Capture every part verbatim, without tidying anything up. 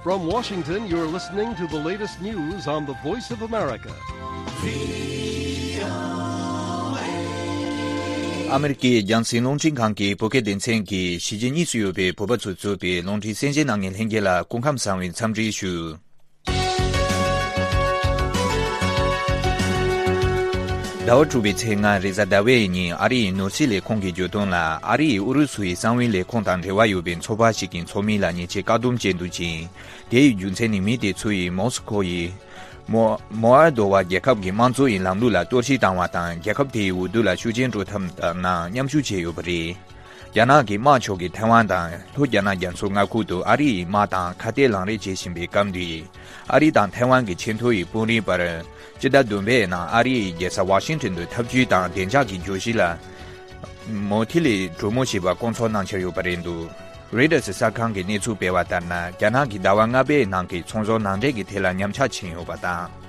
From Washington, you're listening to the latest news on the Voice of America. ཨ་མེ་རི་ཀའི་རྒྱང་སྲིང་རླུང་འཕྲིན་ཁང་གི་བོད་སྐད་སྡེ་ཚན་གྱིས་གཞིས་བྱེས་གཉིས་སུ་ཡོད་པའི་བོད་པ་ཚོས་གཙོས་པའི་རླུང་འཕྲིན་གསན་བཞེས་གནང་མཁན་ལྷན་རྒྱས་ལ་སྐུ་ཁམས་བཟང་བའི་འཚམས་འདྲི་ཞུ། ཟླ་བ་དྲུག་པའི་ཚེས་ལྔ་རེས་གཟའ་ཟླ་བའི་ཉིན་ཨ་རི་ཡི་ནོར་སྲིད་ལས་ཁུངས་ཀྱིས་བརྗོད་དོན་ལ། ཨ་རི་ཡིས་ཨུ་རུ་སུ་ཡི་གསང་བའི་ལས་ཁུངས་དང་འབྲེལ་བ་ཡོད་པའི་ཚོགས་པ་ཞིག་གི་ཚོགས་མི་ལ་ཉེས་ཆད་བཀག་སྡོམ་བྱས་འདུག་ཅིང་། དེ་ཡི་རྒྱུ་མཚན་ནི་མི་དེ་ཚོ་ཡིས་མོ་སི་ཁོ་ཡི་མོ་མོ་ཨལ་དོ་བ་རྒྱལ་ཁབ་ཀྱི་དམངས་གཙོ་ཡི་ལམ་ལུགས་ལ་གཏོར་བཤིག་བཏང་བ་དང་། རྒྱལ་ཁབ་དེའི་འོས་བསྡུ་ལ་ཤུགས་རྐྱེན་སྤྲོད་ཐབས་ནང་མཉམ་ཞུགས་བྱས་ཡོད་པ་རེད། རྒྱ་ནག་གི་དམག་ཕྱོགས་ཀྱིས་ཐའེ་ཝན་དང་ལྷོ་རྒྱ་ནག་རྒྱ་མཚོའི་མངའ་ཁུལ་དུ་ཨ་རི་ཡི་དམག་དང་ཁ་གཏད་ལངས་རེས་བྱེད་བཞིན་པའི་སྐབས་འདིར། ཨ་རི་དང་ཐའེ་ཝན་གྱི་ཆེས་མཐོ་ཡི་དཔོན་རིགས་བར། སྤྱི་ཟླ་བདུན་པའི་ནང་ཨ་རི་ཡི་རྒྱལ་ས་ཝ་ཤིང་ཊོན་དུ་འཐབ་ཇུས་དང་བདེ་འཇགས་ཀྱི་བརྗོད་གཞི་ལ་མུ་མཐུད་ལས་གྲོས་མོལ་བྱེད་པར་བསྐོང་ཚོགས་གནང་འཆར་ཡོད་པ་རེད་འདུག་རོའི་ཊར་གསར་ཁང་གིས་གནས་ཚུལ་སྤེལ་བ་ལྟར་ན། རྒྱ་ནག་གིས་ཟླ་བ་ལྔ་པའི་ནང་གི་ཚོང་ཟོག་ནང་འདྲེན་གྱི་ཐད་ལ་ཉམས་ཆག་ཕྱིན་ཡོད་པ་དང་།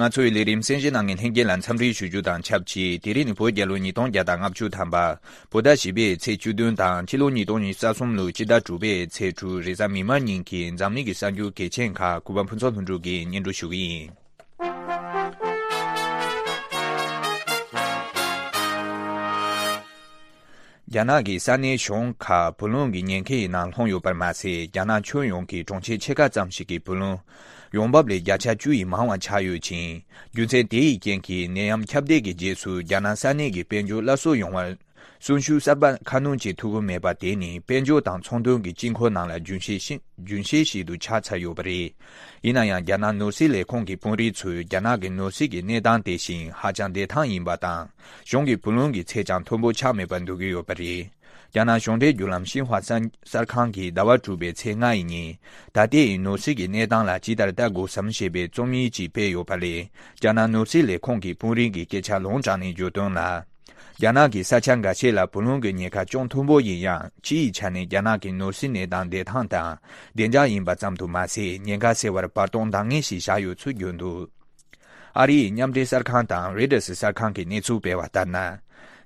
ང་ཚོའི་ལས་རིམ་གསན་བཞེས་གནང་མཁན་ལྷན་རྒྱས་ལ་འཚམས་འདྲི་ཞུ་རྒྱུ་དང་ཆབས་ཅིག་དེ་རིང་ནི་བོད་རྒྱལ་ལོ་ཉིས་སྟོང་བརྒྱ་དང་ལྔ་བཅུ་ཐམ་པ། བོད་ཟླ་བཞི་པའི་ཚེས་བཅུ་བདུན་དང་ཕྱི་ལོ་ཉིས་སྟོང་ཉི་ཤུ་རྩ་གསུམ་ལོའི་སྤྱི་ཟླ་དྲུག་པའི་ཚེས་དྲུག་རེས་གཟའ་མིག་དམར་ཉིན་གྱི་འཛམ་གླིང་གི་གསར་འགྱུར་གལ་ཆེན་ཁག་གུས་པ་ཕུན་ཚོགས་ལྷུན་གྲུབ་ཀྱིས་སྙན་སྒྲོན་ཞུ་གི་ཡིན། རྒྱ་ནག་གི་ས་གནས་གཞུང་ཁག་བུ་ལོན་གྱི་ཉེན་ཁའི་ནང་ལྷུང་ཡོད་པར་མ་ཟད། རྒྱ་ནག་ཁྱོན་ཡོངས་ཀྱི་གྲོང་ཁྱེར་ཕྱེད་ཀ་ཙམ་ཞིག་གི་བུ་ལོན་ཡོང་འབབ་ལས་བརྒྱ་ཆ་བཅུ་ཡིས་མང་བ་ཆགས་ཡོད་ཅིང་། རྒྱུ་མཚན་དེ་ཡི་རྐྱེན་གྱིས་ནད་ཡམས་ཁྱབ་གདལ་གྱི་རྗེས་སུ་རྒྱ་ནག་ས་གནས་ཀྱི་དཔལ་འབྱོར་སླར་གསོ་ཡོང་བར་གསོན་ཤུགས་གསར་པ་ཁ་སྣོན་བྱེད་ཐུབ་ཀྱི་མེད་པ་དེ་ནི་དཔལ་འབྱོར་དང་ཚོང་དོན་གྱི་དཀྱིལ་འཁོར་ནང་ལ་རྒྱུན་ཤེས་ཤིག་རྒྱུན་ཤེས་ཤིག་ཏུ་ཆགས་ཚར་ཡོད་པ་རེད། ཡིན་ན་ཡང་རྒྱ་ནག་ནོར་སྲིད་ལས་ཁུངས་ཀྱི་དཔོན་རིགས་ཚོས་རྒྱ་ནག་གི་ནོར་སྲིད་ཀྱི་གནས་སྟངས་དེ་བཞིན་ཧ་ཅང་བདེ་ཐང་ཡིན་པ་དང་། གཞུང་གི་བུ་ལོན་གྱི་ཚད་ཀྱང་མཐོན་པོ་ཆགས་མེད་པར་འདོད་ཀྱི་ཡོད་པ་རེད། རྒྱ་ནག་གཞུང་འབྲེལ་བརྒྱུད་ལམ་ཤིན་ཧྭ་གསར་གསར་ཁང་གིས་ཟླ་བ་དྲུག་པའི་ཚེས་ལྔ་ཡི་ཉིན། ད་ལྟའི་ནོར་སྲིད་ཀྱི་གནས་སྟངས་ལ་ཇི་ལྟར་ལྟ་དགོས་སམ་ཞེས་པའི་རྩོམ་ཡིག་ཅིག་སྤེལ་ཡོད་པ་ལས། རྒྱ་ནག་ནོར་སྲིད་ལས་ཁུངས་ཀྱི་དཔོན་རིགས་ཀྱི་སྐད་ཆ་ལུང་དྲངས་ནས་བརྗོད་དོན་ལ། རྒྱ་ནག་གི་ས་ཆ་འགའ་ཤས་ལ་བུ་ལོན་གྱི་ཉེན་ཁ་ཅུང་མཐོན་པོ་ཡིན་ཡང་། སྤྱི་ཡི་ཆ་ནས་རྒྱ་ནག་གི་ནོར་སྲིད་གནས་སྟངས་བདེ་ཐང་དང་བདེ་འཇགས་ཡིན་པ་ཙམ་དུ་མ་ཟད། ཉེན་ཁ་སེལ་བར་བར་སྟོང་འདང་ངེས་ཤིག་བཞག་ཡོད་ཚུལ་བརྗོད་འདུག་ཨ་རིའི་མཉམ་འབྲེལ་གསར་ཁང་དང་རོའི་ཊར་གསར་ཁང་གིས་གནས་ཚུལ་སྤེལ་བ་ལྟར་ན།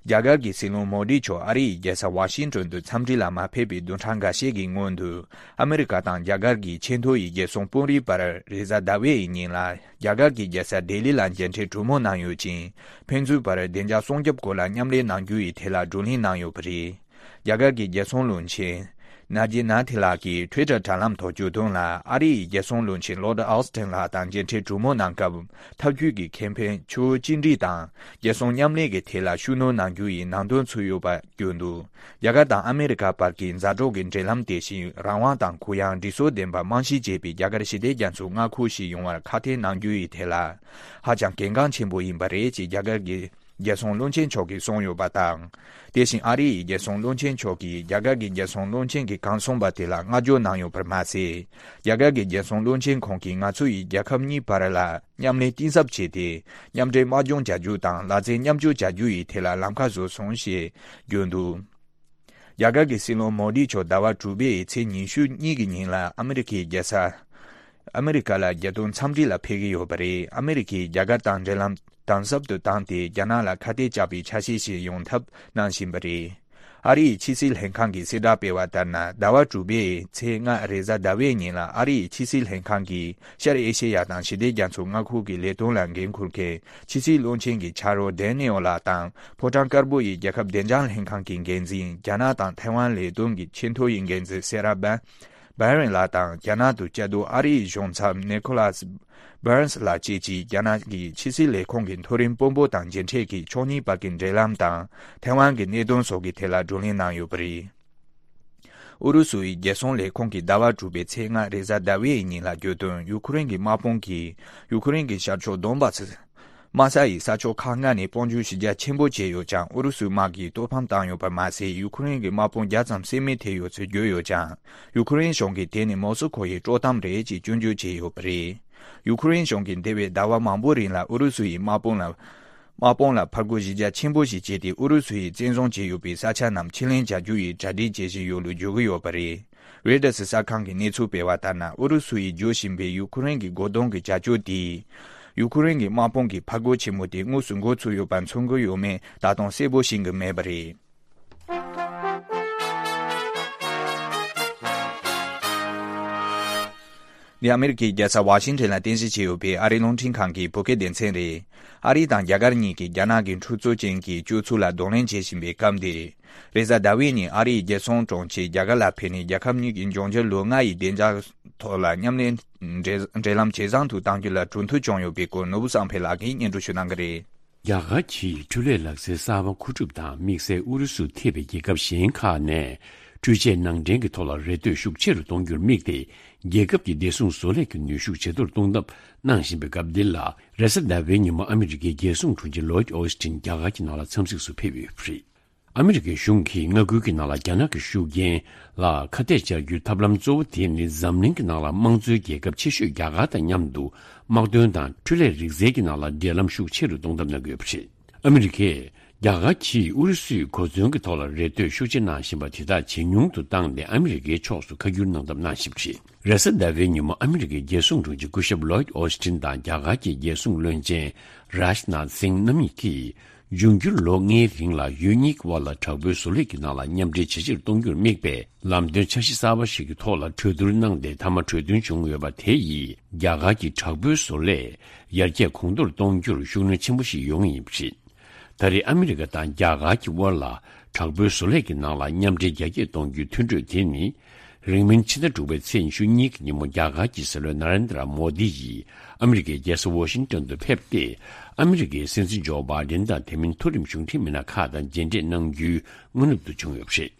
རྒྱ་གར་གྱི་སྲིད་བློན་མོ་དི་མཆོག་ཨ་རི་ཡི་རྒྱལ་ས་ཝ་ཤིང་ཊོན་དུ་འཚམས་འདྲི་ལ་མ་ཕེབས་པའི་བདུན་ཕྲག་འགའ་ཤས་ཀྱི་སྔོན་དུ། ཨ་མེ་རི་ཀ་དང་རྒྱ་གར་གྱི་ཆེས་མཐོ་ཡི་རྒྱལ་སྲུང་དཔོན་རིགས་བར་རེས་གཟའ་ཟླ་བའི་ཉིན་ལ། རྒྱ་གར་གྱི་རྒྱལ་ས་ལྡི་ལི་ལ་མཇལ་འཕྲད་གྲོས་མོལ་གནང་ཡོད་ཅིང་། ཕན་ཚུན་བར་བདེ་འཇགས་སྲུང་སྐྱོབ་སྐོར་ལ་མཉམ་ལས་གནང་རྒྱུ་ཡི་ཐད་ལ་བགྲོ་གླེང་གནང་ཡོད་པ་རེད། རྒྱ་གར་གྱི་རྒྱལ་སྲུང་བློན་ཆེན་ན་ཇི་ན་ཐི་ལགས་ཀྱིས་ཊུའི་ཊར་དྲ་ལམ་ཐོག་བརྗོད་དོན་ལ། ཨ་རི་ཡི་རྒྱལ་སྲུང་བློན་ཆེན་ལོར་ཌི་ཨོ་སི་ཊིན་ལགས་དང་མཇལ་འཕྲད་གྲོས་མོལ་གནང་སྐབས། འཐབ་ཇུས་ཀྱི་ཁེ་ཕན། ཆུ་བོ་གཅིག་སྒྲིལ་དང་རྒྱལ་སྲུང་མཉམ་ལས་ཀྱི་ཐད་ལ་ཤུགས་སྣོན་གནང་རྒྱུ་ཡི་ནང་དོན་ཚུད་ཡོད་པ་བརྗོད་འདུག་རྒྱ་གར་དང་ཨ་མེ་རི་ཀ་བར་གྱི་མཛའ་གྲོགས་ཀྱི་འབྲེལ་ལམ་དེ་བཞིན་རང་དབང་དང་གུ་ཡངས་སྒྲིག་སྲོལ་ལྡན་པ་རྨང་གཞི་བྱས་པའི་རྒྱ་གར་ཞི་བདེ་རྒྱ་མཚོའི་མངའ་ཁུལ་ཞིག་ཡོང་བར་ཁག་ཐེག་གནང་རྒྱུ་ཡི་ཐད་ལ་ཧ་ཅང་གལ་འགངས་ཆེན་པོ་ཡིན་པ་རེད་ཅེས་རྒྱ་གར་གྱི་རྒྱལ་སྲུང་བློན་ཆེན་མཆོག་གིས་གསུངས་ཡོད་པ་དང་། དེ་བཞིན་ཨ་རི་ཡི་རྒྱལ་སྲུང་བློན་ཆེན་མཆོག་གིས་རྒྱ་གར་གྱི་རྒྱལ་སྲུང་བློན་ཆེན་གྱིས་གང་གསུངས་པ་དེ་ལ་བསྔགས་བརྗོད་གནང་ཡོད་པར་མ་ཟད། རྒྱ་གར་གྱི་རྒྱལ་སྲུང་བློན་ཆེན་ཁོང་གིས་ང་ཚོ་ཡིས་རྒྱལ་ཁབ་གཉིས་བར་ལ་མཉམ་ལས་གཏིང་ཟབ་བྱས་ཏེ། མཉམ་འབྲེལ་དམག་སྦྱོང་བྱ་རྒྱུ་དང་ལག་རྩལ་མཉམ་སྤྱོད་བྱ་རྒྱུ་ཡི་ཐད་ལ་ལམ་ཁ་བཟོས་སོང་ཞེས་བརྗོད་འདུག་རྒྱ་གར་གྱི་སྲིད་བློན་མོ་དི་མཆོག་ཟླ་བ་དྲུག་པའི་ཚེས་ཉི་ཤུ་གཉིས་ཀྱི་ཉིན་ལ་ཨ་མེ་རི་ཁའི་རྒྱལ་ས་ཨ་མེ་རི་ཀ་ལ་རྒྱལ་དོན་འཚམས་འདྲི་ལ་ཕེབས་ཀྱི་ཡོད་པ་རེད། ཨ་མེ་རི་ཁས་རྒྱ་གར་དང་འབྲེལ་ལམ་དམ་ཟབ་ཏུ་བཏང་སྟེ། རྒྱ་ནག་ལ་ཁ་གཏད་བཅག་པའི་ཆ་ཤས་ཤིག་ཡོང་ཐབས་གནང་བཞིན་པ་རེད། ཨ་རིའི་ཕྱི་སྲིད་ལྷན་ཁང་གིས་གསལ་བསྒྲགས་སྤེལ་བ་ལྟར་ན། ཟླ་བ་དྲུག་པའི་ཚེས་ལྔ་རེས་གཟའ་ཟླ་བའི་ཉིན་ལ། ཨ་རིའི་ཕྱི་སྲིད་ལྷན་ཁང་གི་ཤར་ཨེ་ཤེ་ཡ་དང་ཞི་བདེ་རྒྱ་མཚོ་མངའ་ཁུལ་གྱི་ལས་དོན་ལ་འགན་འཁུར་མཁན་ཕྱི་སྲིད་བློན་ཆེན་གྱི་ཕྱག་རོགས་ཌེ་ནེའོ་ལགས་དང་། ཕོ་བྲང་དཀར་པོ་ཡི་རྒྱལ་ཁབ་བདེ་འཇགས་ལྷན་ཁང་གི་འགན་འཛིན། རྒྱ་ནག་དང་ཐའེ་ཝན་ལས་དོན་གྱི་ཆེས་མཐོ་ཡི་འགན་འཛིན་སེ་ར་བན་བྷ་རན་ལགས་དང་། རྒྱ་ནག་ཏུ་བཅའ་སྡོད་ཨ་རིའི་གཞུང་ཚབ་ནི་ཁོ་ལཱས་བྷརནས་ལགས་བཅས་ཀྱིས་རྒྱ་ནག་གི་ཕྱི་སྲིད་ལས་ཁུངས་ཀྱི་མཐོ་རིམ་དཔོན་པོ་དང་མཇལ་འཕྲད་ཀྱིས་ཕྱོགས་གཉིས་བར་གྱི་འབྲེལ་ལམ་དང་ཐའེ་ཝན་གྱི་གནད་དོན་སོགས་ཀྱི་ཐད་ལ་བགྲོ་གླེང་གནང་ཡོད་པ་རེད། ཨུ་རུ་སུ་ཡི་རྒྱལ་སྲུང་ལས་ཁུངས་ཀྱིས་ཟླ་བ་དྲུག་པའི་ཚེས་ལྔ་རེས་གཟའ་ཟླ་བའི་ཉིན་ལ་བརྗོད་དོན། ཡུ་ཁུ་རེན་གྱི་དམག་དཔུང་གིས་ཡུ་ཁུ་རེན་གྱི་ཤར་ཕྱོགས་དོན་བྷ་སི་དམག་ས་ཡི་ས་ཕྱོགས་ཁག་ལྔ་ནས་དཔུང་འཇུག་གཞི་རྒྱ་ཆེན་པོ་བྱས་ཡོད་ཀྱང་། ཨུ་རུ་སུའི་དམག་གིས་གཏོར་ཕམ་བཏང་ཡོད་པ་མ་ཟད། ཡུ་ཁུ་རེན་གྱི་དམག་དཔུང་བརྒྱ་ཙམ་བསད་རྨས་ཐེབས་ཡོད་ཚུལ་བརྗོད་ཡོད་ཀྱང་། ཡུ་ཁུ་རེན་གཞུང་གིས་དེ་ནི་མོ་སི་ཁོ་ཡི་དཀྲོག་གཏམ་རེད་ཅེས་སྐྱོན་བརྗོད་བྱས་ཡོད་པ་རེད། ཡུ་ཁུ་རེན་གཞུང་གིས་འདས་པའི་ཟླ་བ་མང་པོའི་རིང་ལ་ཨུ་རུ་སུ་ཡི་དམག་དཔུང་ལ་དམག་དཔུང་ལ་ཕར་རྒོལ་གཞི་རྒྱ་ཆེན་པོ་ཞིག་བྱས་ཏེ། ཨུ་རུ་སུ་ཡིས་བཙན་བཟུང་བྱས་ཡོད་པའི་ས་ཆ་རྣམས་ཕྱིར་ལེན་བྱ་རྒྱུ་ཡི་གྲ་སྒྲིག་བྱེད་བཞིན་ཡོད་ལུགས་བརྗོད་ཀྱི་ཡོད་པ་རེད། རོའི་ཊར་སི་གསར་ཁང་གིས་གནས་ཚུལ་སྤེལ་བ་ལྟར་ན། ཨུ་རུ་སུ་ཡིས་རྒྱག་བཞིན་པའི་ཡུ་ཁུ་རེན་གྱི་སྒོ་རྡུང་གི་བྱ་སྤྱོད་དེས། ཡུ་ཁུ་རེན་གྱི་དམག་དཔུང་གི་འཕར་རྒོལ་ཆེན་མོ་དེ་དངོས་སུ་འགོ་ཚུགས་ཡོད་པ་མཚོན་གྱི་ཡོད་མེད་ད་དུང་གསལ་པོ་ཤེས་ཀྱི་མེད་པ་རེད། འདི་ཨ་མི་རི་ཀའི་རྒྱལ་ས་ཝ་ཤིང་ཊོན་ལ་རྟེན་གཞི་བྱས་ཡོད་པའི་ཨ་རིའི་རླུང་འཕྲིན་ཁང་གི་བོད་སྐད་སྡེ་ཚན་རེད། ཨ་རི་དང་རྒྱ་གར་གཉིས་ཀྱིས་རྒྱ་ནག་གི་འཁྲུག་རྩོད་ཅན་གྱི་སྤྱོད་ཚུལ་ལ་གདོང་ལེན་བྱེད་བཞིན་པའི་སྐབས་འདིར། རེས་གཟའ་ཟླ་བའི་ཉིན་ཨ་རིའི་རྒྱལ་སྲུང་དྲུང་ཆེས་རྒྱ་གར་ལ་ཕེབས་ནས། རྒྱལ་ཁབ་གཉིས་ཀྱི་འབྱུང་འགྱུར་ལོ་ལྔ་ཡི་བདེ་འཇགས་ཐོག་ལ་མཉམ་ལས་འབྲེལ་འབྲེལ་ལམ་ཇེ་བཟང་དུ་གཏང་རྒྱུ་ལ་གྲོས་མཐུན་བྱུང་ཡོད་པའི་སྐོར། ནོར་བུ་བསམ་འཕེལ་ལགས་ཀྱིས་སྙན་སྒྲོན་ཞུ་གནང་གི་རེད། རྒྱ་གར་གྱིས་འཕྲུལ་ལས་ལག་རྩལ་གསར་པ་མཁོ་སྒྲུབ་དང་དམིགས་བསལ་ཨུ་རུ་སུ་ཐེ་བའི་རྒྱལ་ཁབ་གཞན་ཁག་ནས་འཕྲུལ་ཆས་ནང་འདྲེན་གྱི་ཐོག་ལ་རེ་ལྟོས་ཤུགས་ཆེ་རུ་གཏོང་རྒྱུར་དམིགས་ཏེ། རྒྱལ་ཁབ་ཀྱི་བདེ་སྲུང་བཟོ་ལས་ཀྱི་ནུས་ཤུགས་ཇེ་མཐོར་གཏོང་ཐབས་གནང་བཞིན་པའི་སྐབས་འདི་ལ། རེས་གཟའ་ཟླ་བའི་ཉིན་མོ་ཨ་མི་རི་ཀའི་རྒྱལ་སྲུང་དྲུང་ཆེ་ལོའིད་ཨོ་སི་ཊིན་རྒྱ་གར་གྱི་ནང་ལ་འཚམས་གཟིགས་སུ་ཕེབས་ཡོད་པ་རེད། ཨ་མི་རི་ཀའི་གཞུང་གིས་མངའ་ཁུལ་གྱི་ནང་ལ་རྒྱ་ནག་གི་ཤུགས་རྐྱེན་ལ་ཁ་གཏད་བཅར་རྒྱུའི་ཐབས་ལམ་གཙོ་བོ་དེ་ནི། འཛམ་གླིང་གི་ནང་ལ་དམངས་གཙོའི་རྒྱལ་ཁབ་ཆེ་ཤོས་རྒྱ་གར་དང་མཉམ་དུ་དམག་དོན་དང་འཕྲུལ་ལས་རིག་རྩལ་གྱི་ནང་ལ་འབྲེལ་ལམ་ཤུགས་ཆེ་རུ་གཏོང་ཐབས་གནང་གི་ཡོད་པ་རེད། ཨ་མི་རི་ཀས་རྒྱ་གར་གྱིས་ཨུ་རུ་སུའི་གོ་མཚོན་གྱི་ཐོག་ལ་རེ་ལྟོས་ཤུགས་ཆེ་གནང་བཞིན་པ་དེ་དག་ཇེ་ཉུང་དུ་བཏང་སྟེ། ཨ་མི་རི་ཀའི་ཕྱོགས་སུ་ཁ་བསྒྱུར་གནང་ཐབས་གནང་བཞིན་པ་རེད། རེས་གཟའ་ཟླ་བའི་ཉིན་མོ་ཨ་མི་རི་ཀའི་རྒྱལ་སྲུང་དྲུང་ཆེ་སྐུ་ཞབས་ལོའིད་ཨོ་སི་ཊིན་དང་རྒྱ་གར་གྱི་རྒྱལ་སྲུང་བློན་ཆེན་རཱཇ་ནཱཐ་སིང་རྣམ་གཉིས་ཀྱིས། འབྱུང་འགྱུར་ལོ་ལྔའི་རིང་ལ་ཡུལ་གཉིས་ཀྱི་དབར་ལ་དྲག་པོའི་བཟོ་ལས་ཀྱི་ནང་ལ་མཉམ་འབྲེལ་ཇེ་ཆེར་གཏོང་རྒྱུར་དམིགས་པའི་ལམ་སྟོན་འཆར་གཞི་གསར་པ་ཞིག་གི་ཐོག་ལ་གྲོས་བསྡུར་གནང་སྟེ། མཐའ་མ་གྲོས་མཐུན་བྱུང་ཡོད་པ་དེ་ཡིས་རྒྱ་གར་གྱི་དྲག་པོའི་བཟོ་ལས་ཡར་རྒྱས་གོང་མཐོར་གཏོང་རྒྱུར་ཤུགས་སྣོན་ཆེན་པོ་ཞིག་ཡོང་ངེས་ཡིན་པ་རེད། ད་རེས་ཨ་མི་རི་ཀ་དང་རྒྱ་གར་གྱི་དབར་ལ་དྲག་པོའི་བཟོ་ལས་ཀྱི་ནང་ལ་མཉམ་འབྲེལ་རྒྱ་སྐྱེད་གཏོང་རྒྱུའི་མཐུན་གྲོས་དེ་ནི། རིང་མིན་ཕྱི་ཟླ་དྲུག་པའི་ཚེས་ཉི་ཤུ་གཉིས་ཀྱི་ཉིན་མོ་རྒྱ་གར་གྱི་སྲིད་བློན་ན་རེན་དྲ་མོ་དི་ཡིས་ཨ་མི་རི་ཀའི་རྒྱལ་ས་ཝོ་ཤིང་ཏོན་དུ་ཕེབས་ཏེ། ཨ་མི་རི་ཀའི་སྲིད་འཛིན་ཇོ་བྷའི་ཌེན་དང་དེ་མིན་མཐོ་རིམ་གཞུང་འབྲེལ་མི་སྣ་ཁག་དང་མཇལ་འཕྲད་གནང་རྒྱུའི་སྔ་ནུབ་ཏུ་བྱུང་ཡོད་པ་རེད།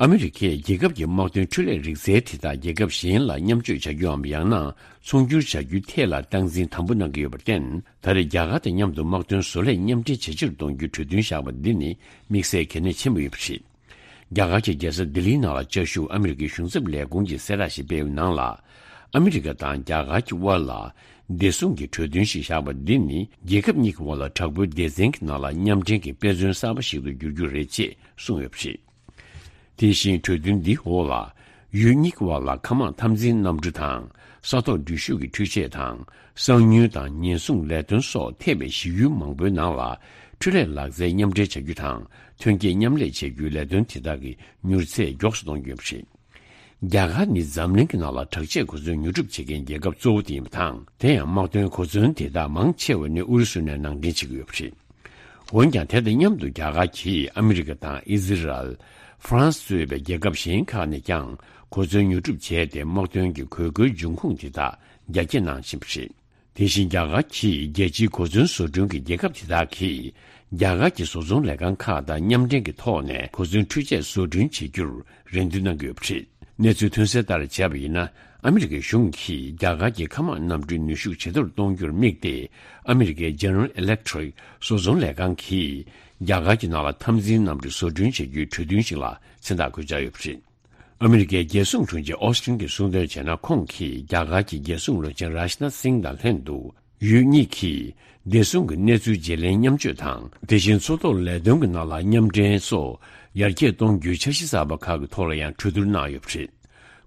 ཨ་མི་རི་ཀས་རྒྱལ་ཁབ་ཀྱི་དམག་དོན་འཕྲུལ་ལས་རིག་རྩལ་དེ་དག་རྒྱལ་ཁབ་གཞན་ལ་མཉམ་སྤྱོད་བྱ་རྒྱུའམ། ཡང་ན་ཚོང་སྒྱུར་བྱ་རྒྱུའི་ཐད་ལ་སྟངས་འཛིན་དམ་པོ་གནང་གི་ཡོད་པར་བརྟེན། ད་རེས་རྒྱ་གར་དང་མཉམ་དུ་དམག་དོན་བཟོ་ལས་མཉམ་འབྲེལ་ཇེ་ཆེར་གཏོང་རྒྱུའི་གྲོས་མཐུན་བཞག་པ་འདི་ནི་དམིགས་བསལ་གལ་གནད་ཆེན་པོ་ཡོད་པ་རེད། རྒྱ་གར་གྱི་རྒྱལ་ས་ལྡི་ལིའི་ནང་ལ་བཅའ་བཞུགས་ཨ་མི་རི་ཀའི་གཞུང་ཚབ་ལས་ཁུངས་ཀྱིས་གསལ་བསྒྲགས་ཤིག་སྤེལ་བའི་ནང་ལ། ཨ་མི་རི་ཀ་དང་རྒྱ་གར་གྱི་དབར་ལ་བདེ་སྲུང་གི་གྲོས་མཐུན་ཞིག་བཞག་པ་འདི་ནི། རྒྱལ་ཁབ་གཉིས་ཀྱི་དབར་ལ་དྲག་པོའི་སྡེ་ཚན་གྱི་ནང་ལ་མཉམ་འབྲེལ་གྱི་དཔེ་མཚོན་གསར་པ་ཞིག་ཏུ་འགྱུར་རྒྱུ་རེད་ཅེས་གསུངས་ཡོད་པ་རེད། དེ་བཞིན་གྲོས་མཐུན་འདིའི་འོག་ལ། ཡུལ་གཉིས་ཀྱི་དབར་ལ་མཁའ་དམག་འཐབ་འཛིང་གནམ་གྲུ་དང་། ས་ཐོག་འགྲུལ་བཞུད་ཀྱི་འཕྲུལ་ཆས་དང་། གསང་མྱུལ་དང་ཉེན་སྲུང་ལས་དོན་སོགས་ཐེ་བའི་གཞི་ཡུལ་མང་པོའི་ནང་ལ། འཕྲུལ་ལས་ལག་རྩལ་མཉམ་འབྲེལ་བྱ་རྒྱུ་དང་། ཐོན་སྐྱེད་མཉམ་ལས་བྱེད་རྒྱུའི་ལས་དོན་དེ་དག་གི་མྱུར་ཚད་མགྱོགས་སུ་གཏོང་རྒྱུ་ཡིན་པ་རེད། རྒྱ་གར་ནི་འཛམ་གླིང་གི་ནང་ལ་དྲག་ཆས་གོ་མཚོན་ཉོ་སྒྲུབ་བྱེད་མཁན་རྒྱལ་ཁབ་གཙོ་བོ་དེ་ཡིན་པ་དང་། དེ་ཡང་དམག་དོན་གོ་མཚོན་དེ་དག་མང་ཆེ་བ་ནི་ཨུ་རུ་སུ་ནས་ནང་འདྲེན་བྱེད་ཀྱི་ཡོད་པ་རེད། འོན་ཀྱང་། དེ་དང་མཉམ་དུ་རྒྱ་གར་གྱིས་ཨ་མི་རི་ཀ་དང་ཨི་ཟི་རལ། ཧྥ་རན་སི་གཙོས་པའི་རྒྱལ་ཁབ་གཞན་ཁག་ནས་ཀྱང་གོ་མཚོན་ཉོ་སྒྲུབ་བྱས་ཏེ། དམག་དོན་གྱི་དགོས་མཁོའི་འབྱུང་ཁུངས་དེ་དག་རྒྱ་སྐྱེད་གནང་བཞིན་པ་རེད། དེ་བཞིན་རྒྱ་གར་གྱིས་རྒྱལ་སྤྱིའི་གོ་མཚོན་བཟོ་སྐྲུན་གྱི་རྒྱལ་ཁབ་དེ་དག་གིས་རྒྱ་གར་གྱི་བཟོ་ཚོང་ལས་ཁང་ཁག་དང་མཉམ་འབྲེལ་གྱི་ཐོག་ནས་གོ་མཚོན་འཕྲུལ་ཆས་བཟོ་སྐྲུན་བྱེད་རྒྱུར་རེ་འདུན་གནང་གི་ཡོད་པ་རེད། གནས་ཚུལ་ཐོན་གསལ་ལྟར་བྱས་པ་ཡིན་ན། ཨ་མི་རི་ཀའི་གཞུང་གིས་རྒྱ་གར་གྱི་མཁའ་དམག་གནམ་གྲུའི་ནུས་ཤུགས་ཇེ་མཐོར་གཏོང་རྒྱུར་དམིགས་ཏེ། ཨ་མི་རི་ཀའི་General Electric་བཟོ་ཚོང་ལས་ཁང་གིས་རྒྱ་གར་གྱི་ནང་ལ་འཐབ་འཛིང་གནམ་གྲུ་བཟོ་སྐྲུན་བྱེད་རྒྱུའི་གྲོས་མཐུན་ཞིག་ལ་མཚན་རྟགས་བཀོད་འཆར་ཡོད་པ་རེད། ཨ་མི་རི་ཀའི་རྒྱལ་སྲུང་དྲུང་ཆེ་ཨོ་སི་ཊིན་གྱིས་གསུངས་དོན་བྱས་ན། ཁོང་གིས་རྒྱ་གར་གྱི་རྒྱལ་སྲུང་བློན་ཆེན་རཱཇ་ནཱཐ་སིང་དང་ལྷན་དུ། ཡུལ་གཉིས་ཀྱིས་བདེ་སྲུང་གི་གནས་ཚུལ་བརྗེ་ལེན་མཉམ་སྤྱོད་དང་། དེ་བཞིན་མཚོ་ཐོག་ལས་དོན་གྱི་ནང་ལ་མཉམ་འབྲེལ་སོགས་ཡར་རྒྱས་གཏོང་རྒྱུའི་འཆར་གཞི་གསར་པ་ཁག་གི་ཐོག་ལ་ཡང་གྲོས་བསྡུར་གནང་ཡོད་པ་རེད།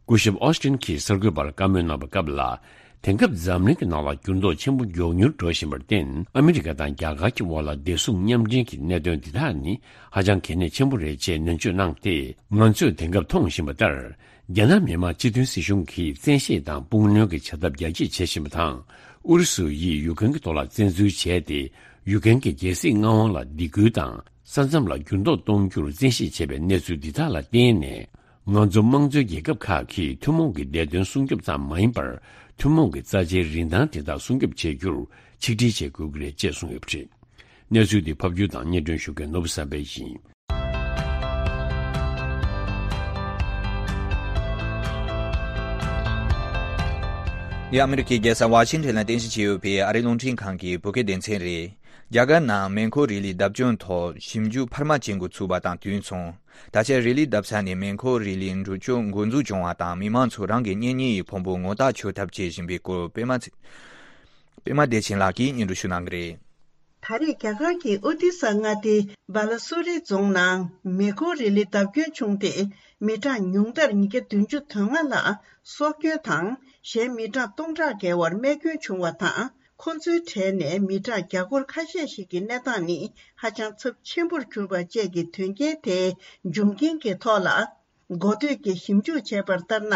སྐུ་ཞབས་ཨོ་སི་ཊིན་གྱིས་གསར་འགོད་པར་བཀའ་མོལ་གནང་བའི་སྐབས་ལ། དེང་སྐབས་འཛམ་གླིང་གི་ནང་ལ་འགྱུར་ལྡོག་ཆེན་པོ་མགྱོགས་མྱུར་འགྲོ་བཞིན་པར་བརྟེན། ཨ་མི་རི་ཀ་དང་རྒྱ་གར་གྱི་དབར་ལ་བདེ་སྲུང་མཉམ་འབྲེལ་གྱི་གནད་དོན་འདི་དག་ནི་ཧ་ཅང་གལ་གནད་ཆེན་པོ་རེད་ཅེས་ནན་བརྗོད་གནང་སྟེ། ང་ཚོས་དེང་སྐབས་མཐོང་བཞིན་པ་ལྟར། རྒྱ་ནག་མི་དམངས་སྤྱི་མཐུན་སྲིད་གཞུང་གིས་བཙན་ཤེད་དང་དཔུང་གནོན་གྱི་བྱ་ཐབས་རྒྱ་སྐྱེད་བྱེད་བཞིན་པ་དང་། ཨུ་རུ་སུ་ཡིས་ཡུཀ་རེན་གྱི་ཐོག་ལ་བཙན་འཛུལ་བྱས་ཏེ། ཡུཀ་རེན་གྱི་རྒྱལ་སྲིད་མངའ་དབང་ལ་སྡིགས་སྐུལ་དང་། ས་མཚམས་ལ་འགྱུར་ལྡོག་གཏོང་རྒྱུར་བཙན་ཤེད་བྱེད་པའི་གནས་ཚུལ་འདི་དག་ལ་བརྟེན་ནས། ང་ཚོ་དམངས་གཙོའི་རྒྱལ་ཁབ་ཁག་གིས་ཐུན་མོང་གི་བདེ་དོན་སྲུང་སྐྱོབ་ཙམ་མ་ཡིན་པར། ཐུན་མོང་གི་རྩ་ཆེའི་རིན་ཐང་དེ་དག་སྲུང་སྐྱོབ་བྱེད་རྒྱུར་ཆིག་སྒྲིལ་བྱེད་དགོས་ཀྱི་རེད་ཅེས་གསུངས་ཡོད་པ་རེད། གནས་ཚུལ་འདི་ཕབ་སྒྱུར་དང་སྙན་སྒྲོན་ཞུ་མཁན་ནོར་བུ་བསམ་འཕེལ་ཡིན། འདི་ཨ་མི་རི་ཀའི་རྒྱལ་ས་ཝ་ཤིང་ཊོན་ལ་རྟེན་གཞི་བྱས་ཡོད་པའི་ཨ་རིའི་རླུང་འཕྲིན་ཁང་གི་བོད་སྐད་སྡེ་ཚན་རེད། རྒྱ་གར་ནང་མེ་འཁོར་རི་ལི་བརྡབ་སྐྱོན་ཐོག་ཞིབ་འཇུག་འཕར་མ་ཅན་འགོ་ཚུགས་པ་དང་དུས་མཚུངས། ད་ཆ་རི་ལི་བརྡབ་ས་ནས་མེ་འཁོར་རི་ལིའི་འགྲུལ་སྐྱོད་འགོ་འཛུགས་བྱུང་བ་དང་། མི་མང་ཚོས་རང་གི་གཉེན་ཉེ་ཡི་ཕུང་པོ་ངོ་རྟགས་ཆོད་ཐབས་བྱེད་བཞིན་པའི་སྐོར། པད་མ་ཚེ་པད་མ་བདེ་ཆེན་ལགས་ཀྱིས་སྙན་སྒྲོན་ཞུ་གནང་གི་རེད། ད་རེས་རྒྱ་གར་གྱི་ཨོ་ཏི་ས་མངའ་སྡེའི་སྦ་ལ་སུ་རི་རྫོང་ནང་མེ་འཁོར་རི་ལི་བརྡབ་སྐྱོན་བྱུང་སྟེ། མི་གྲངས་ཉུང་མཐར་ཉིས་བརྒྱ་བདུན་ཅུ་དོན་ལྔ་ལ་སྲོག་སྐྱོན་དང་། གཞན་མི་གྲངས་སྟོང་ཕྲག་བརྒལ་བར་རྨས་སྐྱོན་བྱུང་བ་དང་། ཁོ་ཚོའི་གྲས་ནས་མི་གྲངས་བརྒྱ་སྐོར་ཁ་ཤས་ཤིག་གི་གནས་སྟངས་ནི་ཧ་ཅང་ཚབས་ཆེན་པོར་གྱུར་པ་བཅས་ཀྱི་དོན་རྐྱེན་དེའི་འབྱུང་རྐྱེན་གྱི་ཐོག་ལ། འགོ་སྟོད་ཀྱིས་ཞིབ་འཇུག་བྱས་པར་ལྟར་ན།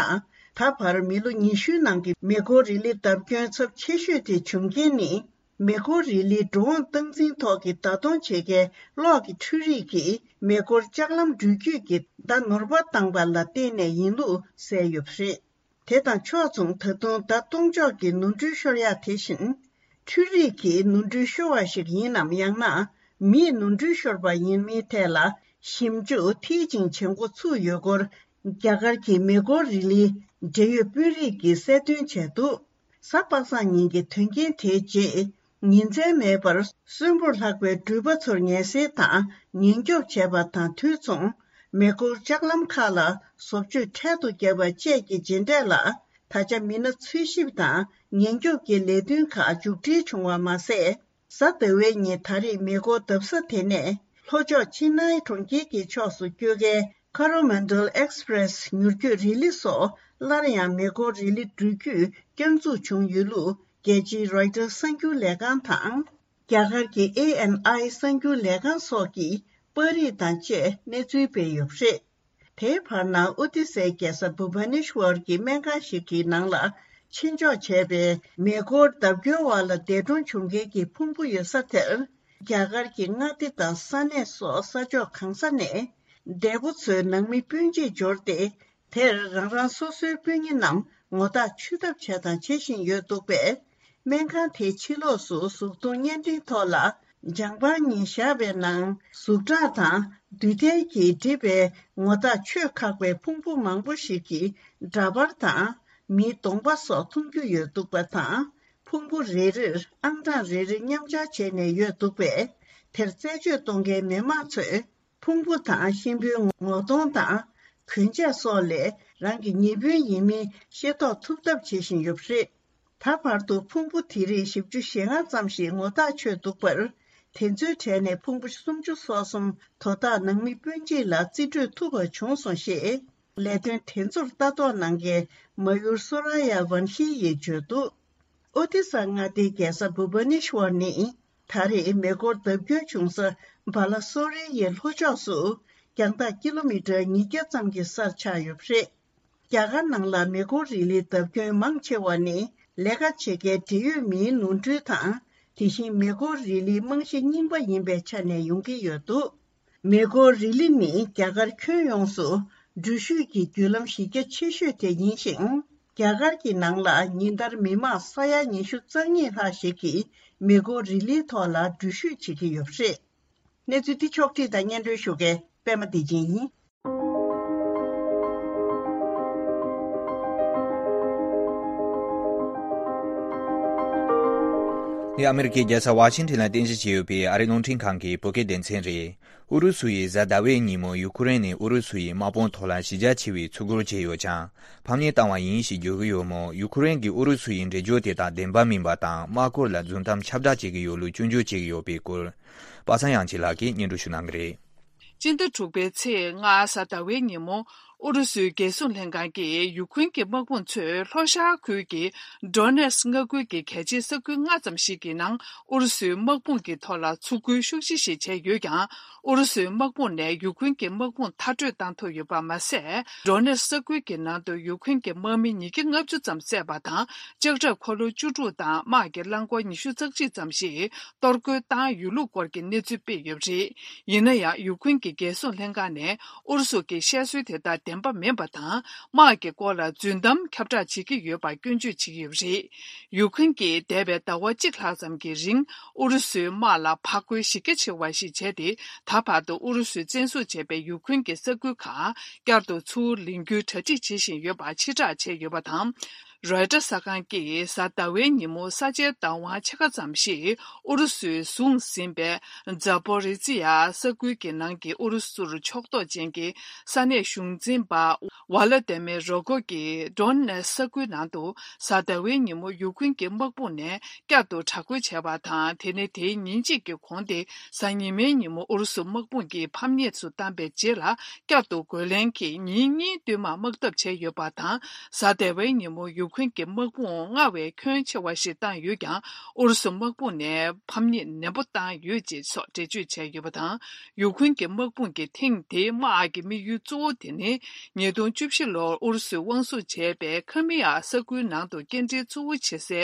ད་བར་མི་ལོ་ཉི་ཤུའི་ནང་གི་མེ་འཁོར་རི་ལི་བརྡབ་སྐྱོན་ཚབས་ཆེ་ཤོས་དེ་བྱུང་རྐྱེན་ནི། མེ་འཁོར་རི་ལིའི་འགྲོ་འོང་སྟངས་འཛིན་ཐོག་གི་བརྡ་གཏོང་བྱེད་མཁན་གློག་གི་འཕྲུལ་རིགས་ཀྱིས་མེ་འཁོར་ལྕགས་ལམ་འགྲུལ་སྐྱོད་ཀྱི་བརྡ་ནོར་བ་བཏང་པ་ལ་བརྟེན་ནས་ཡིན་ལུགས་གསལ་ཡོད་པ་རེད། དེ་དང་ཕྱོགས་མཚུངས། ད་དུང་བརྡ་གཏོང་ཕྱོགས་ཀྱི་ནོར་འཁྲུལ་ཤོར་ཡག་དེ་བཞིན། འཕྲུལ་རིག་གིས་ནོར་འཁྲུལ་ཤོར་བ་ཞིག་ཡིན་ནམ། ཡང་ན་མིས་ནོར་འཁྲུལ་ཤོར་བ་ཡིན་མིན་ཐད་ལ་ཞིབ་འཇུག་མཐིལ་ཕྱིན་བྱེད་འགོ་ཚུགས་ཡོད་སྐོར། རྒྱ་གར་གྱི་མེ་འཁོར་རི་ལིའི་འབྲེལ་ཡོད་དཔོན་རིགས་ཀྱིས་གསལ་སྟོན་བྱས་འདུག། གཟའ་པ་སངས་ཉིན་གྱི་དོན་རྐྱེན་དེའི་རྗེས། ཉིན་མཚན་མེད་པར་གསོན་པོར་ལྷག་པའི་འགྲུལ་པ་ཚོར་ངལ་སེལ་དང་ཉེན་སྐྱོབ་བྱས་པ་དང་དུས་མཚུངས། མེ་འཁོར་ལྕགས་ལམ་ཁག་ལ་བཟོ་བཅོས་འཕྲལ་དུ་བརྒྱབ་པ་བཅས་ཀྱི་རྗེས་འབྲས་ལ། ད་ཆ་མི་སྣ་འཚོལ་ཞིབ་དང་ཉེན་སྐྱོབ་ཀྱི་ལས་དོན་ཁག་མཇུག་སྒྲིལ་བྱུང་བ་མ་ཟད། གཟའ་ཟླ་བའི་ཉིན་ད་རེས་མེ་འཁོར་བརྡབ་ས་དེ་ནས་ལྷོ་ཕྱོགས་ཆི་ནའི་གྲོང་ཁྱེར་གྱི་ཕྱོགས་སུ་སྐྱོད་མཁན་ཁ་རོ་མན་ཌལ་ཨེགས་པྲེ་སི་མྱུར་སྐྱོད་རི་ལི་སོགས། སླར་ཡང་མེ་འཁོར་རི་ལི་འགྲུལ་སྐྱོད་བསྐྱར་འཛུགས་བྱུང་ཡོད་ལུགས་རྒྱལ་སྤྱིའི་རོའི་ཊར་གསར་འགྱུར་ལས་ཁང་དང་། རྒྱ་གར་གྱི་ཨེ་ཨེན་ཨའི་གསར་འགྱུར་ལས་ཁང་སོགས་ཀྱིས་པར་རིས་དང་བཅས་གནས་ཚུལ་སྤེལ་ཡོད་པ་རེད། དེའི་བར་ན་ཨོ་ཏི་སའི་རྒྱལ་ས་བྷུ་བྷ་ནེ་ཤ་ཝར་གྱི་སྨན་ཁང་ཞིག་གི་ནང་ལ་ཕྱིན་འཇོག་བྱས་པའི་མེ་འཁོར་བརྡབ་སྐྱོན་འོག་ལ་འདས་གྲོངས་བྱུང་མཁན་གྱི་ཕུང་པོ་ཡོད་ས་དེར། རྒྱ་གར་གྱི་མངའ་སྡེ་དང་ས་གནས་སོགས་ས་ཕྱོགས་གང་ས་ནས་འདས་པོ་ཚོའི་ནང་མི་སྤུན་མཆེད་འབྱོར་ཏེ། དེར་རང་རང་སོ་སོའི་སྤུན་ཉེ་རྣམས་ངོ་རྟགས་ཆུད་ཐབས་བྱས་དང་བྱེད་བཞིན་ཡོད་འདུག་པས། སྨན་ཁང་དེའི་ཕྱི་ལོགས་སུ་གཟུགས་མཐོང་བརྙན་འཕྲིན་ཐོག་ལ་ལྗང་པ་གཉིས་བཞག་པའི་ནང་གཟུགས་ཁྲག་དང་རྡུལ་ཐལ་གྱིས་བསྒྲིབས་པའི་ངོ་རྟགས་ཆོད་ཁག་པའི་ཕུང་པོ་མང་པོ་ཞིག་གི་འདྲ་པར་དང་མིའི་གདོང་པ་སོགས་མཐོང་རྒྱུ་ཡོད་འདུག་པ་དང་། ཕུང་པོ་རེ་རེར་ཨང་གྲངས་རེ་རེ་མཉམ་སྦྱར་བྱས་ནས་ཡོད་འདུག་པས། དེར་རྩད་གཅོད་གཏོང་མཁན་མི་མང་ཚོས། ཕུང་པོ་དང་གཤིན་པོའི་ངོ་གདོང་དང་གོན་ཆས་སོགས་ལས་རང་གི་ཉེ་སྤུན་ཡིན་མིན་ཤེས་རྟོགས་ཐུབ་ཐབས་བྱེད་བཞིན་ཡོད་པ་རེད། ད་བར་དུ་ཕུང་པོ་དེ་རིགས་བཞི་བཅུ་ཞེ་ལྔ་ཙམ་ཞིག་ངོ་ཐག་ཆོད་འདུག་པར། དེ་ཚོའི་གྲས་ནས་ཕུང་པོ་སུམ་ཅུ་སོ་གསུམ་དོ་བདག་ནང་མི་སྤུན་མཆེད་ལ་རྩིས་སྤྲོད་ཐུབ་པ་བྱུང་སོང་ཞེས། ལས་དོན་དེ་ཚོར་ལྟ་རྟོག་གནང་མཁན་མ་ཡུར་སོ་ར་ཡ་ཝན་ཤི་ཡིས་བརྗོད་འདུག། ཨོ་ཏི་ས་མངའ་སྡེའི་རྒྱལ་ས་བྷུ་བྷ་ནེ་ཤ་ཝར་ནི། ད་རེས་མེ་འཁོར་བརྡབ་སྐྱོན་བྱུང་ས་བ་ལ་སོ་རི་ཡི་ལྷོ་ཕྱོགས་སུ་རྒྱང་ཐག་ཀི་ལོ་མི་ཊར་ཉིས་བརྒྱ་ཙམ་གྱི་སར་ཆགས་ཡོད་པ་རེད། རྒྱ་གར་ནང་ལ་མེ་འཁོར་རི་ལིའི་བརྡབ་སྐྱོན་མང་ཆེ་བ་ནི་ལས་ཀ་བྱེད་མཁན་འབྲེལ་ཡོད་མིའི་ནོར་འཁྲུལ་དང་། དེ་བཞིན་མེ་འཁོར་རི་ལིའི་རྨང་གཞི་རྙིང་པ་ཡིན་པའི་ཆ་ནས་ཡོང་གི་ཡོད་འདུག། མེ་འཁོར་རི་ལི་ནི་རྒྱ་གར་ཁྱོན་ཡོངས་སུ་འགྲུལ་བཞུད་ཀྱི་བརྒྱུད་ལམ་གཞི་རྒྱ་ཆེ་ཤོས་དེ་ཡིན་ཞིང་། རྒྱ་གར་གྱི་ནང་ལ་ཉིན་ལྟར་མི་མང་ས་ཡ་ཉི་ཤུ་རྩ་གཉིས་ལྷག་ཞིག་གིས་མེ་འཁོར་རི་ལིའི་ཐོག་ལ་འགྲུལ་བཞུད་བྱེད་ཀྱི་ཡོད་པ་རེད། གནས་ཚུལ་འདི་ཕྱོགས་བསྒྲིགས་དང་སྙན་སྒྲོན་ཞུ་མཁན་པད་མ་བདེ་ཆེན་ཡིན། འདི་ཨ་མེ་རི་ཀའི་རྒྱལ་ས་ཝ་ཤིང་ཊོན་ལ་རྟེན་གཞི་བྱས་ཡོད་པའི་ཨ་རིའི་རླུང་འཕྲིན་ཁང་གི་བོད་སྐད་སྡེ་ཚན་རེད། ཨུ་རུ་སུ་ཡིས་གཟའ་ཟླ་བའི་ཉིན་མོ་ཡུ་ཁུ་རེན་ནས་ཨུ་རུ་སུ་ཡི་དམག་དཔུང་ཐོག་ལ་གཞི་རྒྱ་ཆེ་བའི་ཚུར་རྒོལ་བྱས་ཡོད་ཀྱང་། ཕམ་ཉེས་བཏང་བ་ཡིན་ཞེས་བརྗོད་ཀྱི་ཡོད་མོད། ཡུ་ཁུ་རེན་གྱིས་ཨུ་རུ་སུ་ཡི་འགྲེལ་བརྗོད་དེ་དག་བདེན་པ་མིན་པ་དང་། དམག་སྐོར་ལ་རྫུན་གཏམ་ཁྱབ་བསྒྲགས་བྱེད་ཀྱི་ཡོད་ལུགས་སྐྱོན་བརྗོད་བྱེད་ཀྱི་ཡོད་པའི་སྐོར། པ་སངས་དབྱངས་སྐྱིད་ལགས་ཀྱིས་སྙན་སྒྲོན་ཞུ་གནང་གི་རེད། སྤྱི་ཟླ་དྲུག་པའི་ཚེས་ལྔ་གཟའ་ཟླ་བའི་ཉིན་མོ། ཨུ་རུ་སུའི་རྒྱལ་སྲུང་ལྷན་ཁང་གིས་ཡུ་ཁུ་རེན་གྱི་དམག་དཔུང་ཚོས་ལྷོ་ཤར་ཁུལ་གྱི་ཌོ་ནེ་སི་མངའ་ཁུལ་གྱི་གལ་ཆེའི་ས་ཁུལ་ལྔ་ཙམ་ཞིག་གི་ནང་ཨུ་རུ་སུའི་དམག་དཔུང་གི་ཐོག་ལ་ཚུར་རྒོལ་ཤུགས་ཆེ་ཞིག་བྱས་ཡོད་ཀྱང་། ཨུ་རུ་སུའི་དམག་དཔུང་ནས་ཡུ་ཁུ་རེན་གྱི་དམག་དཔུང་མཐར་སྐྲོད་བཏང་ཐུབ་ཡོད་པ་མ་ཟད། ཌོ་ནེ་སི་ས་ཁུལ་གྱི་ནང་དུ་ཡུ་ཁུ་རེན་གྱི་དམག་མི་ཉིས་བརྒྱ་ལྔ་བཅུ་ཙམ་བསད་པ་དང་། ལྕགས་ཁྲབ་འཁོར་ལོ་བཅུ་དྲུག་དང་དམག་གི་རླངས་འཁོར་ཉི་ཤུ་རྩ་གཅིག་ཙམ་ཞིག་གཏོར་རྒོལ་བཏང་ཡོད་ལུགས་སྐོར་གྱི་གནས་ཚུལ་སྤེལ་ཡོད་པ་རེད། ཡིན་ན་ཡང་། ཡུ་ཁུ་རེན་གྱི་རྒྱལ་སྲུང་ལྷན་ཁང་ནས་ཨུ་རུ་སུ་གྱི་བཤད་སྲོལ་དེ་དག་བདེན་པ་མིན་པ་དང་། དམག་གི་སྐོར་ལ་རྫུན་གཏམ་ཁྱབ་བསྒྲགས་བྱེད་ཀྱི་ཡོད་པར་སྐྱོན་བརྗོད་བྱེད་ཀྱི་ཡོད་པ་རེད། ཡུ་ཁུ་རེན་གྱིས་འདས་པའི་ཟླ་བ་གཅིག་ལྷག་ཙམ་གྱི་རིང་ཨུ་རུ་སུའི་དམག་ལ་ཕར་རྒོལ་གཞི་རྒྱ་ཆེ་བ་ཞིག་བྱས་ཏེ། ད་བར་དུ་ཨུ་རུ་སུས་བཙན་བཟུང་བྱས་པའི་ཡུ་ཁུ་རེན་གྱི་ས་ཁུལ་ཁག་བསྐྱར་དུ་ཚུར་ལེན་རྒྱུའི་གྲ་སྒྲིག་བྱེད་བཞིན་ཡོད་པ་ཕྱིར་བསྒྲགས་བྱས་ཡོད་པ་དང་། རོའི་ཊར་གསར་ཁང་གིས་གཟའ་ཟླ་བའི་ཉིན་མོ་ས་ཆའི་བདག་དབང་ཕྱེད་ཀ་ཙམ་ཞིག་ཨུ་རུ་སུས་བཟུང་ཟིན་པའི་ཛ་པོ་རི་ཙི་ཡ་ས་ཁུལ་གྱི་ནང་གི་ཨུ་རུ་སུར་ཕྱོགས་གཏོགས་ཅན་གྱི་ས་གནས་གཞུང་འཛིན་པ་ཝ་ལ་ཏེ་མེ་རོ་གོ་གིས་ཌོན་ནེ་ས་ཁུལ་ནང་དུ་གཟའ་ཟླ་བའི་ཉིན་མོ་ཡུ་ཁུན་གྱི་དམག་དཔུང་ནས་བསྐྱར་དུ་དྲག་རྒོལ་བྱས་པ་དང་། དེ་ནས་དེའི་ཉིན་གཅིག་གི་གོང་དེ་གཟའ་ཉི་མའི་ཉིན་མོ་ཨུ་རུ་སུ་དམག་དཔུང་གིས་ཕམ་ཉེས་སུ་བཏང་པའི་རྗེས་ལ། བསྐྱར་དུ་རྒོལ་ལན་གྱིས་ཉིན་གཉིས་བསྟུད་མར་དམག་འཐབ་བྱས་ཡོད་པ་དང་། གཟའ་ཟླ་བའི་ཉིན་མོ་ཡུ་ཁུན་གྱི་དམག་དཔུང་སྔར་བས་ཁྱོན་ཆེ་བ་ཞིག་བཏང་ཡོད་ཀྱང་། ཨུ་རུ་སུ་དམག་དཔུང་ནས་ཕམ་ཉེས་ནན་པོ་བཏང་ཡོད་ཅེས་སོགས་འགྲེལ་བརྗོད་བྱས་ཡོད་པ་དང་། ཡུ་ཁུན་གྱི་དམག་དཔུང་གིས་ཐེངས་འདིའི་དམག་ཨར་གྱི་དམིགས་ཡུལ་གཙོ་བོ་དེ་ནི། ཉིས་སྟོང་བཅུ་བཞི་ལོར་ཨུ་རུ་སུས་དབང་བཟུང་བྱས་པའི་ཁི་མི་ཡ་ས་ཁུལ་ནང་དུ་སྐྱེལ་འདྲེན་གཙོ་བོ་བྱེད་སའི་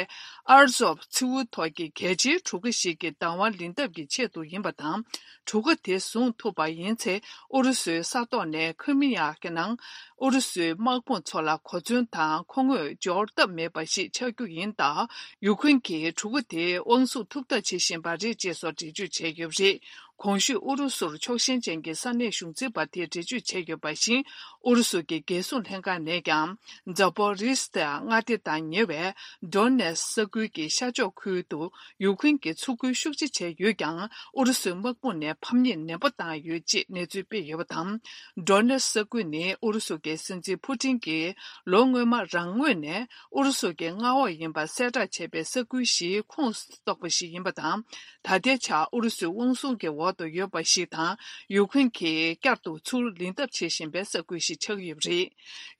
ཨར་ཛོབ་མཚེའུ་ཐོག་གི་གལ་ཆེའི་གྲུ་ཁ་ཞིག་གི་བདག་དབང་ལེན་ཐབས་ཀྱི་ཆེད་དུ་ཡིན་པ་དང་། གྲུ་ཁ་དེ་བཟུང་ཐུབ་པ་ཡིན་ཚེ། ཨུ་རུ་སུའི་ས་ཐོག་ནས་ཁི་མི་ཡ་གི་ནང་ཨུ་རུ་སུའི་དམག་དཔུང་ཚོ་ལ་གོ་མཚོན་དང་མཁོ་དངོས་འབྱོར་ཐབས་མེད་པ་ཞིག་ཆགས་རྒྱུ་ཡིན་སྟབས། ཡུ་ཁུན་གྱིས་གྲུ་ཁ་དེ་དབང་བཟུང་ཐུབ་ཐབས་བྱེད་བཞིན་པ་རེད་ཅེས་སོགས་འགྲེལ་བརྗོད་བྱས་ཡོད་པ་རེད། གོང་ཞུས་ཨུ་རུ་སུར་ཕྱོགས་ཞེན་ཅན་གྱི་ས་གནས་གཞུང་འཛིན་པ་དེས་འགྲེལ་བརྗོད་བྱས་ཡོད་པ་བཞིན། ཨུ་རུ་སུ་གྱི་རྒྱལ་སྲུང་ལྷན་ཁང་ནས་ཀྱང་། ཛ་པོ་རི་སི་ཏ་མངའ་སྡེ་དང་ཉེ་བའི་ཌོན་ནེ་སི་ས་ཁུལ་གྱི་ཤར་ཕྱོགས་ཁུལ་དུ་ཡུ་ཁུན་གྱིས་ཚུར་རྒོལ་ཤུགས་ཆེ་བྱས་ཡོད་ཀྱང་། ཨུ་རུ་སུའི་དམག་དཔུང་ནས་ཕམ་ཉེས་ནན་པོ་བཏང་ཡོད་ཅེས་གནས་ཚུལ་སྤེལ་ཡོད་པ་དང་། ཌོན་ནེ་སི་ས་ཁུལ་ནི་ཨུ་རུ་སུ་གྱི་སྲིད་འཛིན་ཕུ་ཏིན་གྱིས་ལོ་སྔོན་མ་རང་ངོས་ནས་ཨུ་རུ་སུ་གྱི་མངའ་འོག་ཡིན་པ་གསལ་བསྒྲགས་བྱས་པའི་ས་ཁུལ་ཞིག་ཁོངས་གཏོགས་པ་ཞིག་ཡིན་པ་དང་། ད་ལྟའི་ཆར་ཨུ་རུ་སུའི་དབང་བཟུང་གི་འོག་ཏུ་ཡོད་པ་ཞིག་དང་། ཡུ་ཁུན་གྱིས་བསྐྱར་དུ་ཚུར་ལེན་ཐབས་བྱེད་བཞིན་པའི་ས་ཁུལ་ཞིག་ཆགས་ཡོད་པ་རེད།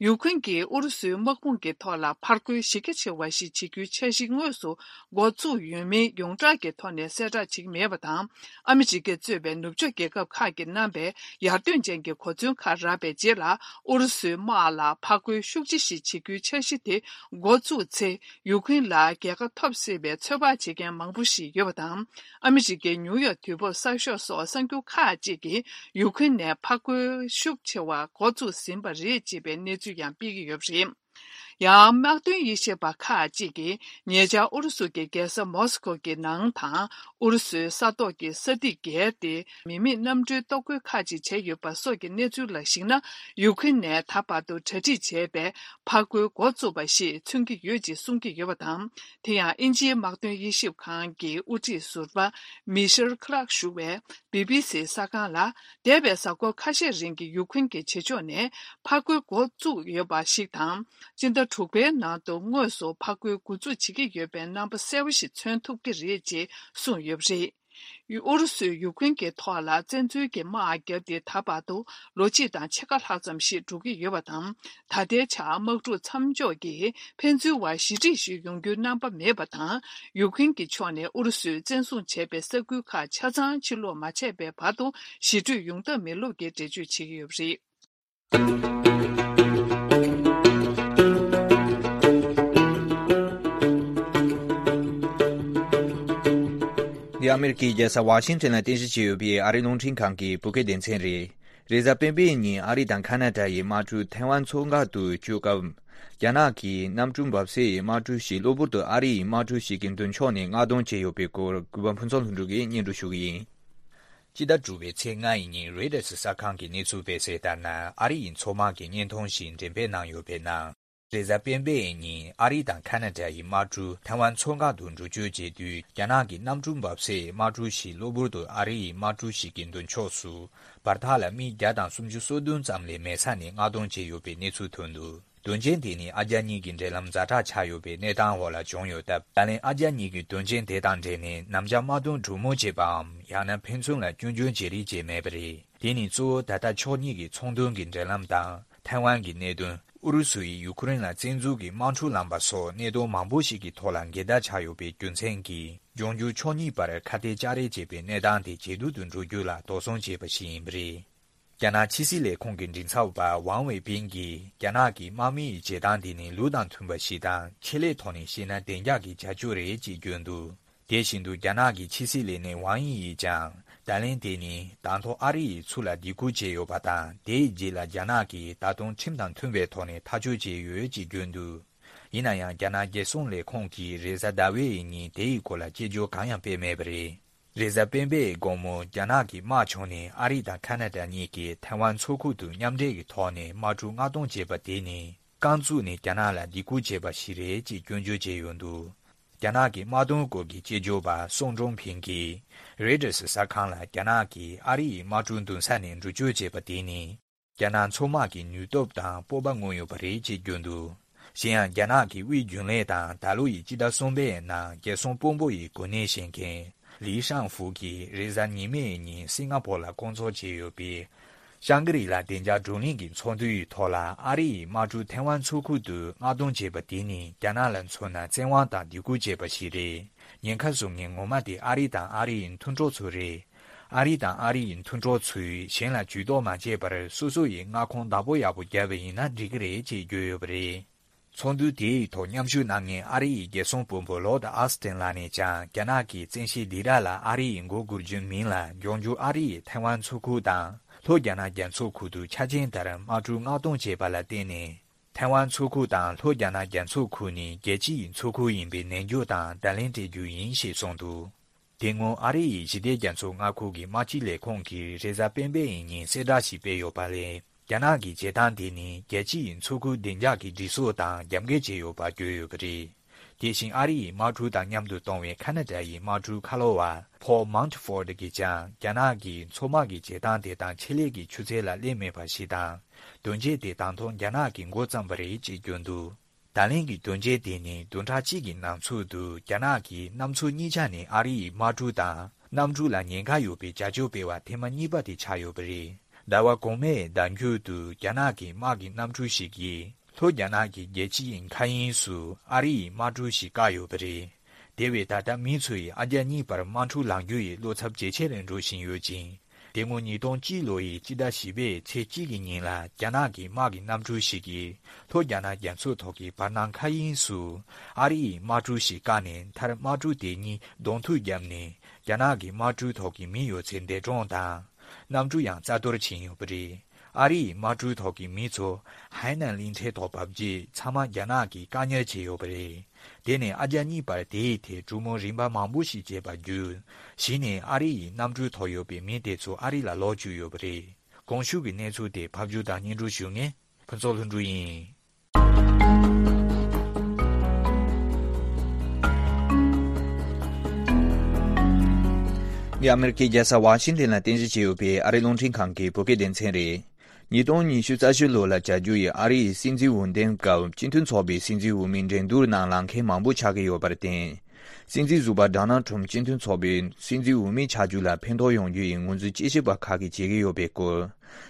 ཡུ་ཁུན་གྱིས་ཨུ་རུ་སུའི་དམག་དཔུང་གི་ཐོག་ལ་ཕར་རྒོལ་གཞི་རྒྱ་ཆེ་བ་ཞིག་བྱེད་རྒྱུའི་འཆར་གཞི་དངོས་སུ་འགོ་བཙུགས་ཡོད་མིན་ཡོངས་གྲགས་ཀྱི་ཐོག་ནས་གསལ་བསྒྲགས་བྱེད་ཀྱི་མེད་པ་དང་། ཨ་མི་རི་ཀས་གཙོས་པའི་ནུབ་ཕྱོགས་རྒྱལ་ཁབ་ཁག་གིས་གནང་པའི་ཡར་ཐོན་ཅན་གྱི་གོ་མཚོན་ཁག་རག་པའི་རྗེས་ལ། ཨུ་རུ་སུའི་དམག་ལ་ཕར་རྒོལ་ཤུགས་ཆེ་ཞིག་བྱེད་རྒྱུའི་འཆར་གཞི་དེ་འགོ་བཙུགས་ཚེ། ཡུ་ཁུན་ལ་རྒྱལ་ཁ་ཐོབ་སྲིད་པའི་ཚོད་དཔག་བྱེད་མཁན་མང་པོ་ཞིག་ཡོད་པ་དང་། ཨ་མི་རི་ཀའི་ནིའུ་ཡོག་དུས་བབ་གསར་ཤོག་སོགས་གསར་འགྱུར་ཁག་ཅིག་གིས་ཡུ་ཁུན་ནས་ཕར་རྒོལ་ཤུགས་ཆེ་བ་འགོ་བཙུགས་ཟིན་པ་རེད་ཅེས་པའི་གནས་ཚུལ་ཡང་སྤེལ་གྱི་ཡོད་པ་རེད། ཡང་། དམག་དོན་དབྱེ་ཞིབ་པ་ཁག་ཅིག་གིས་ཉེ་ཆར་ཨུ་རུ་སུ་གྱི་རྒྱལ་ས་མོ་སི་ཁོ་གི་ནང་དང་། ཨུ་རུ་སུའི་ས་ཐོག་གི་ས་ཐིག་བརྒལ་ཏེ། མི་མེད་གནམ་གྲུའི་གཏོར་རྒོལ་ཁག་ཅིག་བྱས་ཡོད་པ་སོགས་ཀྱི་གནས་ཚུལ་ལ་གཞིགས་ན། ཡུ་ཁུན་ནས་ད་བར་དུ་གྲ་སྒྲིག་བྱས་པའི་ཕར་རྒོལ་འགོ་བཙུགས་པ་ཞིག་མཚོན་གྱི་ཡོད་ཅེས་གསུང་གི་ཡོད་པ་དང་། དེ་ཡང་། དབྱིན་ཇིའི་དམག་དོན་དབྱེ་ཞིབ་ཁང་གི་དབུ་ཁྲིད་ཟུར་པ་མི་ཤེལ་ཁི་ལག་ཞུ་བས། བི་བི་སི་གསར་ཁང་ལ། འདས་པའི་གཟའ་འཁོར་ཁ་ཤས་རིང་གི་ཡུ་ཁུན་གྱི་བྱེད་ཕྱོགས་ནས་ཕར་རྒོལ་འགོ་བཙུགས་ཡོད་པ་ཞིག་དང་། སྤྱི་ཟླ་དྲུག་པའི་ནང་དུ་དངོས་སུ་ཕར་རྒོལ་འགོ་འཛུགས་བྱེད་ཀྱི་ཡོད་པའི་རྣམ་པ་གསལ་པོ་ཞིག་མཚོན་ཐུབ་ཀྱི་རེད་ཅེས་གསུངས་ཡོད་པ་རེད། ཨུ་རུ་སུས་ཡུ་ཁུན་གྱི་ཐོག་ལ་བཙན་འཛུལ་གྱི་དམག་བརྒྱབ་སྟེ་ད་བར་དུ་ལོ་གཅིག་དང་ཕྱེད་ཀ་ལྷག་ཙམ་ཞིག་འགྲོ་གི་ཡོད་པ་དང་། ད་ལྟའི་ཆར་དམག་འཁྲུག་མཚམས་འཇོག་གིས་ཕན་ཚུན་བར་ཞི་འགྲིག་ཞིག་ཡོང་རྒྱུའི་རྣམ་པ་མེད་པ་དང་། ཡུ་ཁུན་གྱི་ཕྱོགས་ནས་ཨུ་རུ་སུས་བཙན་བཟུང་བྱས་པའི་ས་ཁུལ་ཁག་ཆ་ཚང་ཕྱིར་སློག་མ་བྱས་པའི་བར་དུ་ཞི་གྲོས་ཡོང་ཐབས་མེད་ལུགས་ཀྱི་འགྲེལ་བརྗོད་བྱེད་ཀྱི་ཡོད་པ་རེད། འདི་ཨ་མེ་རི་ཀའི་རྒྱལ་ས་ཝ་ཤིང་ཊོན་ལ་རྟེན་གཞི་བྱས་ཡོད་པའི་ཨ་རིའི་རླུང་འཕྲིན་ཁང་གི་བོད་སྐད་སྡེ་ཚན་རེད། རེས་གཟའ་སྤེན་པའི་ཉིན་ཨ་རི་དང་ཁ་ན་ཌ་ཡི་དམག་གྲུ་ཐའེ་ཝན་མཚོ་འགག་ཏུ་བསྐྱོད་སྐབས། རྒྱ་ནག་གི་གནམ་གྲུ་འབབ་སའི་དམག་གྲུ་ཞིག་གློ་བུར་དུ་ཨ་རི་ཡི་དམག་གྲུ་ཞིག་གི་མདུན་ཕྱོགས་ནས་མངགས་གཏོང་བྱས་ཡོད་པའི་སྐོར་གུས་པ་ཕུན་ཚོགས་ལྷུན་གྲུབ་ཀྱིས་སྙན་སྒྲོན་ཞུ་གི་ཡིན། སྤྱི་ཟླ་དྲུག་པའི་ཚེས་ལྔ་ཡི་ཉིན་རོའི་ཊར་གསར་ཁང་གི་གནས་ཚུལ་སྤེལ་གསལ་ལྟར་ན། ཨ་རི་ཡི་མཚོ་དམག་གི་བརྙན་ཐུང་ཞིག་འགྲེམས་སྤེལ་གནང་ཡོད་པའི་ནང་། རེས་གཟའ་སྤེན་པའི་ཉིན་ཨ་རི་དང་ཁ་ན་ཌ་ཡི་དམག་གྲུ་ཐའེ་ཝན་མཚོ་འགག་ཏུ་འགྲུལ་སྐྱོད་བྱེད་དུས། རྒྱ་ནག་གི་གནམ་གྲུ་འབབ་སའི་དམག་གྲུ་ཞིག་གློ་བུར་དུ་ཨ་རི་ཡི་དམག་གྲུ་ཞིག་གི་མདུན་ཕྱོགས་སུ་བར་ཐག་ལ་མིལ་བརྒྱ་དང་སུམ་ཅུ་སོ་བདུན་ཙམ་ལས་མེད་ས་ནས་མངགས་གཏོང་བྱས་ཡོད་པའི་གནས་ཚུལ་ཐོན་འདུག། དོན་རྐྱེན་དེ་ནི་ཨ་རྒྱ་གཉིས་ཀྱི་འབྲེལ་ལམ་ཛ་དྲག་ཆགས་ཡོད་པའི་གནས་སྟངས་འོག་ལ་བྱུང་ཡོད་སྟབས། ད་ལན་ཨ་རྒྱ་གཉིས་ཀྱིས་དོན་རྐྱེན་དེ་དང་འབྲེལ་ནས་ནམ་རྒྱུན་དམག་དོན་གྲོས་མོལ་བྱེད་པའམ། ཡང་ན་ཕན་ཚུན་ལ་སྐྱོན་བརྗོད་བྱེད་རེས་བྱས་མེད་པ་རེད། དེ་ནི་གཙོ་བོ་ད་ལྟ་ཕྱོགས་གཉིས་ཀྱི་ཚོང་དོན་གྱི་འབྲེལ་ལམ་དང་། ཐའེ་ཝན་གྱི་གནད་དོན། ཨུ་རུ་སུ་ཡིས་ཡུ་ཁུ་རེན་ལ་བཙན་འཛུལ་གྱིས་དམག་འཁྲུག་བསླངས་པ་སོགས་གནད་དོན་མང་པོ་ཞིག་གི་ཐོག་ལ་འགལ་ཟླ་ཆགས་ཡོད་པའི་རྒྱུ་མཚན་གྱིས། འབྱུང་འགྱུར་ཕྱོགས་གཉིས་བར་ཁ་གཏད་བཅག་རེས་བྱེད་པའི་གནས་སྟངས་དེ་ཇེ་སྡུག་ཏུ་འགྲོ་རྒྱུ་ལ་དོགས་ཟོན་བྱས་པ་ཞིག་ཡིན་པ་རེད། རྒྱ་ནག་ཕྱི་སྲིད་ལས་ཁུངས་ཀྱི་མགྲིན་ཚབ་པ་ཝང་ཝེ་པིན་གྱིས། རྒྱ་ནག་གི་དམག་མི་ཡི་བྱེད་སྟངས་དེ་ནི་ལུགས་དང་མཐུན་པ་ཞིག་དང་། ཆེད་ལས་ཐོག་ནས་བཤད་ན་བདེ་འཇགས་ཀྱི་བྱ་སྤྱོད་རེད་ཅེས་བརྗོད་འདུག། དེ་བཞིན་དུ། རྒྱ་ནག་གི་ཕྱི་སྲིད་ལས་སྣེ་ཝང་དབྱི་ཡིས་ཀྱང་། ད་ལན་དེ་ནི་དང་ཐོག་ཨ་རི་ཡིས་ཚུར་ལ་སྡིགས་སྐུལ་བྱས་ཡོད་པ་དང་། དེའི་རྗེས་ལ་རྒྱ་ནག་གིས་ད་དུང་ཁྲིམས་དང་མཐུན་པའི་ཐོག་ནས་ཐག་གཅོད་བྱས་ཡོད་ཅེས་བརྗོད་འདུག། ཡིན་ན་ཡང་། རྒྱ་ནག་རྒྱལ་སྲུང་ལས་ཁུངས་ཀྱིས་རེས་གཟའ་ཟླ་བའི་ཉིན་དེའི་སྐོར་ལ་སྐྱོན་བརྗོད་གང་ཡང་སྤེལ་མེད་པ་རེད། རེས་གཟའ་སྤེན་པའི་དགོང་མོ། རྒྱ་ནག་གི་དམག་བྱུང་ནས་ཨ་རི་དང་ཁ་ན་ཌ་གཉིས་ཀྱིས་ཐའེ་ཝན་མཚོ་ཁུག་ཏུ་མཉམ་འབྲེལ་གྱི་ཐོག་ནས་དམག་གྲུ་མངགས་གཏོང་བྱས་པ་དེ་ནི། རྐང་བཙུགས་ནས་རྒྱ་ནག་ལ་སྡིགས་སྐུལ་བྱས་པ་ཞིག་རེད་ཅེས་སྐྱོན་བརྗོད་བྱས་ཡོད་འདུག་རྒྱ་ནག་གི་དམག་དོན་སྐོར་གྱི་དཔྱད་བརྗོད་པ་སུང་ཀྲུང་ཕིང་གིས་རོའི་ཊར་སི་གསར་ཁང་ལ་རྒྱ་ནག་གིས་ཨ་རི་ཡི་དམག་གྲུ་འདུག་ས་ནས་འགྲུལ་སྐྱོད་བྱས་པ་དེ་ནི། རྒྱ་ནག་མཚོ་དམག་གི་ནུས་སྟོབས་དང་སྤོབས་པ་མངོན་ཡོད་པ་རེད་ཅེས་བརྗོད་འདུག་གཞན་ཡང་རྒྱ་ནག་གི་དབུས་རྒྱུན་ལས་དང་ད་ལོ་ཡི་སྤྱི་ཟླ་གསུམ་པའི་ནང་རྒྱལ་སྲུང་དཔོན་པོ་ཡི་གོ་གནས་བཞེས་མཁན་ལི་ཤང་ཧྥུ་གིས་རེས་གཟའ་ཉི་མའི་ཉིན་སིང་ག་ཕོར་ལ་སྐོང་ཚོགས་བྱས་ཡོད་པའི་ཤང་གི་རི་ལ་བདེ་འཇགས་བགྲོ་གླེང་གི་ཚོགས་འདུ་ཡི་ཐོག་ལ་ཨ་རི་ཡི་དམག་གྲུ་ཐེ་ཝན་མཚོ་ཁུལ་དུ་མངགས་གཏོང་བྱས་པ་དེ་ནི་རྒྱ་ནག་ལ་མཚོན་ན་བཙན་དབང་དང་སྡིགས་སྐུལ་བྱས་པ་ཞིག་རེད། ཉེན་ཁ་བཟོ་མཁན་ངོ་མ་དེ་ཨ་རི་དང་ཨ་རི་ཡི་མཐུན་གྲོགས་ཚོ་རེད། ཨ་རི་དང་ཨ་རི་ཡི་མཐུན་གྲོགས་ཚོས་གཞན་ལ་ཇུས་གཏོགས་མ་བྱས་པར་སོ་སོ་ཡི་མངའ་ཁོངས་བདག་པོ་ཡག་པོ་བརྒྱབ་པ་ཡིན་ན་འགྲིག་གི་རེད་ཅེས་བརྗོད་ཡོད་པ་རེད། ཚོགས་འདུ་དེའི་ཐོག་མཉམ་ཞུགས་གནང་མཁན་ཨ་རི་ཡི་རྒྱལ་སྲུང་དཔོན་པོ་ལོར་ཌི་ཨོ་སི་ཊིན་ལགས་ནས་ཀྱང་རྒྱ་ནག་གིས་བཙན་ཤེད་སྡིགས་ར་ལ་ཨ་རི་ཡི་མགོ་སྒུར་རྒྱུའི་མིང་ལ་འབྱུང་འགྱུར་ཨ་རི་ཡི་ཐེ་ཝན་མཚོ་ཁུལ་དང་ལྷོ་རྒྱ་ནག་རྒྱ་མཚོ་ཁུལ་དུ་ཆ་རྐྱེན་ལྟར་དམག་གྲུ་མངགས་གཏོང་བྱས་པ་ལ་བརྟེན་ནས། ཐེ་ཝན་མཚོ་ཁུལ་དང་ལྷོ་རྒྱ་ནག་རྒྱ་མཚོ་ཁུལ་ནི་རྒྱལ་སྤྱི་ཡི་མཚོ་ཁུལ་ཡིན་པའི་ནན་སྐྱོར་དང་བརྡ་ལན་སྤྲད་རྒྱུ་ཡིན་ཞེས་གསུངས་འདུག་དེ་སྔོན་ཨ་རི་ཡི་ཞི་བདེ་རྒྱ་མཚོ་མངའ་ཁུལ་གྱི་དམག་སྤྱི་ལས་ཁུངས་ཀྱིས་རེས་གཟའ་སྤེན་པའི་ཉིན་གསལ་བསྒྲགས་ཤིག་སྤེལ་ཡོད་པ་ལས། རྒྱ་ནག་གི་བྱེད་སྟངས་དེ་ནི་རྒྱལ་སྤྱི་ཡི་མཚོ་ཁུལ་བདེ་འཇགས་ཀྱི་སྒྲིག་སྲོལ་དང་རྒྱབ་འགལ་བྱས་ཡོད་པ་བརྗོད་ཡོད་པ་རེད། དེ་བཞིན་ཨ་རི་ཡི་དམག་གྲུ་དང་མཉམ་དུ་གཏོང་བའི་ཁ་ན་ཌ་ཡི་དམག་གྲུ་ཁ་ལོ་བ་ཕོལ་མཱོན་ཕོར་ཌི་གིས་ཀྱང་རྒྱ་ནག་གིས་མཚོ་དམག་གི་བྱེད་སྟངས་དེ་དང་ཆེད་ལས་ཀྱི་ཆུ་ཚད་ལ་སླེབས་མེད་པ་ཞིག་དང་། དོན་རྐྱེན་དེ་ད་དུང་རྒྱ་ནག་གིས་འགོ་བརྩམས་པ་རེད་ཅེས་བརྗོད་འདུག་བརྡ་ལན་གྱི་དོན་རྐྱེན་དེ་ནི་བདུན་ཕྲག་གཅིག་གི་ནང་ཚུད་དུ་རྒྱ་ནག་གིས་གནམ་མཚོ་གཉིས་ཆ་ནས་ཨ་རི་ཡི་དམག་གྲུ་དང་གནམ་གྲུ་ལ་ཉེན་ཁ་ཡོད་པའི་བྱ་སྤྱོད་སྤེལ་བ་ཐེངས་མ་གཉིས་པ་དེ་ཆགས་ཡོད་པ་རེད། ཟླ་བ་གོང་མའི་ཟླ་མཇུག་ཏུ་རྒྱ་ནག་གི་དམག་གི་གནམ་གྲུ་ཞིག་གིས་ལྷོ་རྒྱ་ནག་གི་རྒྱལ་སྤྱི་ཡི་མཁའ་དབྱིངས་སུ་ཨ་རི་ཡི་དམག་གྲུ་ཞིག་བཀག་ཡོད་པ་རེད། དེ་བས་ད་ལྟ་མི་ཚོ་ཡིས་ཨ་རྒྱ་གཉིས་བར་དམག་འཁྲུག་ལངས་རྒྱུ་ཡི་བློ་འཚབ་ཇེ་ཆེར་འགྲོ་བཞིན་ཡོད་ཅིང་། དེ་སྔོན་ཉིས་སྟོང་གཅིག་ལོ་ཡི་སྤྱི་ཟླ་བཞི་པའི་ཚེས་གཅིག་གི་ཉིན་ལ་རྒྱ་ནག་གི་དམག་གི་གནམ་གྲུ་ཞིག་གིས་ལྷོ་རྒྱ་ནག་རྒྱ་མཚོ་ཐོག་གི་བར་སྣང་མཁའ་དབྱིངས་སུ་ཨ་རི་ཡི་དམག་གྲུ་ཞིག་བཀག་ནས་མཐར་དམག་གྲུ་དེ་གཉིས་གདོང་ཐུག་བརྒྱབ་ནས་རྒྱ་ནག་གི་དམག་གྲུའི་ཐོག་གི་མི་ཡོད་ཚད་འདས་གྲོངས་དང་། གནམ་གྲུ་ཡང་རྩ་གཏོར་ཕྱིན་ཡོད་པ་རེད། ཨ་རི་ཡི་དམག་གྲུའི་ཐོག་གི་མི་ཚོ་ཧའེ་ནན་གླིང་ཕྲན་ཐོག་བབས་རྗེས་ཚང་མ་རྒྱ་ནག་གིས་བཀག་ཉར་བྱས་ཡོད་པ་རེད། དེ་ནས་ཨ་རྒྱ་གཉིས་བར་དེའི་ཐད་གྲོས་མོལ་རིམ་པ་མང་པོ་ཞིག་བྱས་པ་བརྒྱུད། གཞི་ནས་ཨ་རི་ཡི་གནམ་གྲུའི་ཐོག་ཡོད་པའི་མི་དེ་ཚོ་ཨ་རི་ལ་ལོག་བཅུག་ཡོད་པ་རེད། གོང་ཞུས་ཀྱི་གནས་ཚུལ་དེ་ཕབ་སྒྱུར་དང་སྙན་སྒྲོན་ཞུ་མཁན་ཕུན་ཚོགས་ལྷུན་གྲུབ་ཡིན། འདི་ཨ་མེ་རི་ཁའི་རྒྱལ་ས་ཝ་ཤིང་ཏན་ལ་རྟེན་གཞི་བྱས་ཡོད་པའི་ཨ་རིའི་རླུང་འཕྲིན་ཁང་གི་བོད་སྐད་སྡེ་ཚན་རེད། ཉིས་སྟོང་ཉི་ཤུ་རྩ་བཞི་ལོ་ལ་བྱ་རྒྱུ་ཡི་ཨ་རི་ཡི་སྲིད་འཛིན་འོས་འདེམས་སྐབས་སྤྱི་མཐུན་ཚོགས་པའི་སྲིད་འཛིན་འོས་མི་འགྲན་བསྡུར་ནང་ལངས་མཁན་མང་པོ་ཆགས་ཀྱི་ཡོད་པར་བརྟེན། སྲིད་འཛིན་ཟུར་པ་ཌོ་ནལ་ཊམ་སྤྱི་མཐུན་ཚོགས་པའི་སྲིད་འཛིན་འོས་མི་ཆགས་རྒྱུ་ལ་ཕན་ཐོགས་ཡོང་རྒྱུ་ཡི་ངོས་འཛིན་དཔྱད་ཞིབ་པ་ཁག་གིས་བྱེད་ཀྱི་ཡོད་པའི་སྐོར།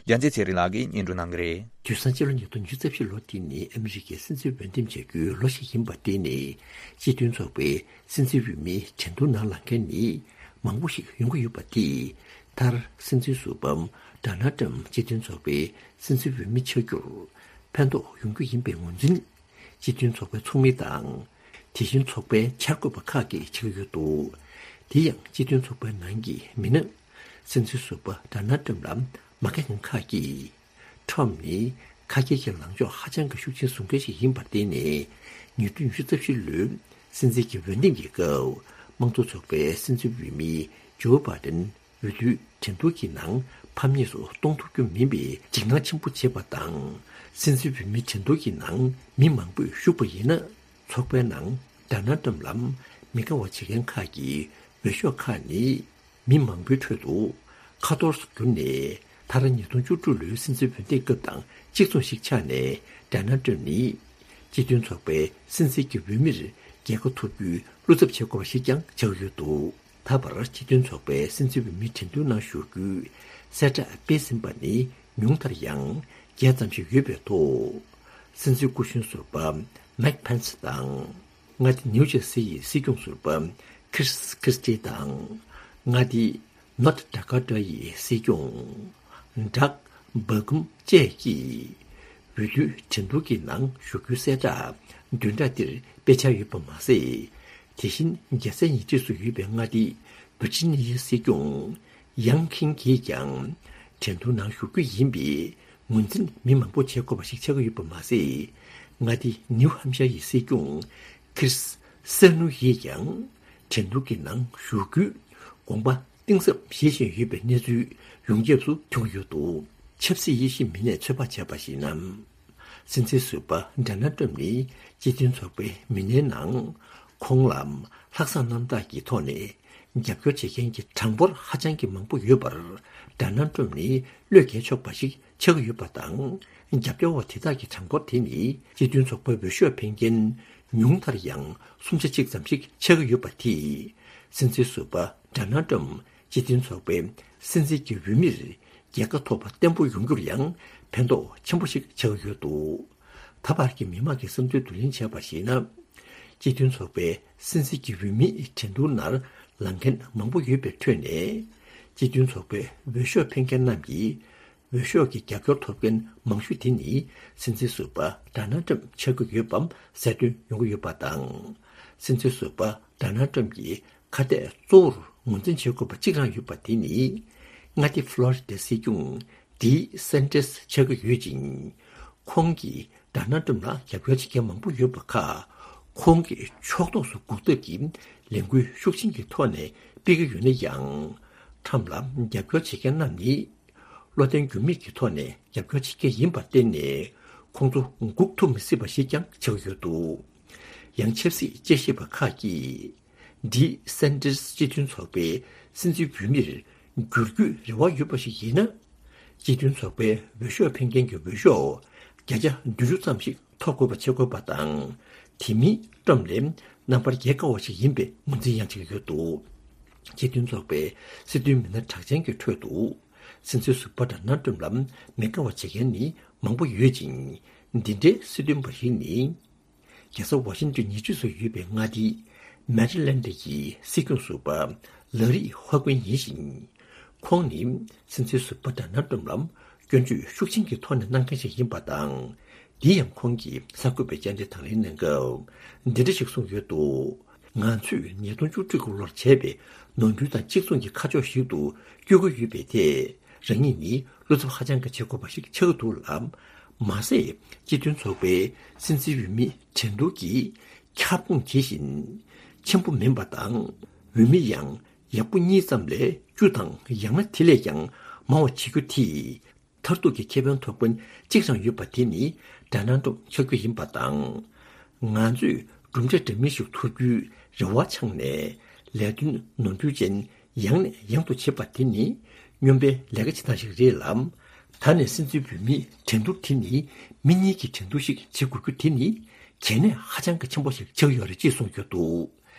རྒྱལ་མཚན་ཚེ་རིང་ལགས་ཀྱིས་སྙན་སྒྲོན་གནང་གི་རེད། དུས་སང་སྤྱི་ལོ་ཉིས་སྟོང་ཉི་ཤུ་རྩ་བཞི་ལོ་དེ་ནི་ཨ་མི་རི་ཀའི་སྲིད་འཛིན་འོས་འདེམས་བྱ་རྒྱུའི་ལོ་ཞིག་ཡིན་པར་བརྟེན་ནས་སྤྱི་མཐུན་ཚོགས་པའི་སྲིད་འཛིན་འོས་མིའི་འགྲན་བསྡུར་ནང་ལངས་མཁན་ནི་མང་པོ་ཞིག་ཡོང་གི་ཡོད་པ་དེས་མཐར་སྲིད་འཛིན་ཟུར་པ་ཌོ་ནལ་ཊམ་སྤྱི་མཐུན་ཚོགས་པའི་སྲིད་འཛིན་འོས་མི་ཆགས་རྒྱུར་ཕན་ཐོགས་ཡོང་རྒྱུ་ཡིན་པའི་ངོས་འཛིན་སྤྱི་མཐུན་ཚོགས་པའི་ཚོགས་མི་དང་། དེ་བཞིན་ཚོགས་པའི་འཆར་འགོད་པ་ཁག་གིས་བྱེད་ཀྱི་ཡོད་འདུག་དེ་ཡང་སྤྱི་མཐུན་ཚོགས་པའི་ནང་གི་མི་སྣ་སྲིད་འཛིན་ཟུར་པ་ཌོ་ནལ་ཊམ་ལ་མ་དགའ་མཁན་ཁག་གིས། ཊམ་ནི་ཁ་སྐད་ཀྱི་ལངས་ཕྱོགས་ཧ་ཅང་གི་ཤུགས་ཆེན་བཟུང་མཁན་ཞིག་ཡིན་པར་བརྟེན་ནས་ཉིས་སྟོང་ཉི་ཤུ་རྩ་བཞི་ལོའི་སྲིད་འཛིན་གྱི་འོས་འདེམས་ཀྱི་སྐབས་དམངས་གཙོ་ཚོགས་པའི་སྲིད་འཛིན་འོས་མི་ཇོ་བྷའི་ཌེན་འོས་བསྡུའི་འགྲན་བསྡུར་གྱི་ནང་ཕམ་ཉེས་སུ་གཏོང་ཐུབ་རྒྱུ་མིན་པའི་འཇིགས་སྣང་ཆེན་པོ་བྱེད་པ་དང་། སྲིད་འཛིན་འོས་མི་འགྲན་བསྡུར་གྱི་ནང་མི་མང་པོས་ཞུགས་པ་ཡིན་ན། ཚོགས་པའི་ནང་ཌོ་ནལ་ཊམ་ལ་མི་དགའ་བ་བྱེད་མཁན་ཁག་གི་འོས་ཤོག་ཁག་ནི་མི་མང་པོའི་ཁྲོད་དུ་ཁ་འཐོར་སུ་གྱུར་ནས། མཐར་ཉིས་སྟོང་བཅུ་དྲུག་ལོའི་སྲིད་འཛིན་འོས་འདེམས་སྐབས་དང་གཅིག་མཚུངས་ཤིག་ཆགས་ནས། ཌོ་ནལ་ཊམ་ནི་སྤྱི་མཐུན་ཚོགས་པའི་སྲིད་འཛིན་གྱི་འོས་མིར་རྒྱལ་ཁ་ཐོབ་རྒྱུའི་བློ་འཚབ་བྱེད་དགོས་པ་ཞིག་ཀྱང་ཆགས་ཡོད་འདུག་ད་བར་སྤྱི་མཐུན་ཚོགས་པའི་སྲིད་འཛིན་འོས་མི་འགྲན་བསྡུར་ནང་ཞུགས་རྒྱུའི་གསལ་བསྒྲགས་སྤེལ་ཟིན་པ་ནི་ཉུང་མཐར་ཡང་བརྒྱད་ཙམ་ཞིག་ཡོད་པའི་ཐོག་སྲིད་འཛིན་སྐུ་གཞོན་ཟུར་པ་མེག་ཕན་སི་དང་། མངའ་སྡེ་ནིའུ་ཇར་སི་ཡི་སྲིད་སྐྱོང་ཟུར་པ་ཁིར་སི་ཁི་རི་སི་ཊི་དང་། མངའ་སྡེ་ནོར་ཐ་ཌ་ཀོ་ཊ་ཡི་སྲིད་སྐྱོང་ཌག་སྦག་ཀུམ་བཅས་ཀྱིས་འོས་བསྡུའི་འགྲན་བསྡུར་གྱི་ནང་ཞུགས་རྒྱུའི་གསལ་བསྒྲགས་བདུན་ཕྲག་འདིར་སྤེལ་འཆར་ཡོད་པ་མ་ཟད། དེ་བཞིན་རྒྱལ་སའི་ཉེ་འཁྲིས་སུ་ཡོད་པའི་མངའ་སྡེ་ཝི་ཇི་ནི་ཡའི་སྲིད་སྐྱོང་ཡང་ཁིང་གིས་ཀྱང་འགྲན་བསྡུར་ནང་ཞུགས་རྒྱུ་ཡིན་པའི་ངོས་འཛིན་མི་མང་པོ་བྱེད་དགོས་པ་ཞིག་ཆགས་ཀྱི་ཡོད་པ་མ་ཟད། མངའ་སྡེ་ནིའུ་ཧམ་ཤར་ཡི་སྲིད་སྐྱོང་ཁིར་སི་སེ་ནུ་ཡིས་ཀྱང་འགྲན་བསྡུར་གྱི་ནང་ཞུགས་རྒྱུའི་དགོངས་པ་གཏིང་ཟབ་བཞེས་བཞིན་ཡོད་པའི་གནས་ཚུལ་ཡོངས་ཁྱབ་ཏུ་ཐོན་གྱི་ཡོད་འདུག་ཆབ་སྲིད་དབྱེ་ཞིབ་མི་སྣས་ཚོད་དཔག་བྱས་པར་གཞིགས་ན། སྲིད་འཛིན་ཟུར་པ་ཌོ་ནལ་ཊམ་ནི་སྤྱི་མཐུན་ཚོགས་པའི་མི་སྣའི་ནང་ཁོང་ལ་ལྷག་བསམ་རྣམ་དག་གི་ཐོག་ནས་རྒྱབ་སྐྱོར་བྱེད་མཁན་གྱི་གྲངས་འབོར་ཧ་ཅང་གི་མང་པོ་ཡོད་པར། ཌོ་ནལ་ཊམ་ནི་བློས་འགེལ་ཆོག་པ་ཞིག་ཆགས་ཀྱི་ཡོད་པ་དང་། རྒྱབ་སྐྱོར་བ་དེ་དག་གི་གྲངས་འབོར་དེ་ནི་སྤྱི་མཐུན་ཚོགས་པའི་འོས་ཤོག་འཕེན་མཁན་ཉུང་མཐར་ཡང་སུམ་ཆ་གཅིག་ཙམ་ཞིག་ཆགས་ཀྱི་ཡོད་པ་དེས། སྲིད་འཛིན་ཟུར་པ་ཌོ་ནལ་ཊམ་སྤྱི་མཐུན་ཚོགས་པའི་སྲིད་འཛིན་གྱི་འོས་མིར་རྒྱལ་ཁ་ཐོབ་པ་བརྟན་པོ་ཡོང་རྒྱུར་ཡང་ཕན་ཐོགས་ཆེན་པོ་ཞིག་ཆགས་ཀྱི་ཡོད་འདུག་ད་བར་གྱི་མི་མང་གི་བསམ་ཚུལ་བསྡུ་ལེན་བྱས་པར་གཞིགས་ན། སྤྱི་མཐུན་ཚོགས་པའི་སྲིད་འཛིན་གྱི་འོས་མིའི་འགྲན་བསྡུར་ནང་ལངས་མཁན་མང་པོ་ཡོད་པའི་ཁྲོད་ནས། སྤྱི་མཐུན་ཚོགས་པའི་འོས་ཤོག་འཕེན་མཁན་རྣམས་ཀྱིས། འོས་ཤོག་གི་རྒྱབ་སྐྱོར་ཐོབ་མཁན་མང་ཤོས་དེ་ནི་སྲིད་འཛིན་ཟུར་པ་ཌོ་ནལ་ཊམ་ཆགས་ཀྱི་ཡོད་པའང་གསལ་སྟོན་ཡོང་གི་ཡོད་པ་དང་། སྲིད་འཛིན་ཟུར་པ་ཌོ་ནལ་ཊམ་གྱི་ཁ་གཏད་གཙོ་བོར་ངོས་འཛིན་བྱེད་དགོས་པ་གཅིག་རང་ཡོད་པ་དེ་ནི། མངའ་སྡེ་ཕློ་རི་ཌའི་སྲིད་སྐྱོང་ཌི་སན་ཊིས་ཆགས་ཀྱི་ཡོད་ཅིང་། ཁོང་གིས་ཌོ་ནལ་ཊམ་ལ་རྒྱབ་སྐྱོར་བྱེད་མཁན་མང་པོ་ཡོད་པ་ཁག་ཁོང་གི་ཕྱོགས་གཏོགས་སུ་འགུག་ཐབས་ཀྱི་ལས་འགུལ་ཤུགས་ཆེན་གྱི་ཐོག་ནས་སྤེལ་གྱི་ཡོད་ན་ཡང་། ཊམ་ལ་རྒྱབ་སྐྱོར་བྱེད་མཁན་རྣམས་ནི། བློ་བརྟན་འགྱུར་མེད་ཀྱི་ཐོག་ནས་རྒྱབ་སྐྱོར་བྱེད་མཁན་ཡིན་པར་བརྟེན་ནས། ཁོང་ཚོ་འགུག་ཐུབ་མི་སྲིད་པ་ཞིག་ཀྱང་ཆགས་ཡོད་འདུག་ཡང་ཆབ་སྲིད་དཔྱད་ཞིབ་པ་ཁག་གིས། ཌི་སན་ཊིས་སྤྱི་མཐུན་ཚོགས་པའི་སྲིད་འཛིན་འོས་མིར་འགྱུར་རྒྱུའི་རེ་བ་ཡོད་པ་ཞིག་ཡིན་ན། སྤྱི་མཐུན་ཚོགས་པའི་འོས་ཤོག་འཕེན་མཁན་གྱི་འོས་ཤོག་བརྒྱ་ཆ་བདུན་ཅུ་ཙམ་ཞིག་ཐོབ་དགོས་པ་བྱེད་དགོས་པ་དང་། དེ་མིན་ཊམ་ལས་རྣམ་པར་རྒྱལ་དཀའ་བ་ཞིག་ཡིན་པའི་ངོས་འཛིན་ཡང་བྱེད་ཀྱི་ཡོད་འདུག་སྤྱི་མཐུན་ཚོགས་པའི་སྲིད་དོན་མི་སྣ་གྲགས་ཅན་གྱི་ཁྲོད་དུ། སྲིད་འཛིན་ཟུར་པ་ཌོ་ནལ་ཊམ་ལ་མི་དགའ་བ་བྱེད་མཁན་ནི་མང་པོ་ཡོད་ཅིང་། འདི་འདྲའི་སྲིད་དོན་པ་ཞིག་ནི། རྒྱལ་ས་ཝ་ཤིང་ཏོན་ཉེ་འཁྲིས་སུ་ཡོད་པའི་མངའ་སྡེ་མེ་རི་ལན་ཌི་ཡི་སྲིད་སྐྱོང་ཟུར་པ་ལ་རི་ཧོ་ཀུན་ཡིན་ཞིང་། ཁོང་ནི་སྲིད་འཛིན་ཟུར་པ་ཌོ་ནལ་ཊམ་ལ་སྐྱོན་བརྗོད་ཤུགས་ཆེན་གྱི་ཐོག་ནས་གནང་མཁན་ཞིག་ཡིན་པ་དང་། དེ་ཡང་ཁོང་གིས་གསར་འགོད་པའི་བཅར་འདྲི་དང་ལེན་གནང་སྐབས་འདི་འདྲ་ཞིག་གསུངས་ཡོད་འདུག་ང་ཚོས་ཉིས་སྟོང་བཅུ་དྲུག་གི་ལོར་བྱས་པའི་ནོར་འཁྲུལ་དང་གཅིག་མཚུངས་ཀྱི་ཁ་ཕྱོགས་ཤིག་ཏུ་བསྐྱོད་ཀྱི་ཡོད་པས། དེ་རང་ཉིད་ནི་བློ་འཚབ་ཧ་ཅང་གི་བྱེད་དགོས་པ་ཞིག་ཆགས་ཀྱི་འདུག་ལ། མ་ཟད་སྤྱི་མཐུན་ཚོགས་པའི་སྲིད་འཛིན་འོས་མི་འགྲན་བསྡུར་གྱི་ཁྱབ་ཁོངས་དེ་བཞིན་ཆེན་པོ་མིན་པ་དང་། འོས་མི་ཡང་ཡག་པོ་གཉིས་ཙམ་ལས་བཅུ་དང་ཡང་ན་དེ་ལས་ཀྱང་མང་བ་བྱེད་རྒྱུ་དེས། མཐར་ཐུག་གི་ཁེ་ཕན་ཐོབ་མཁན་གཅིག་རང་ཡོད་པ་དེ་ནི་ཌོ་ནལ་ཊམ་ཆགས་རྒྱུ་ཡིན་པ་དང་། ང་ཚོས་གྲུབ་འབྲས་འདྲ་མིན་ཞིག་ཐོབ་རྒྱུའི་རེ་བ་འཆང་ནས་ལས་དོན་ནོར་འཁྲུལ་ཅན་ཡང་ནས་ཡང་དུ་བྱེད་པ་དེ་ནི་སྨྱོན་པའི་ལས་ཀ་བྱེད་སྟངས་ཤིག་རེད་ལ། ད་ནས་སྲིད་འཛིན་འོས་མིའི་འགྲན་བསྡུར་དེ་ནི་མི་གཉིས་ཀྱི་འགྲན་བསྡུར་ཞིག་བྱེད་དགོས་རྒྱུ་དེ་ནི་གལ་གནད་ཧ་ཅང་གི་ཆེན་པོ་ཞིག་ཆགས་ཡོད་རེད་ཅེས་གསུངས་ཡོད་འདུག་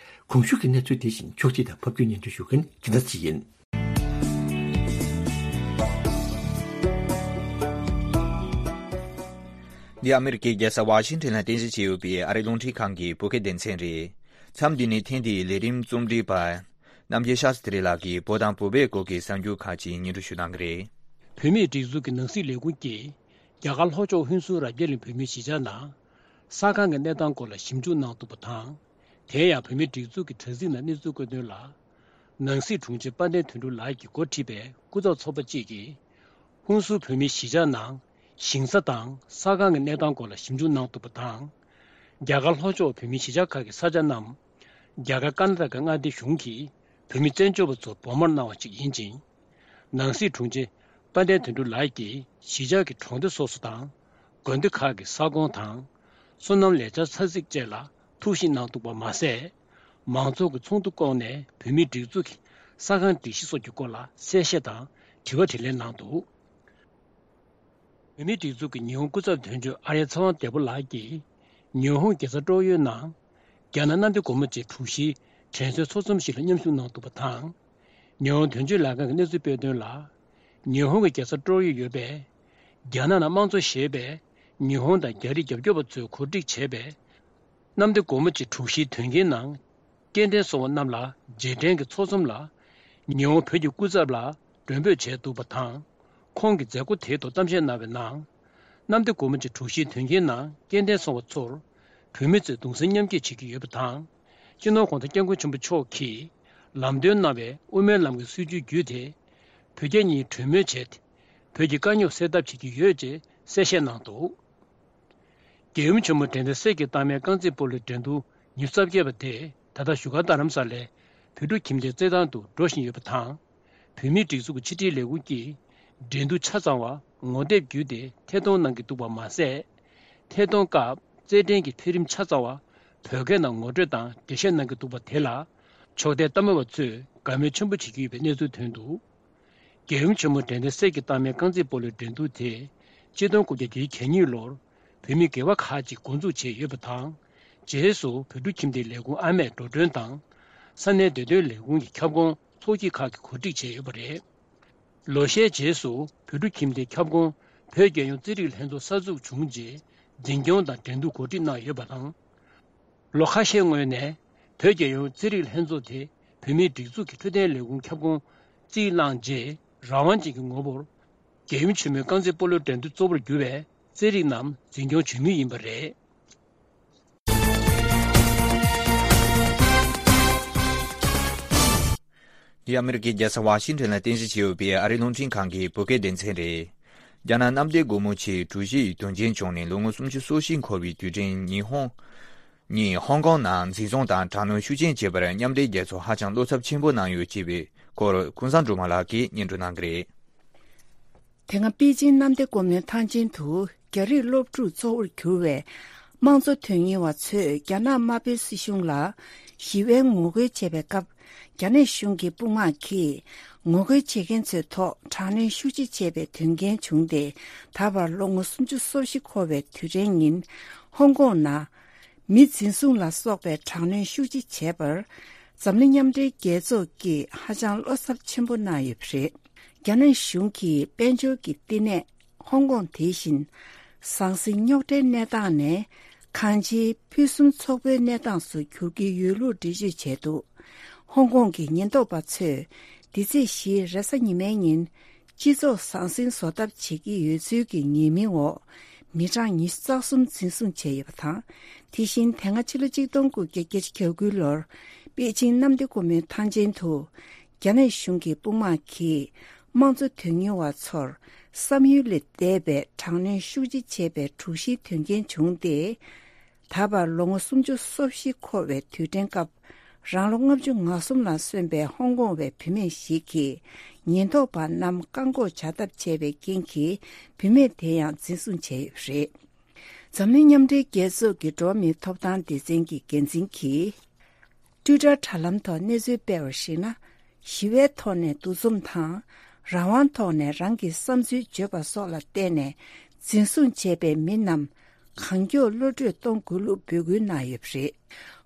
གོང་ཞུས་ཀྱི་གནས་ཚུལ་དེ་བཞིན་ཕྱོགས་སྒྲིག་དང་ཕབ་སྒྱུར་སྙན་སྒྲོན་ཞུ་མཁན་དགེ་ལྡན་ཚེ་ཡིན། འདི་ཨ་མེ་རི་ཀའི་རྒྱལ་ས་ཝ་ཤིང་ཊོན་ལ་རྟེན་གཞི་བྱས་ཡོད་པའི་ཨ་རིའི་རླུང་འཕྲིན་ཁང་གི་བོད་སྐད་སྡེ་ཚན་རེད། མཚམས་འདི་ནས་ཐེངས་འདིའི་ལས་རིམ་རྩོམ་སྒྲིག་པ། རྣམ་རྒྱལ་ཤཱ་སྟྲི་ལགས་ཀྱིས་བོད་དང་བོད་པའི་སྐོར་གྱི་གསར་འགྱུར་ཁག་ཅིག་སྙན་སྒྲོན་ཞུ་གནང་གི་རེད། བོད་མིའི་སྒྲིག་འཛུགས་ཀྱི་ནང་སྲིད་ལས་ཁུངས་ཀྱིས་རྒྱ་གར་ལྷོ་ཕྱོགས་ཧུན་སུར་རབ་རྒྱས་གླིང་བོད་མིའི་གཞིས་ཆགས་ནང་ས་ཁང་གི་གནས་སྟངས་སྐོར་ལ་ཞིབ་འཇུག་གནང་འདུག་པ་དང་། དེ་ཡང་བོད་མིའི་སྒྲིག་འཛུགས་ཀྱི་དྲ་ཚིགས་ནང་གནས་ཚུལ་བཀོད་དོན་ལ། ནང་སྲིད་དྲུང་ཆེ་དཔལ་ལྡན་དོན་གྲུབ་ལགས་ཀྱིས་འགོ་ཁྲིད་པའི་སྐུ་ཚབ་ཚོགས་པ་གཅིག་གིས། ཧུན་སུར་བོད་མིའི་གཞིས་ཆགས་ནང་ཞིང་ས་དང་ས་ཁང་གི་གནས་སྟངས་སྐོར་ལ་ཞིབ་འཇུག་གནང་འདུག་པ་དང་། རྒྱ་གར་ལྷོ་ཕྱོགས་བོད་མིའི་གཞིས་ཆགས་ཁག་གི་ས་ཆ་རྣམས་རྒྱ་གར་ཀར་ན་ཊ་ཀ་མངའ་སྡེའི་གཞུང་གིས་བོད་མི་བཙན་བྱོལ་བ་ཚོར་བོགས་མར་གནང་བ་ཞིག་ཡིན་ཅིང་། ནང་སྲིད་དྲུང་ཆེ་དཔལ་ལྡན་དོན་གྲུབ་ལགས་ཀྱིས་གཞིས་ཆགས་ཀྱི་གྲོང་སྡེ་སོ་སོ་དང་། དགོན་སྡེ་ཁག་གི་ས་ཁོངས་དང་། སོ་ནམ་ལས་འཆར་ཚ་ཚིགས་བཅས་ལ་ཐུགས་ཞིབ་གནང་འདུག་པ་མ་ཟད། མང་ཚོགས་ཀྱི་ཚོགས་འདུ་བསྐོངས་ནས་བོད་མིའི་སྒྲིག་འཛུགས་ཀྱི་ས་ཁང་སྒྲིག་གཞི་སོགས་ཀྱི་སྐོར་ལ་གསལ་བཤད་དང་དྲི་བ་དྲིས་ལན་གནང་འདུག། བོད་མིའི་སྒྲིག་འཛུགས་ཀྱི་ཉི་ཧོང་སྐུ་ཚབ་དོན་གཅོད་ཨརྱ་ཚེ་དབང་བདེ་པོ་ལགས་ཀྱིས། ཉི་ཧོང་རྒྱལ་ས་ཀྲོག་ཡོའི་ནང་། རྒྱ་ནག་གནམ་བདེ་སྒོ་མོ་ཆེའི་དྲུག་བཞིའི་དྲན་གསོའི་ཚོགས་འཛོམས་ཤིག་ལ་མཉམ་ཞུགས་གནང་འདུག་པ་དང་། ཉི་ཧོང་དོན་གཅོད་ལས་ཁང་གི་གནས་ཚུལ་སྤེལ་དོན་ལ། ཉི་ཧོང་གི་རྒྱལ་ས་ཀྲོག་ཡོ་ཡོད་པའི། རྒྱ་ནག་ནང་དམངས་གཙོ་ཞེས་པའི་ཉི་ཧོང་དང་རྒྱ་རིགས་རྒྱབ་སྐྱོར་བ་ཚོས་གོ་སྒྲིག་བྱས་པའི། གནམ་བདེ་སྒོ་མོ་ཆེའི་དྲུག་བཞིའི་དོན་རྐྱེན་ནང་སྐྱེ་ལྡན་སོང་བ་རྣམས་ལ་རྗེས་དྲན་གྱི་ཚོགས་འཛོམས་ལ། ཉི་ཧོང་བོད་ཀྱི་སྐུ་ཚབ་ལ་མགྲོན་འབོད་བྱས་འདུག་པ་དང་། ཁོང་གིས་མཛད་སྒོ་དེའི་ཐོག་གཏམ་བཤད་གནང་བའི་ནང་། གནམ་བདེ་སྒོ་མོ་ཆེའི་དྲུག་བཞིའི་དོན་རྐྱེན་ནང་སྐྱེ་ལྡན་སོང་བ་ཚོར། བོད་མི་ཚོས་གདུང་སེམས་མཉམ་སྐྱེད་བྱེད་ཀྱི་ཡོད་པ་དང་། སྤྱི་ནོར་༧གོང་ས་༧སྐྱབས་མགོན་ཆེན་པོ་མཆོག་གིས་ལམ་སྟོན་གནང་བའི་དབུ་མའི་ལམ་གྱི་སྲིད་བྱུས་བརྒྱུད་དེ། བོད་རྒྱ་གཉིས་གྲོས་མོལ་བྱས་ཏེ། བོད་ཀྱི་དཀའ་རྙོག་སེལ་ཐབས་བྱེད་ཀྱི་ཡོད་ཅེས་གསལ་བཤད་གནང་འདུག། རྒྱལ་ཡུམ་ཆེན་མོ་དྲན་རྟེན་གསེར་གྱི་རྟགས་མའི་རྐང་རྩེད་སྤོ་ལོའི་འགྲན་བསྡུར་ཉི་ཤུ་རྩ་བརྒྱད་པ་དེ་ད་ལྟ་བཞུགས་སྒར་རྡ་རམ་ས་ལའི་བོད་ཕྲུག་ཁྱིམ་སྡེའི་རྩེད་ཐང་དུ་འགྲོ་བཞིན་ཡོད་པ་དང་། བོད་མིའི་སྒྲིག་འཛུགས་ཀྱི་ཕྱི་དྲིལ་ལས་ཁུངས་ཀྱིས་འགྲན་བསྡུར་ཆ་ཚང་བ་ངོ་དེབ་བརྒྱུད་དེ་ཐད་གཏོང་གནང་གི་འདུག་པ་མ་ཟད། ཐད་གཏོང་སྐབས་རྩེད་འགྲན་གྱི་འཕེལ་རིམ་ཆ་ཚང་བ་བོད་སྐད་ནང་ངོ་སྤྲོད་དང་འགྲེལ་བཤད་གནང་གི་འདུག་པ་དེ་ལ་ཕྱོགས་མཐའི་ལྟ་མི་བ་ཚོས་དགའ་མོས་ཆེན་པོ་བྱེད་ཀྱི་ཡོད་པའི་གནས་ཚུལ་ཐོན་འདུག་རྒྱལ་ཡུམ་ཆེན་མོ་དྲན་རྟེན་གསེར་གྱི་རྟགས་མའི་རྐང་རྩེད་སྤོ་ལོའི་འགྲན་བསྡུར་དེ་ཆིག་སྟོང་དགུ་བརྒྱ་བརྒྱད་ཅུ་གྱ་གཉིས་ལོར་བོད་མི་སྒེར་བ་ཁག་ཅིག་འགོ་འཛུགས་བྱས་ཡོད་པ་དང་། རྗེས་སུ་བོད་ཕྲུག་ཁྱིམ་སྡེའི་ལས་ཁུངས་ཨ་མས་འགྲོ་གྲོན་དང་། ས་གནས་བདེ་དོན་ལས་ཁུངས་ཀྱི་ཁྱབ་ཁོངས་ཚོགས་སྐྱིད་ཁག་གིས་གོ་སྒྲིག་བྱས་ཡོད་པ་རེད། ལོ་ཤས་རྗེས་སུ་བོད་ཕྲུག་ཁྱིམ་སྡེའི་ཁྱབ་ཁོངས་བོད་རྒྱལ་ཡོངས་རྩེད་རིགས་ལྷན་ཚོགས་གསར་འཛུགས་བྱུང་རྗེས་འཛིན་སྐྱོང་དང་འགྲན་བསྡུར་གོ་སྒྲིག་གནང་ཡོད་པ་དང་། ལོ་ཁ་ཤས་སྔོན་ནས་བོད་རྒྱལ་ཡོངས་རྩེད་རིགས་ལྷན་ཚོགས་དེ་བོད་མིའི་སྒྲིག་འཛུགས་ཀྱི་འཕྲོད་བསྟེན་ལས་ཁུངས་ཁྱབ་ཁོངས་རྩིས་བླངས་རྗེས་རང་དབང་ཅན་གྱི་ངོ་བོར་རྒྱལ་ཡུམ་ཆེན་མོའི་རྐང་རྩེད་སྤོ་ལོའི་འགྲན་བསྡུར་གཙོ་བོར་གྱུར་བའི་རྩེད་རིགས་རྣམས་འཛིན་སྐྱོང་བྱེད་མུས་ཡིན་པ་རེད། འདི་ཨ་མི་རི་ཀའི་རྒྱལ་ས་ཝ་ཤིང་ཊོན་ལ་རྟེན་གཞི་བྱས་ཡོད་པའི་ཨ་རིའི་རླུང་འཕྲིན་ཁང་གི་བོད་སྐད་སྡེ་ཚན་རེད། རྒྱ་ནག་གནམ་བདེ་སྒོ་མོ་ཆེའི་གྲུ་བཞི་ཡི་དོན་རྐྱེན་བྱུང་ནས་ལོ་ངོ་སུམ་ཅུ་སོ་བཞི་འཁོར་བའི་དུས་དྲན་ཉི་ཧོང་ཉིད་ཧོང་ཀོང་ནང་འཛིན་བཟུང་དང་དྲག་གནོན་ཤུགས་ཆེན་བྱས་པར་མཉམ་འབྲེལ་རྒྱལ་ཚོགས་ཧ་ཅང་བློ་འཚབ་ཆེན་པོ་གནང་ཡོད་ཅེས་པའི་སྐོར་ཀུན་བཟང་སྒྲོལ་མ་ལགས་ཀྱིས་སྙན་སྒྲོན་གནང་གི་རེད། དེ་སྔ་པེ་ཅིང་གནམ་བདེ་སྒོ་མོའི་ཐང་ཆེན་དུ་རྒྱ་རིགས་སློབ་ཕྲུག་གཙོ་བོར་གྱུར་བའི་དམངས་གཙོ་དོན་གཉེར་བ་ཚོས་རྒྱ་ནག་དམར་པོའི་སྲིད་གཞུང་ལ་ཞི་བའི་ངོ་རྒོལ་བྱས་པའི་སྐབས། རྒྱ་ནག་གཞུང་གི་དཔུང་དམག་གིས་ངོ་རྒོལ་བྱེད་མཁན་ཚོའི་ཐོག་དྲག་གནོན་ཤུགས་ཆེ་བྱས་པའི་དོན་རྐྱེན་བྱུང་སྟེ། ད་བར་ལོ་ངོ་སུམ་ཅུ་སོ་བཞི་འཁོར་བའི་དུས་དྲན་ཉིན། ཧོང་ཀོང་ནང་མི་འཛིན་བཟུང་ལ་སོགས་པའི་དྲག་གནོན་ཤུགས་ཆེ་བྱས་པར། འཛམ་གླིང་མཉམ་འབྲེལ་རྒྱལ་ཚོགས་ཀྱིས་ཧ་ཅང་བློ་འཚབ་ཆེན་པོ་གནང་ཡོད་པ་རེད། རྒྱ་ནག་གཞུང་གིས་དཔལ་འབྱོར་གྱི་བསྟི་གནས་ཧོང་ཀོང་དེ་བཞིན་ཟང་ཟིང་རྙོག་དྲའི་གནས་སྟངས་ནས་གང་ཅིའི་ཕུན་སུམ་ཚོགས་པའི་གནས་སྟངས་སུ་འགྱུར་གྱི་ཡོད་ལུགས་འགྲེལ་བརྗོད་བྱས་འདུག་ཧོང་ཀོང་གི་ཉེན་རྟོག་པ་ཚོས་འདི་ཚེས་བཞིའི་རེས་གཟའ་ཉི་མའི་ཉིན་སྤྱི་ཚོགས་ཟང་ཟིང་བཟོ་ཐབས་བྱེད་ཀྱི་ཡོད་ཚུལ་གྱི་ཉེས་མིང་འོག་མི་གྲངས་ཉི་ཤུ་རྩ་གསུམ་འཛིན་བཟུང་བྱས་ཡོད་པ་དང་། དེ་བཞིན་དེ་སྔ་ཕྱི་ལོ་གཅིག་སྟོང་དགུ་བརྒྱ་བརྒྱད་ཅུ་གྱ་དགུ་ལོར་པེ་ཅིང་གནམ་བདེ་སྒོ་མོའི་ཐང་ཆེན་དུ། རྒྱ་ནག་གཞུང་གི་དཔུང་དམག་གིས་དམངས་གཙོ་དོན་གཉེར་བ་ཚོར་བསམ་ཡུལ་ལས་འདས་པའི་དྲག་གནོན་ཤུགས་ཆེ་བྱས་པའི་དྲུག་བཞིའི་དོན་རྐྱེན་བྱུང་སྟེ། ད་བར་ལོ་ངོ་སུམ་ཅུ་སོ་བཞི་འཁོར་བའི་དུས་དྲན་སྐབས། རང་ལོ་ལྔ་བཅུ་ང་གསུམ་ལ་སོན་པའི་ཧོང་ཀོང་བའི་བུད་མེད་ཞིག་གིས་ཉེན་རྟོག་པ་རྣམས་བཀག་འགོག་བྱ་ཐབས་བྱས་པའི་རྐྱེན་གྱིས་བུད་མེད་དེ་ཡང་འཛིན་བཟུང་བྱས་ཡོད་པ་རེད། འཛམ་གླིང་མཉམ་འབྲེལ་རྒྱལ་ཚོགས་ཀྱི་འགྲོ་བ་མིའི་ཐོབ་ཐང་སྡེ་ཚན་གྱི་འགན་འཛིན་གྱིས། ཊུའི་ཊར་དྲ་ལམ་ཐོག་གནས་ཚུལ་སྤེལ་བར་གཞིགས་ན། ཞི་བའི་ཐོག་ནས་འདུ་འཛོམས་དང་། རང་དབང་ཐོག་ནས་རང་གི་བསམ་ཚུལ་བརྗོད་པ་སོགས་ལ་བརྟེན་ནས་འཛིན་བཟུང་བྱས་པའི་མི་རྣམས་གང་མགྱོགས་གློད་བཀྲོལ་གཏོང་དགོས་ལུགས་འབོད་སྐུལ་གནང་ཡོད་པ་རེད།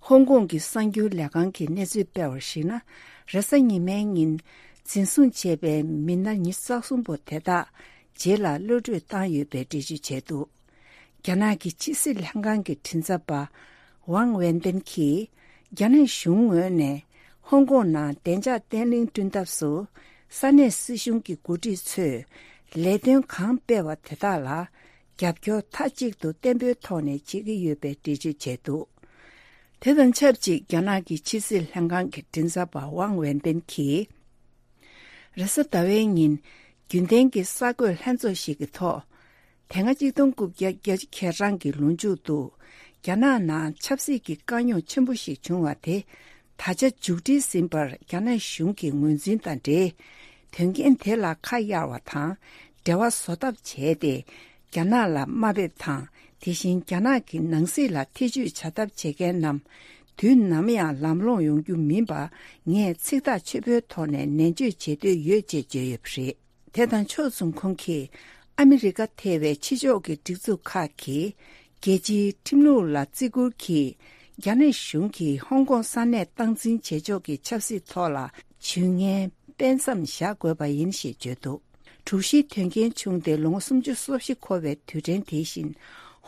ཧོང་ཀོང་གི་གསར་འགྱུར་ལས་ཁང་གིས་གནས་ཚུལ་སྤེལ་བར་གཞིགས་ན། རེས་གཟའ་ཉི་མའི་ཉིན་འཛིན་བཟུང་བྱས་པའི་མི་སྣ་ཉི་ཤུ་རྩ་གསུམ་པོ་དེ་དག་རྗེས་ལ་གློད་བཀྲོལ་བཏང་ཡོད་པའི་འགྲེལ་བརྗོད་བྱས་འདུག་རྒྱ་ནག་གི་ཕྱི་སྲིད་ལྷན་ཁང་གི་མགྲིན་ཚབ་པ་ཝང་ཝེན་པེན་གྱིས། རྒྱ་ནག་གཞུང་ངོས་ནས་ཧོང་ཀོང་ནང་བདེ་འཇགས་བརྟན་ལྷིང་བསྐྲུན་ཐབས་སུ། ས་གནས་སྲིད་གཞུང་གི་འགོ་ཁྲིད་ཚོས་ལས་དོན་གང་སྤེལ་བ་དེ་དག་ལ་རྒྱབ་སྐྱོར་མཐའ་གཅིག་ཏུ་བརྟན་པོའི་ཐོག་ནས་བྱེད་ཀྱི་ཡོད་པའི་འགྲེལ་བརྗོད་བྱས་འདུག་དེ་དང་ཆབས་ཅིག་རྒྱ་ནག་གི་ཕྱི་སྲིད་ལྷན་ཁང་གི་མགྲིན་ཚབ་པ་ཝང་ཝེན་པེན་གྱིས། རེས་གཟའ་ཟླ་བའི་ཉིན། རྒྱུན་ལྡན་གྱི་གསར་འགོད་ལྷན་ཚོགས་ཤིག་གི་ཐོག་དེ་སྔ་གཅིག་སྟོང་དགུ་བརྒྱ་བརྒྱད་ཅུ་གྱ་གྲངས་ཀྱི་ལོ་མཇུག་ཏུ། རྒྱ་ནག་ནང་ཆབ་སྲིད་ཀྱི་དཀའ་རྙོག་ཆེན་པོ་ཞིག་བྱུང་བ་དེ། ད་ཆ་མཇུག་སྒྲིལ་ཟིན་པར་རྒྱ་ནག་གཞུང་གིས་ངོས་འཛིན་དང་འབྲེལ། དོན་རྐྱེན་དེ་ལ་ཁ་གཡར་བ་དང་། འབྲེལ་བ་བཟོ་ཐབས་བྱས་ཏེ། རྒྱ་ནག་ལ་དམའ་འབེབས་དང་། དེ་བཞིན་རྒྱ་ནག་གི་ནང་སྲིད་ལ་ཐེ་བྱུས་བྱ་ཐབས་བྱེད་མཁན་རྣམས། དུས་ནམ་ཡང་ལམ་ལྷོང་ཡོང་རྒྱུ་མིན་པ། ངས་ཚིག་ཐག་ཆོད་པོའི་ཐོག་ནས་ནན་བརྗོད་བྱེད་འདོད་ཡོད་ཅེས་བརྗོད་ཡོད་པ་རེད། དེ་དང་ཕྱོགས་མཚུངས་ཁོང་གིས། ཨ་མི་རི་ཀ་ཐེ་བའི་ཕྱི་ཕྱོགས་ཀྱི་སྒྲིག་འཛུགས་ཁག་གིས། རྒྱལ་སྤྱིའི་ཁྲིམས་ལུགས་ལ་བརྩི་བཀུར་གྱིས། རྒྱ་ནག་གཞུང་གིས་ཧོང་ཀོང་ས་གནས་སྟངས་འཛིན་བྱེད་ཕྱོགས་ཀྱི་ཆབ་སྲིད་ཐོག་ལ། ཇུས་ངན་སྤེལ་མཚམས་བཞག་དགོས་པ་ཡིན་ཞེས་བརྗོད་འདུག་དྲུག་བཞིའི་དོན་རྐྱེན་བྱུང་སྟེ་ལོ་ངོ་སུམ་ཅུ་སོ་བཞི་འཁོར་བའི་དུས་དྲན་དེ་བཞིན།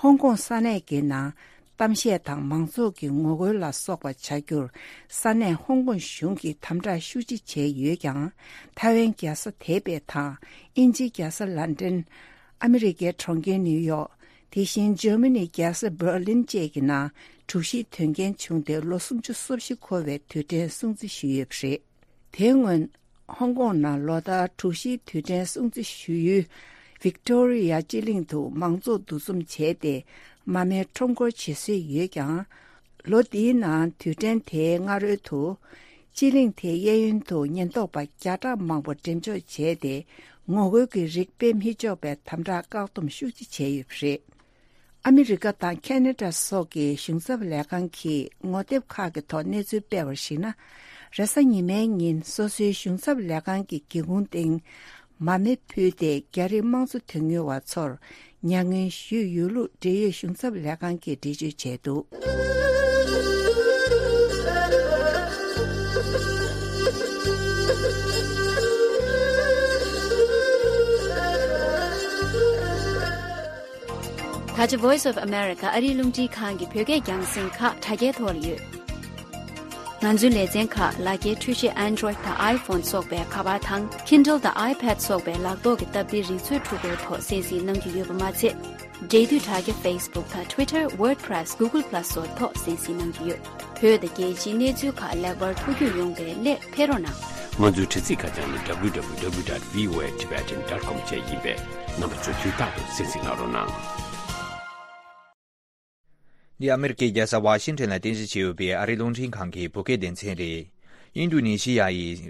ཧོང་ཀོང་ས་གནས་ཀྱི་ནང་གཏམ་བཤད་དང་མང་ཚོགས་ཀྱི་ངོ་རྒོལ་ལ་སོགས་པ་བྱ་རྒྱུར། ས་གནས་ཧོང་ཀོང་གཞུང་གིས་དམ་དྲག་ཤུགས་ཆེ་བྱས་ཡོད་ཀྱང་། ཐའེ་ཝན་རྒྱལ་ས་ཐེ་པེ་དང་། དབྱིན་ཇིའི་རྒྱལ་ས་ལན་ཀྲན། ཨ་མི་རི་ཀའི་གྲོང་ཁྱེར་ནིའུ་ཡོག་དེ་བཞིན་འཇར་མ་ནིའི་རྒྱལ་ས་འབར་ལིན་བཅས་ཀྱི་ནང་དྲུག་བཞིའི་དོན་རྐྱེན་བྱུང་སྟེ་ལོ་སུམ་ཅུ་སོ་བཞི་འཁོར་བའི་དུས་དྲན་སྲུང་བརྩི་ཞུས་ཡོད་པ་རེད། དེའི་སྔོན། ཧོང་ཀོང་ནང་ལོ་ལྟར་དྲུག་བཞིའི་དུས་དྲན་སྲུང་བརྩི་ཞུ་ཡུལ། ཝིག་ཏོ་རི་ཡ་སྤྱི་གླིང་དུ་མང་ཚོགས་འདུ་འཛོམས་བྱས་ཏེ། མ་རྨོས་ཁྲོམ་སྐོར་བྱེད་སྲོལ་ཡོད་ཀྱང་། ལོ་འདིའི་ནང་དུས་དྲན་དེའི་སྔ་རོལ་དུ། སྤྱི་གླིང་དེའི་གཡས་གཡོན་དུ་ཉེན་རྟོག་པ་བརྒྱ་ཕྲག་མང་པོ་འགྲེམས་འཇོག་བྱས་ཏེ། ངོ་རྒོལ་གྱི་རིགས་སྤེལ་མི་ཆོག་པའི་དམ་དྲག་བཀག་སྡོམ་ཤུགས་ཆེ་བྱས་ཡོད་པ་རེད། ཨ་མི་རི་ཀ་དང་ཁེ་ན་ཌ་སོགས་ཀྱི་གཞུང་ཚབ་ལས་ཁང་གིས་ངོ་དེབ་ཁག་གི་ཐོག་གནས་ཚུལ་སྤེལ་བར་གཞིགས་ན། རེས་གཟའ་ཉི་མའི་ཉིན་སོ་སོའི་གཞུང་ཚབ་ལས་ཁང་གི་སྒེའུ་ཁུང་སྟེང་མར་མེ་ཕུལ་ཏེ། རྒྱ་རིགས་དམངས་གཙོ་དོན་གཉེར་བ་ཚོར་མྱ་ངན་ཞུས་ཡོད་ལུགས་འབྲེལ་ཡོད་གཞུང་ཚབ་ལས་ཁང་གིས་འགྲེལ་བརྗོད་བྱས་འདུག། ད་ཆ་Voice of America ཨ་རིའི་རླུང་འཕྲིན་ཁང་གི་བོད་སྐད་རྒྱང་སྲིང་ཁག་དྲ་རྒྱའི་ཐོག་ལ་ཡོད། ང་ཚོའི་ལེ་ཚན་ཁག་ལག་འཁྱེར་འཕྲུལ་ཆས་Android དང་iPhone སོགས་པའི་ཁ་པར་དང་Kindle དང་iPad སོགས་པའི་ལག་ཐོག་གི་སྟབས་བདེའི་རིག་མཛོད་འཕྲུལ་འཁོར་ཐོག་གསན་གཟིགས་གནང་རྒྱུ་ཡོད་པ་མ་ཚད། འབྲེལ་མཐུད་དྲ་རྒྱ་Facebook དང་Twitter, WordPress, Google Plus སོགས་ཐོག་གསན་གཟིགས་གནང་རྒྱུ་ཡོད། བོད་དང་རྒྱལ་སྤྱིའི་གནས་ཚུལ་ཁག་ལེགས་པར་ཐུགས་རྒྱུས་ཡོང་བའི་སླད་ཕེབས་རོགས་གནང་། ང་ཚོའི་དྲ་ཚིགས་ཁ་བྱང་ནི་www dot voatibetan dot com བཅས་ཡིན་པས། རྣམ་པ་ཚོས་དུས་རྟག་ཏུ་གསན་གཟིགས་གནང་རོགས་གནང་། འདི་ཨ་མེ་རི་ཀའི་རྒྱལ་ས་ཝ་ཤིང་ཊོན་ལ་རྟེན་གཞི་བྱས་ཡོད་པའི་ཨ་རིའི་རླུང་འཕྲིན་ཁང་གི་བོད་སྐད་སྡེ་ཚན་རེད། ཨིན་ཌོ་ནེ་ཤི་ཡ་ཡིས་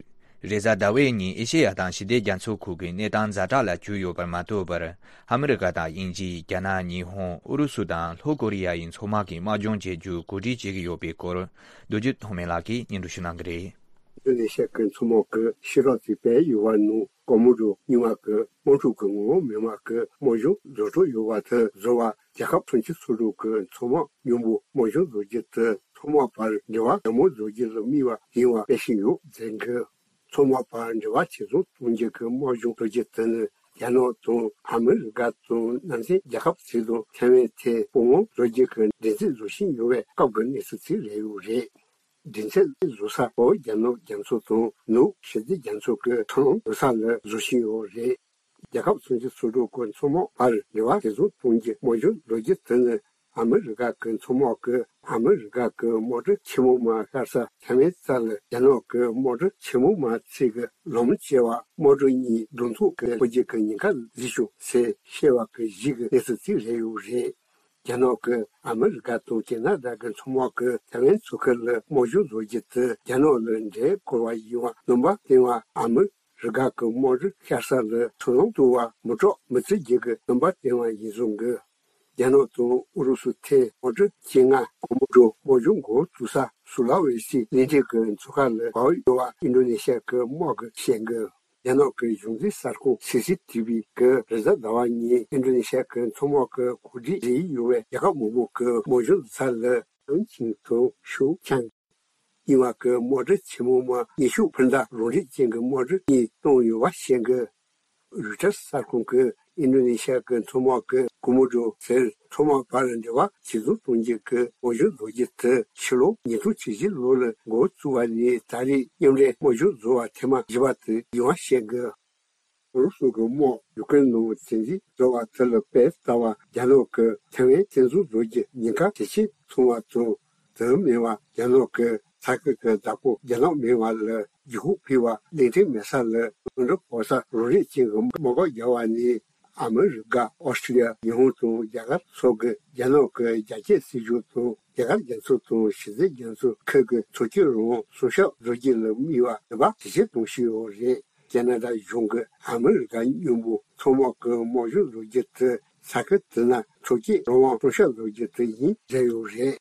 རེས་གཟའ་ཟླ་བའི་ཉིན་ཨེ་ཤེ་ཡ་དང་ཞི་བདེ་རྒྱ་མཚོའི་ཁུལ་གྱི་གནས་སྟངས་ཛ་དྲག་ལ་གྱུར་ཡོད་པར་མ་ལྟོས་པར། ཨ་མེ་རི་ཀ་དང་དབྱིན་ཇི། རྒྱ་ནག། ཉི་ཧོང་། ཨུ་རུ་སུ་དང་ལྷོ་ཀོ་རི་ཡ་ཡི་མཚོ་དམག་གིས་དམག་སྦྱོང་བྱེད་རྒྱུ་གོ་སྒྲིག་བྱེད་ཀྱི་ཡོད་པའི་སྐོར། རྡོ་རྗེ་ཐོགས་མེད་ལགས་ཀྱིས་སྙན་སྒྲོན་ཞུ་གནང་གི་རེད། ཨིན་ཌོ་ནེ་ཤི་ཡ་གི་མཚོ་དམག་གི་ཤེས་རབ་ཀྱི་དཔལ་ཡུལ་བ་ནུ་ཀོ་མོ་རོ་རྙིང་བ་གི་དམག་འཁྲུག་གི་ངོ་བོ་མི་དམངས་ཀྱི་དམག་སྦྱོང་བཟོ་འཕྲོ་ཡོད་པ་དེ་བཟོ་བ་རྒྱལ་ཁབ་གྲོང་ཁྱེར་སོ་དྲུག་གི་མཚོ་དམག་མཉམ་པོ་དམག་སྦྱོང་བཟོ་རྒྱུ་དེ་མཚོ་དམག་བར་འབྲེལ་བ་ཡག་མོ་བཟོ་རྒྱུ་ལ་དམིགས་པ་ཡིན་པ་སྤེལ་བཞིན་ཡོད་ཟེར་གི། མཚོ་དམག་བར་འབྲེལ་བ་ཇེ་བཟང་གཏོང་རྒྱུ་གི་དམག་སྦྱོང་བཟོ་རྒྱུ་དེ་ནི་རྒྱ་ནག་དང་ཨ་མི་རི་ཀ་དང་ནང་ཚན་རྒྱལ་ཁབ་ཚོ་དང་ཐའེ་ཝན་ཐད་སྤོང་བླང་བཟོ་རྒྱུ་གི་འགྲན་རྩོད་བཟོ་བཞིན་ཡོད་པའི་སྐབས་ཀྱི་གནས་ཚུལ་ཅིག་རེད་ཡོད་རེད། འགྲན་རྩོད་བཟོ་ས་བོད་རྒྱ་ནག་རྒྱ་མཚོ་དང་ནུབ་ཞི་བདེ་རྒྱ་མཚོ་གི་མཚོ་ལམ་བཟོ་ས་ལ་བཟོ་བཞིན་ཡོད་རེད། རྒྱལ་ཁབ་གྲོང་ཁྱེར་སོ་དྲུག་གི་མཚོ་དམག་བར་འབྲེལ་བ་ཇེ་བཟང་གཏོང་རྒྱུ་དམག་སྦྱོང་བཟོ་རྒྱུ་དེ་ནི་ཨ་མི་རི་ཀ་གི་མཚོ་དམག་གིས་ཨ་མི་རི་ཀ་གི་དམག་གྲུ་ཆེན་མོ་མ་ཤར་ས་ཐའེ་ཝན་རྩ་ལ་རྒྱ་ནག་གི་དམག་གྲུ་ཆེན་མོ་མ་ཚད་ཀྱི་ལམ་བཅད་པ་དམག་གྲུ་གཉིས་གདོང་ཐུག་གི་འཕོ་འགྱུར་གྱི་ཉེན་ཁ་བཟོས་བྱུང་ཟེར་བཤད་པ་གི་གཞི་གི་གནས་ཚུལ་ཅིག་རེད་ཡོད་རེད། རྒྱ་ནག་གིས་ཨ་མི་རི་ཀ་དང་ཁེ་ན་ཌ་གི་མཚོ་དམག་གིས་ཐའེ་ཝན་མཚོ་ཁུལ་ལ་དམག་སྦྱོང་བཟོ་རྒྱུ་དེ་རྒྱ་ནག་ལ་འདྲེ་བསྐོར་བ་ཡིན་པ་རྣམ་པ་བསྟན་པ། ཨ་མི་རི་ཀ་གི་དམག་གྲུ་ཤར་ས་ལ་མཚོ་ལམ་བཏོད་པ་མི་སྐྲག་མི་ཚེ་རྒྱུ་གི་རྣམ་པ་བསྟན་པ་ཡིན་གསུང་གི། རྒྱ་ནག་དང་ཨུ་རུ་སུ་ཐད་དམག་གྲུ་ཆེད་མངགས་གོ་མོ་ཌོ་དམག་སྦྱོང་འགོ་བཙུགས་ས་སུ་ལ་ཝེ་སི་གླིང་ཕྲན་གྱི་མཚོ་ཁ་ལ་བབས་ཡོད་པ་ཨིན་ཌོ་ནེ་ཤི་ཡ་གི་དམག་གིས་བཤད་གི། རྒྱ་ནག་གི་གཞུང་འཛིན་གསར་ཁང་སི་སི་ཐི་བི་གིས་རེས་གཟའ་ཟླ་བ་ཉིན་ཨིན་ཌོ་ནེ་ཤི་ཡ་གི་མཚོ་དམག་གི་གོ་སྒྲིག་བྱས་ཡོད་པའི་རྒྱལ་ཁབ་མང་པོ་གི་དམག་སྦྱོང་ས་ལ་ཨན་ཆིང་དང་ཤུ་ཆང་གཉིས་པ་གི་དམག་གྲུ་ཆེན་མོ་མ་ཉི་ཤུ་འཕུར་མདའ་རང་འགྲེལ་ཅན་གྱི་དམག་གྲུ་གཉིས་བཏང་ཡོད་པ་བཤད་གི། རུའི་ཊར་གསར་ཁང་གིས་ཨིན་ཌོ་ནེ་ཤི་ཡ་གི་མཚོ་དམག་གི་གོ་མོ་ཌོ་ཟེར་མཚོ་དམག་བར་འབྲེལ་བ་ཇེ་བཟང་གཏོང་རྒྱུ་གི་དམག་སྦྱོང་བཟོ་རྒྱུ་དེ་ཕྱི་ལོ་ཉིས་སྟོང་བཅུ་བཞི་ལོ་ལ་འགོ་བཙུགས་པ་ནས་ད་རེས་མཉམ་འབྲེལ་དམག་སྦྱོང་བཟོ་བ་ཐེངས་མ་བཞི་པ་དེ་ཡིན་པ་བཤད་གི། ཨུ་རུ་སུ་གི་དམག་ཡུ་ཀེ་རེན་ནང་བཙན་འཛུལ་བཟོ་བ་དེ་ལ་དཔེ་ལྟ་བ་རྒྱ་ནག་གི་ཐའེ་ཝན་བཙན་འཛུལ་བཟོ་རྒྱུ་ཉེན་ཁ་ཇེ་ཆེ་སོང་བ་དང་། དེ་མིན་པ་རྒྱ་ནག་གི་ས་ཁུལ་གྱི་བདག་པོ་རྒྱ་ནག་མིན་པ་ལ་འཇུག་སྒོ་ཕུལ་བ། གླིང་ཕྲན་མེད་ས་ལ་དངོས་འབྲེལ་བོད་ས་རང་རེ་ཅན་གྱི་དམག་སྒར་རྒྱག་པ་ནས་ཨ་མི་རི་ཀ། ཨོ་སི་ཀྲི་ལི་ཡ། ཉི་ཧོང་དང་རྒྱ་གར་སོགས་ཀྱིས་རྒྱ་ནག་གི་རྒྱ་སྐྱེད་སྲིད་ཇུས་དང་རྒྱ་གར་རྒྱ་མཚོ་དང་ཞི་བདེ་རྒྱ་མཚོ་ཁུལ་གྱི་མཚོ་སྐྱོད་རང་དབང་སྲུང་སྐྱོབ་བཟོ་རྒྱུ་ལ་དམིགས་པ་ནུས་པ་ཇེ་ཆེར་གཏོང་བཞིན་ཡོད་རེད། ཁེ་ན་ཌ་གཞུང་གིས་ཨ་མི་རི་ཀ་མཉམ་པོ་མཚོ་དམག་གི་དམག་སྦྱོང་བཟོ་རྒྱུ་དེ་ས་ཁུལ་དེ་ན་མཚོ་སྐྱེད་རང་དབང་སྲུང་སྐྱོབ་བཟོ་རྒྱུ་དེ་ཡིན་བརྗོད་ཡོད་རེད།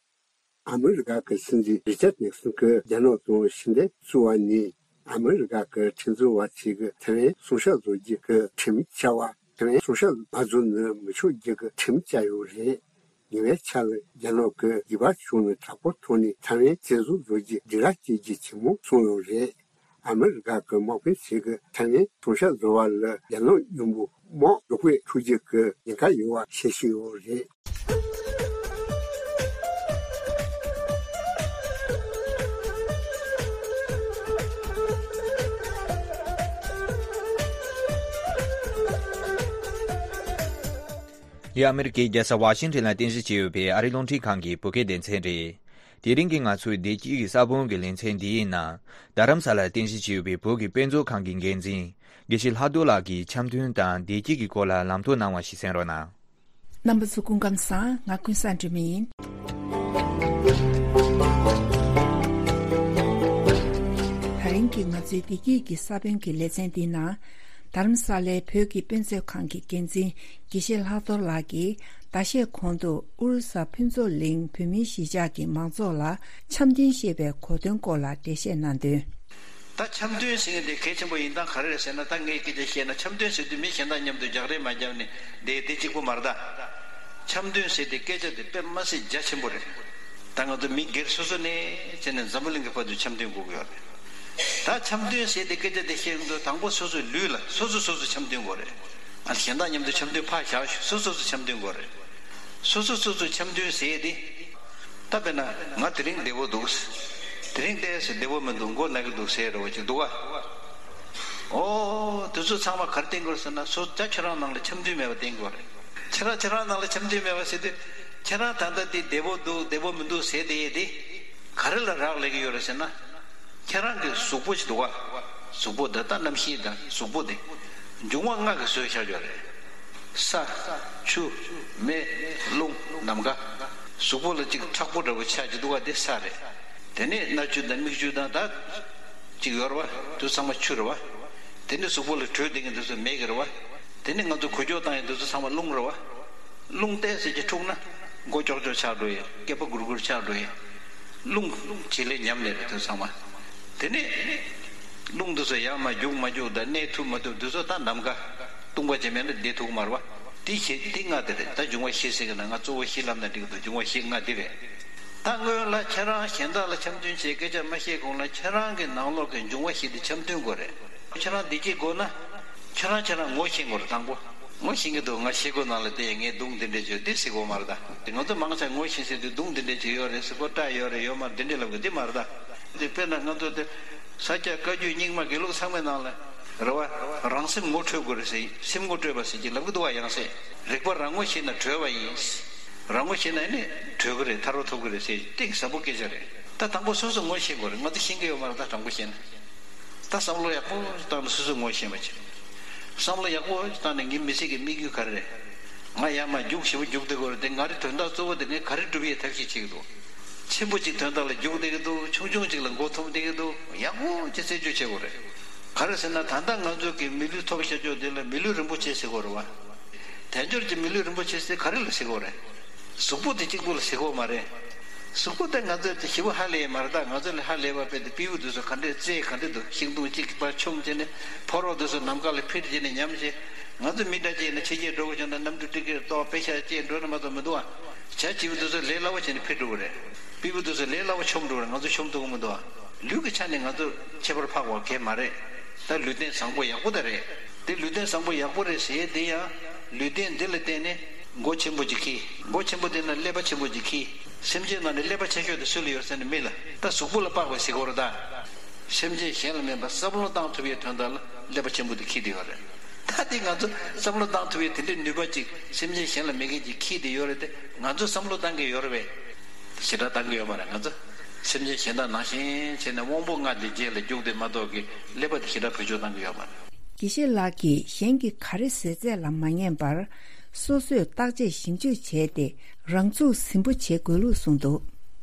ཨ་མི་རི་ཀ་གི་སྲིད་འཛིན་རི་ཅར་ནིག་སོན་གྱིས་རྒྱ་ནག་དང་ཞི་བདེ་བཙུགས་པ་ནས་ཨ་མི་རི་ཀ་གི་ཁྲིམས་བཟོ་བ་ཚོས་ཀྱི་ཐའེ་ཝན་སྲུང་སྐྱོབ་བཟོ་རྒྱུ་གི་ཁྲིམས་བཅའ་བ། ཐའེ་ཝན་སྲུང་སྐྱོབ་མ་བཟོ་ན་མི་ཆོག་རྒྱུ་གི་ཁྲིམས་བཅའ་ཡོད་རེད། ཉེ་བའི་ཆར་ལ་རྒྱ་ནག་གིས་རྒྱུད་པ་ཕྱུག་ནས་དྲག་པོའི་ཐོག་ནས་ཐའེ་ཝན་བཙན་བཟུང་བཟོ་རྒྱུ་སྒྲིག་ར་བསྐྱེད་རྒྱུ་ཆེན་མོ་སོང་ཡོད་རེད། ཨ་མི་རི་ཀ་གི་དམག་དཔོན་ཚོས་ཀྱི་ཐའེ་ཝན་སྲུང་སྐྱོབ་བཟོ་བ་ལ་རྒྱ་ནག་མཉམ་པོ་དམག་རོགས་པས་འཁྲུག་རྒྱུ་གི་ཉེན་ཁ་ཡོད་པ་བཤད་བཞིན་ཡོད་རེད། འདི་ཨ་མི་རི་ཀའི་རྒྱལ་ས་ཝ་ཤིང་ཊོན་ལ་རྟེན་གཞི་བྱས་ཡོད་པའི་ཨ་རིའི་རླུང་འཕྲིན་ཁང་གི་བོད་སྐད་སྡེ་ཚན་རེད། དེ་རིང་གི་ང་ཚོའི་བདེ་སྐྱིད་ཀྱི་ས་བོན་གྱི་ལེ་ཚན་འདིའི་ནང་། རྡ་རམ་ས་ལར་རྟེན་གཞི་བྱས་ཡོད་པའི་བོད་ཀྱི་དཔེ་མཛོད་ཁང་གི་འགན་འཛིན་དགེ་བཤེས་ལྷག་རྡོར་ལགས་ཀྱིས་འཆམ་མཐུན་དང་བདེ་སྐྱིད་ཀྱི་སྐོར་ལ་ལམ་སྟོན་གནང་བ་ཞིག་གསན་རོགས་གནང་། རྣམ་པ་ཚོ་སྐུ་ཁམས་བཟང་། ང་ཀུན་བཟང་སྒྲོལ་མ་ཡིན། ད་རིང་གི་ང་ཚོའི་བདེ་སྐྱིད་ཀྱི་ས་བོན་གྱི་ལེ་ཚན་འདིའི་ནང་། རྡ་རམ་ས་ལའི་བོད་ཀྱི་དཔེ་མཛོད་ཁང་གི་འགན་འཛིན་དགེ་བཤེས་ལྷག་རྡོར་ལགས་ཀྱིས་ཟླ་ཤས་གོང་དུ་ཨུ་རུ་ས་ཕུན་ཚོགས་གླིང་བོད་མིའི་གཞིས་ཆགས་ཀྱི་མང་ཚོགས་ལ་འཆམ་མཐུན་ཞེས་པའི་གོ་དོན་སྐོར་ལ་འགྲེལ་བཤད་གནང་དོན། ད་འཆམ་མཐུན་ཟེར་མཁན་དེ་གལ་ཆེན་པོ་ཡིན་སྟངས་ག་རེ་རེད་ཟེར་ན། ད་ངས་སྐད་ཆ་བཤད་ན། འཆམ་མཐུན་ཟེར་དུས་མི་གཞན་དག་མཉམ་དུ་རྒྱག་རེས་མ་བརྒྱབ་ནས་བསྡད་དེ་གཅིག་པོ་མ་རེད་ད། འཆམ་མཐུན་ཟེར་དེ་སྐད་ཆ་དེ་དཔེ་མ་སྲིད་རྒྱ་ཆེན་པོ་རེད། ད་ང་ཚོ་མི་སྒེར་སོ་སོ་ནས་བྱས་ནས་འཛམ་བུ་གླིང་གི་བར་དུ་འཆམ་མཐུན་དགོས་ཀྱི་ཡོད་རེད། ད་འཆམ་མཐུན་ཟེར་དེ་སྐད་ཆ་དེ་བཤད་ཡོང་དུས་དང་པོ་སོ་སོའི་ལུས་ལ་སོ་སོ་སོ་སོ་འཆམ་མཐུན་དགོས་རེད། ཨ། གཞན་དག་མཉམ་དུ་འཆམ་མཐུན་ཕར་བཞག་ཤོག་སོ་སོ་སོ་འཆམ་མཐུན་དགོས་རེད། སོ་སོ་སོ་སོ་འཆམ་མཐུན་ཟེར་དེ། ད་དཔེར་ན་ང་དེ་རིང་བདེ་པོ་འདུག་དེ་རིང་ཏོག་ཙམ་བདེ་པོ་མི་འདུག་མགོ་ན་གི་འདུག་ཟེར་རེ་བ་ཅིག་འདུག་ག། ཨོ། དེ་ཚོ་ཚང་མ་ག་རེ་བསྟན་དགོས་ཟེར་ན། སོ་ད་ཁྱེད་རང་ནང་ལ་འཆམ་མཐུན་མེད་པ་བསྟན་དགོས་རེད། ཁྱེད་རང་ཁྱེད་རང་ནང་ལ་འཆམ་མཐུན་མེད་པ་ཟེར་དུས། ཁྱེད་རང་ད་ལྟ་དེ་བདེ་པོ་འདུག་བདེ་པོ་མི་འདུག་ཟེར་དེ་ཡས་དེ་ག་རེ་ལ་རག་ལས་ཀྱི་ཡོད་རེད་ཟེར་ན། ཁྱེད་རང་གི་གཟུགས་པོ་ཅིག་འདུག་ག། གཟུགས་པོ་འདི་ད་རྣམ་ཤེས་དང་གཟུགས་པོ་དེ་འབྱུང་བ་ལྔ་གིས་བཟོས་བཞག་ཡོད་རེད། ས། ཆུ། མེ། རླུང་། ནམ་མཁའ། གཟུགས་པོ་ལ་ཅིག་མཁྲེགས་པོ་འདྲ་པོ་ཆགས་ཀྱི་འདུག་ག། དེ་ས་རེད། དེ་ནས་སྣ་ཆུ་དང་མིག་ཆུ་དང་ད་ཅིག་ཡོད་རེད་པ། དེ་ཚང་མ་ཆུ་རེད་པ། དེ་ནས་གཟུགས་པོ་ལ་དྲོད་ལྡན་མཁན་དེ་ཚོ་མེ་གི་རེད་པ། དེ་ནས་ང་ཚོ་འགུལ་སྐྱོད་བཏང་ཡག་དེ་ཚོ་ཚང་མ་རླུང་རེད་པ། རླུང་ཏོག་ཙམ་ཅིག་འཁྲུགས་ན་མགོ་ཀྱོག་ཀྱོག་ཆགས་འགྲོ་ཡས། སྐེད་པ་སྒུར་སྒུར་ཆགས་འགྲོ་ཡས། རླུང་བྱེད་ལས་ཉམས་ལས་རེད་དེ་ཚང་མ། དེ་ནས་རླུང་དེ་ཚོ་ཡར་མར་རྒྱུག་མ་རྒྱུག་དང་གནས་ཐུབ་མ་ཐུབ་དེ་ཚོ་ད་ནམ་མཁའ་སྟོང་པ་ཅིག་མེད་ན་བསྡད་ཐུབ་ཀྱི་མ་རེད་པ། དེ་བཞི་དེ་ལྔ་དེ་རེད། ད་འབྱུང་བ་བཞི་ཟེར་གི་ན་ང་གཙོ་བོ་བཞི་ལབ་ན་འགྲིག་གི་འདུག་འབྱུང་བ་བཞི་ལྔ་དེ་རེད། ད་སྔོན་ལ་ཁྱེད་རང་གཞན་དག་ལ་འཆམ་མཐུན་བྱེད་སྐད་ཆ་མ་བཤད་གོང་ལ་ཁྱེད་རང་གི་ནང་ལོགས་ཀྱི་འབྱུང་བ་བཞི་དེ་འཆམ་མཐུན་དགོས་རེད། ཁྱེད་རང་བདེ་སྐྱིད་དགོས་ན། ཁྱེད་རང་ཁྱེད་རང་ངོ་ཤེས་དགོས་རེད། དང་པོ་ངོ་ཤེས་ཀྱི་འདུག་ང་ཤེལ་སྒོ་ནང་ལ་བསྡད་ངས་མདུང་འདི་འདྲས་བྱོས་འདི་ཟེར་དགོས་མ་རེད་ད། དེ་ང་ཚོ་མང་ཆེ་ངོ་ཤེས་ཟེར་དུས་མདུང་འདི་འདྲས་ཅིག་ཡོད་རེད་ཟེར་གོ། སྐྲ་ཡོད་རེད་ཡོད་མ་རེད་འདི་འདྲས་ལབ་གི་འདི་མ་རེད་ད། དེ་དཔེར་ན་ང་ཚོ་དེ་ས་སྐྱ་བཀའ་བརྒྱུད་རྙིང་མ་དགེ་ལུགས་ཚང་མའི་ནང་ལ་རེད་པ། རང་སེམས་ངོ་འཕྲོད་དགོས་རེད་ཟེར། སེམས་ངོ་སྤྲོད་པ་ཟེར་གྱི་ལབ་གི་འདུག་བ། ཡང་སེ་རིག་པ་རང་ངོ་ཤེས་ན་གྲོལ་བ་ཡིན། རང་ངོ་ཤེས་ན་ནི་གྲོལ་གི་རེད། ཐར་པ་ཐོབ་གི་རེད་ཟེར་གཏིང་ཟབ་པོ་སྐད་ཆ་རེད། ད་དང་པོ་སོ་སོ་ངོ་ཤེས་དགོས་རེད། ང་ཚོ་ཤེས་ཀྱི་ཡོད་མ་རེད་ད། དྲང་པོ་བཤད་ན། ད་བསམ་བློ་ཡག་པོ་བཏང་ནས་སོ་སོ་ངོ་ཤེས་པ་བྱེད། བསམ་བློ་ཡག་པོ་བཏང་ནས་ངའི་མི་ཚེ་གི་དམིགས་ཡུལ་ག་རེ་རེད། ང་ཡར་མར་རྒྱུག་ཞེ་པོ་རྒྱུག་བསྡད་དགོས་རེད་དེ། ང་རའི་དོན་དག་གཙོ་བོ་དེ་ངས་ག་རེ་སྒྲུབ་ཡས་ཐབས་ཤེས་བྱེད་ཀྱི་འདུག་ཆེན་པོ་གཅིག་དོན་དག་ལ་རྒྱུག་བསྡད་ཀྱི་འདུག་ཆུང་ཆུང་གཅིག་ལ་མགོ་འཐོམ་བསྡད་ཀྱི་འདུག་ཡག་པོ་ཅིག་རྩད་གཅོད་བྱེད་དགོས་རེད། ག་རེ་ཟེར་ན་ད་ལྟ་ང་ཚོ་གི་མི་ལུས་ཐོབ་བྱ་ཆོག་དེ་ལ་མི་ལུས་རིན་པོ་ཆེ་ཟེར་དགོས་རེད་བ། དལ་འབྱོར་གྱི་མི་ལུས་རིན་པོ་ཆེ་ཟེར་ག་རེ་ལ་ཟེར་དགོས་རེད། གཟུགས་པོ་དེ་གཅིག་པུ་ལ་ཟེར་དགོས་མ་རེད། གཟུགས་པོ་དེ་ང་ཚོས་དེ་ཞེ་པོ་ཧ་ལས་ཡས་མ་རེད་ད། ང་ཚོ་ལ་ཧ་ལས་པ་དཔེ་དེ་སྤྲེའུ་དེ་ཚོ་ག་འདྲས་རྩེད་ག་འདྲས་འདུག་ཤིང་སྡོང་གཅིག་གི་བར་མཆོངས་བྱས་ནས་ཕོ་རོག་དེ་ཚོ་ནམ་མཁའ་ལ་འཕུར་བྱས་ནས་ཉམས་བྱས། ང་ཚོ་མི་འདྲ་ཅིག་ཡིན་ན་ཕྱི་རྒྱལ་འགྲོ་དགོས་བྱུང་ན་གནམ་གྲུ་ཊི་ཀེ་ཊི་གཏོང་པེ་ཤ་བཅད་འགྲོ་ན་མ་གཏོགས་མི་འདུག་ཨ། བྱ་བྱིའུ་དེ་ཚོ་ལས་སླ་བོ་བྱས་ནས་འཕུར་འགྲོ་གི་རེད། སྤྲེའུ་དེ་ཚོ་ལས་སླ་བོ་མཆོངས་འགྲོ་གི་རེད། ང་ཚོ་མཆོངས་ཐུབ་ཀྱི་མི་འདུག་ཨ། ལུས་ཀྱི་ཆ་ནས་ང་ཚོ་ཁྱད་པར་འཕགས་པ་གང་ཡང་མ་རེད། ད་ལུས་རྟེན་བཟང་པོ་ཡག་པོ་ད་རེད། དེ་ལུས་རྟེན་བཟང་པོ་ཡག་པོ་རེད་ཟེར་དེ་ཡང་ལུས་རྟེན་འདི་ལ་བརྟེན་ནས་མགོ་ཆེན་པོ་ཅིག་འཁྱེར། མགོ་ཆེན་པོ་དེ་ན་ཀླད་པ་ཆེན་པོ་ཅིག་འཁྱེར། སེམས་ཅན་ནང་ནས་ཀླད་པ་ཆེ་ཤོས་དེ་སུ་ལ་ཡོད་ཟེར་ན་མི་ལ། ད་གཟུགས་པོ་ལ་དཔག་པའི་གཟིགས་སྐོར་དང་། སེམས་ཅན་གཞན་ལ་སྨན་པ་བསམ་བློ་བཏང་ཐུབ་པའི་དོན་དག་ལ་ཀླད་པ་ཆེན་པོ་དེ་འཁྱེར་དེ་ཡོད་རེད། ད་དེ་ང་ཚོ་བསམ་བློ་བཏང་ཐུབ་པའི་དེ་འདྲའི་ནུས་པ་ཅིག་སེམས་ཅན་གཞན་ལ་མེད་མཁན་ཅིག་འཁྱེར་དེ་ཡོད་རེད་དེ། ང་ཚོ་བསམ་བློ་བཏང་གི་ཡོད་རེད་པས། ཞེ་དྲག་བཏང་གི་ཡོད་མ་རེད། ང་ཚོ་སེམས་ཅན་གཞན་དག་ནང་བཞིན་བྱས་ནས་དབང་པོ་ལྔ་དེ་རྗེས་ལ་རྒྱུག་དེ་མ་གཏོགས་ཀྱི་ཀླད་པ་དེ་ཞེ་དྲག་བེད་སྤྱོད་བཏང་གི་ཡོད་མ་རེད། དགེ་བཤེས་ལགས་ཀྱིས་གཞན་གྱི་ག་རེ་ཟེར་ཚད་ལ་མ་ཉན་པར་སོ་སོས་བརྟག་དཔྱད་ཞིབ་འཇུག་བྱས་ཏེ་རང་ཚུགས་ཟིན་པོ་བྱེད་དགོས་ལུགས་གསུངས་འདུག་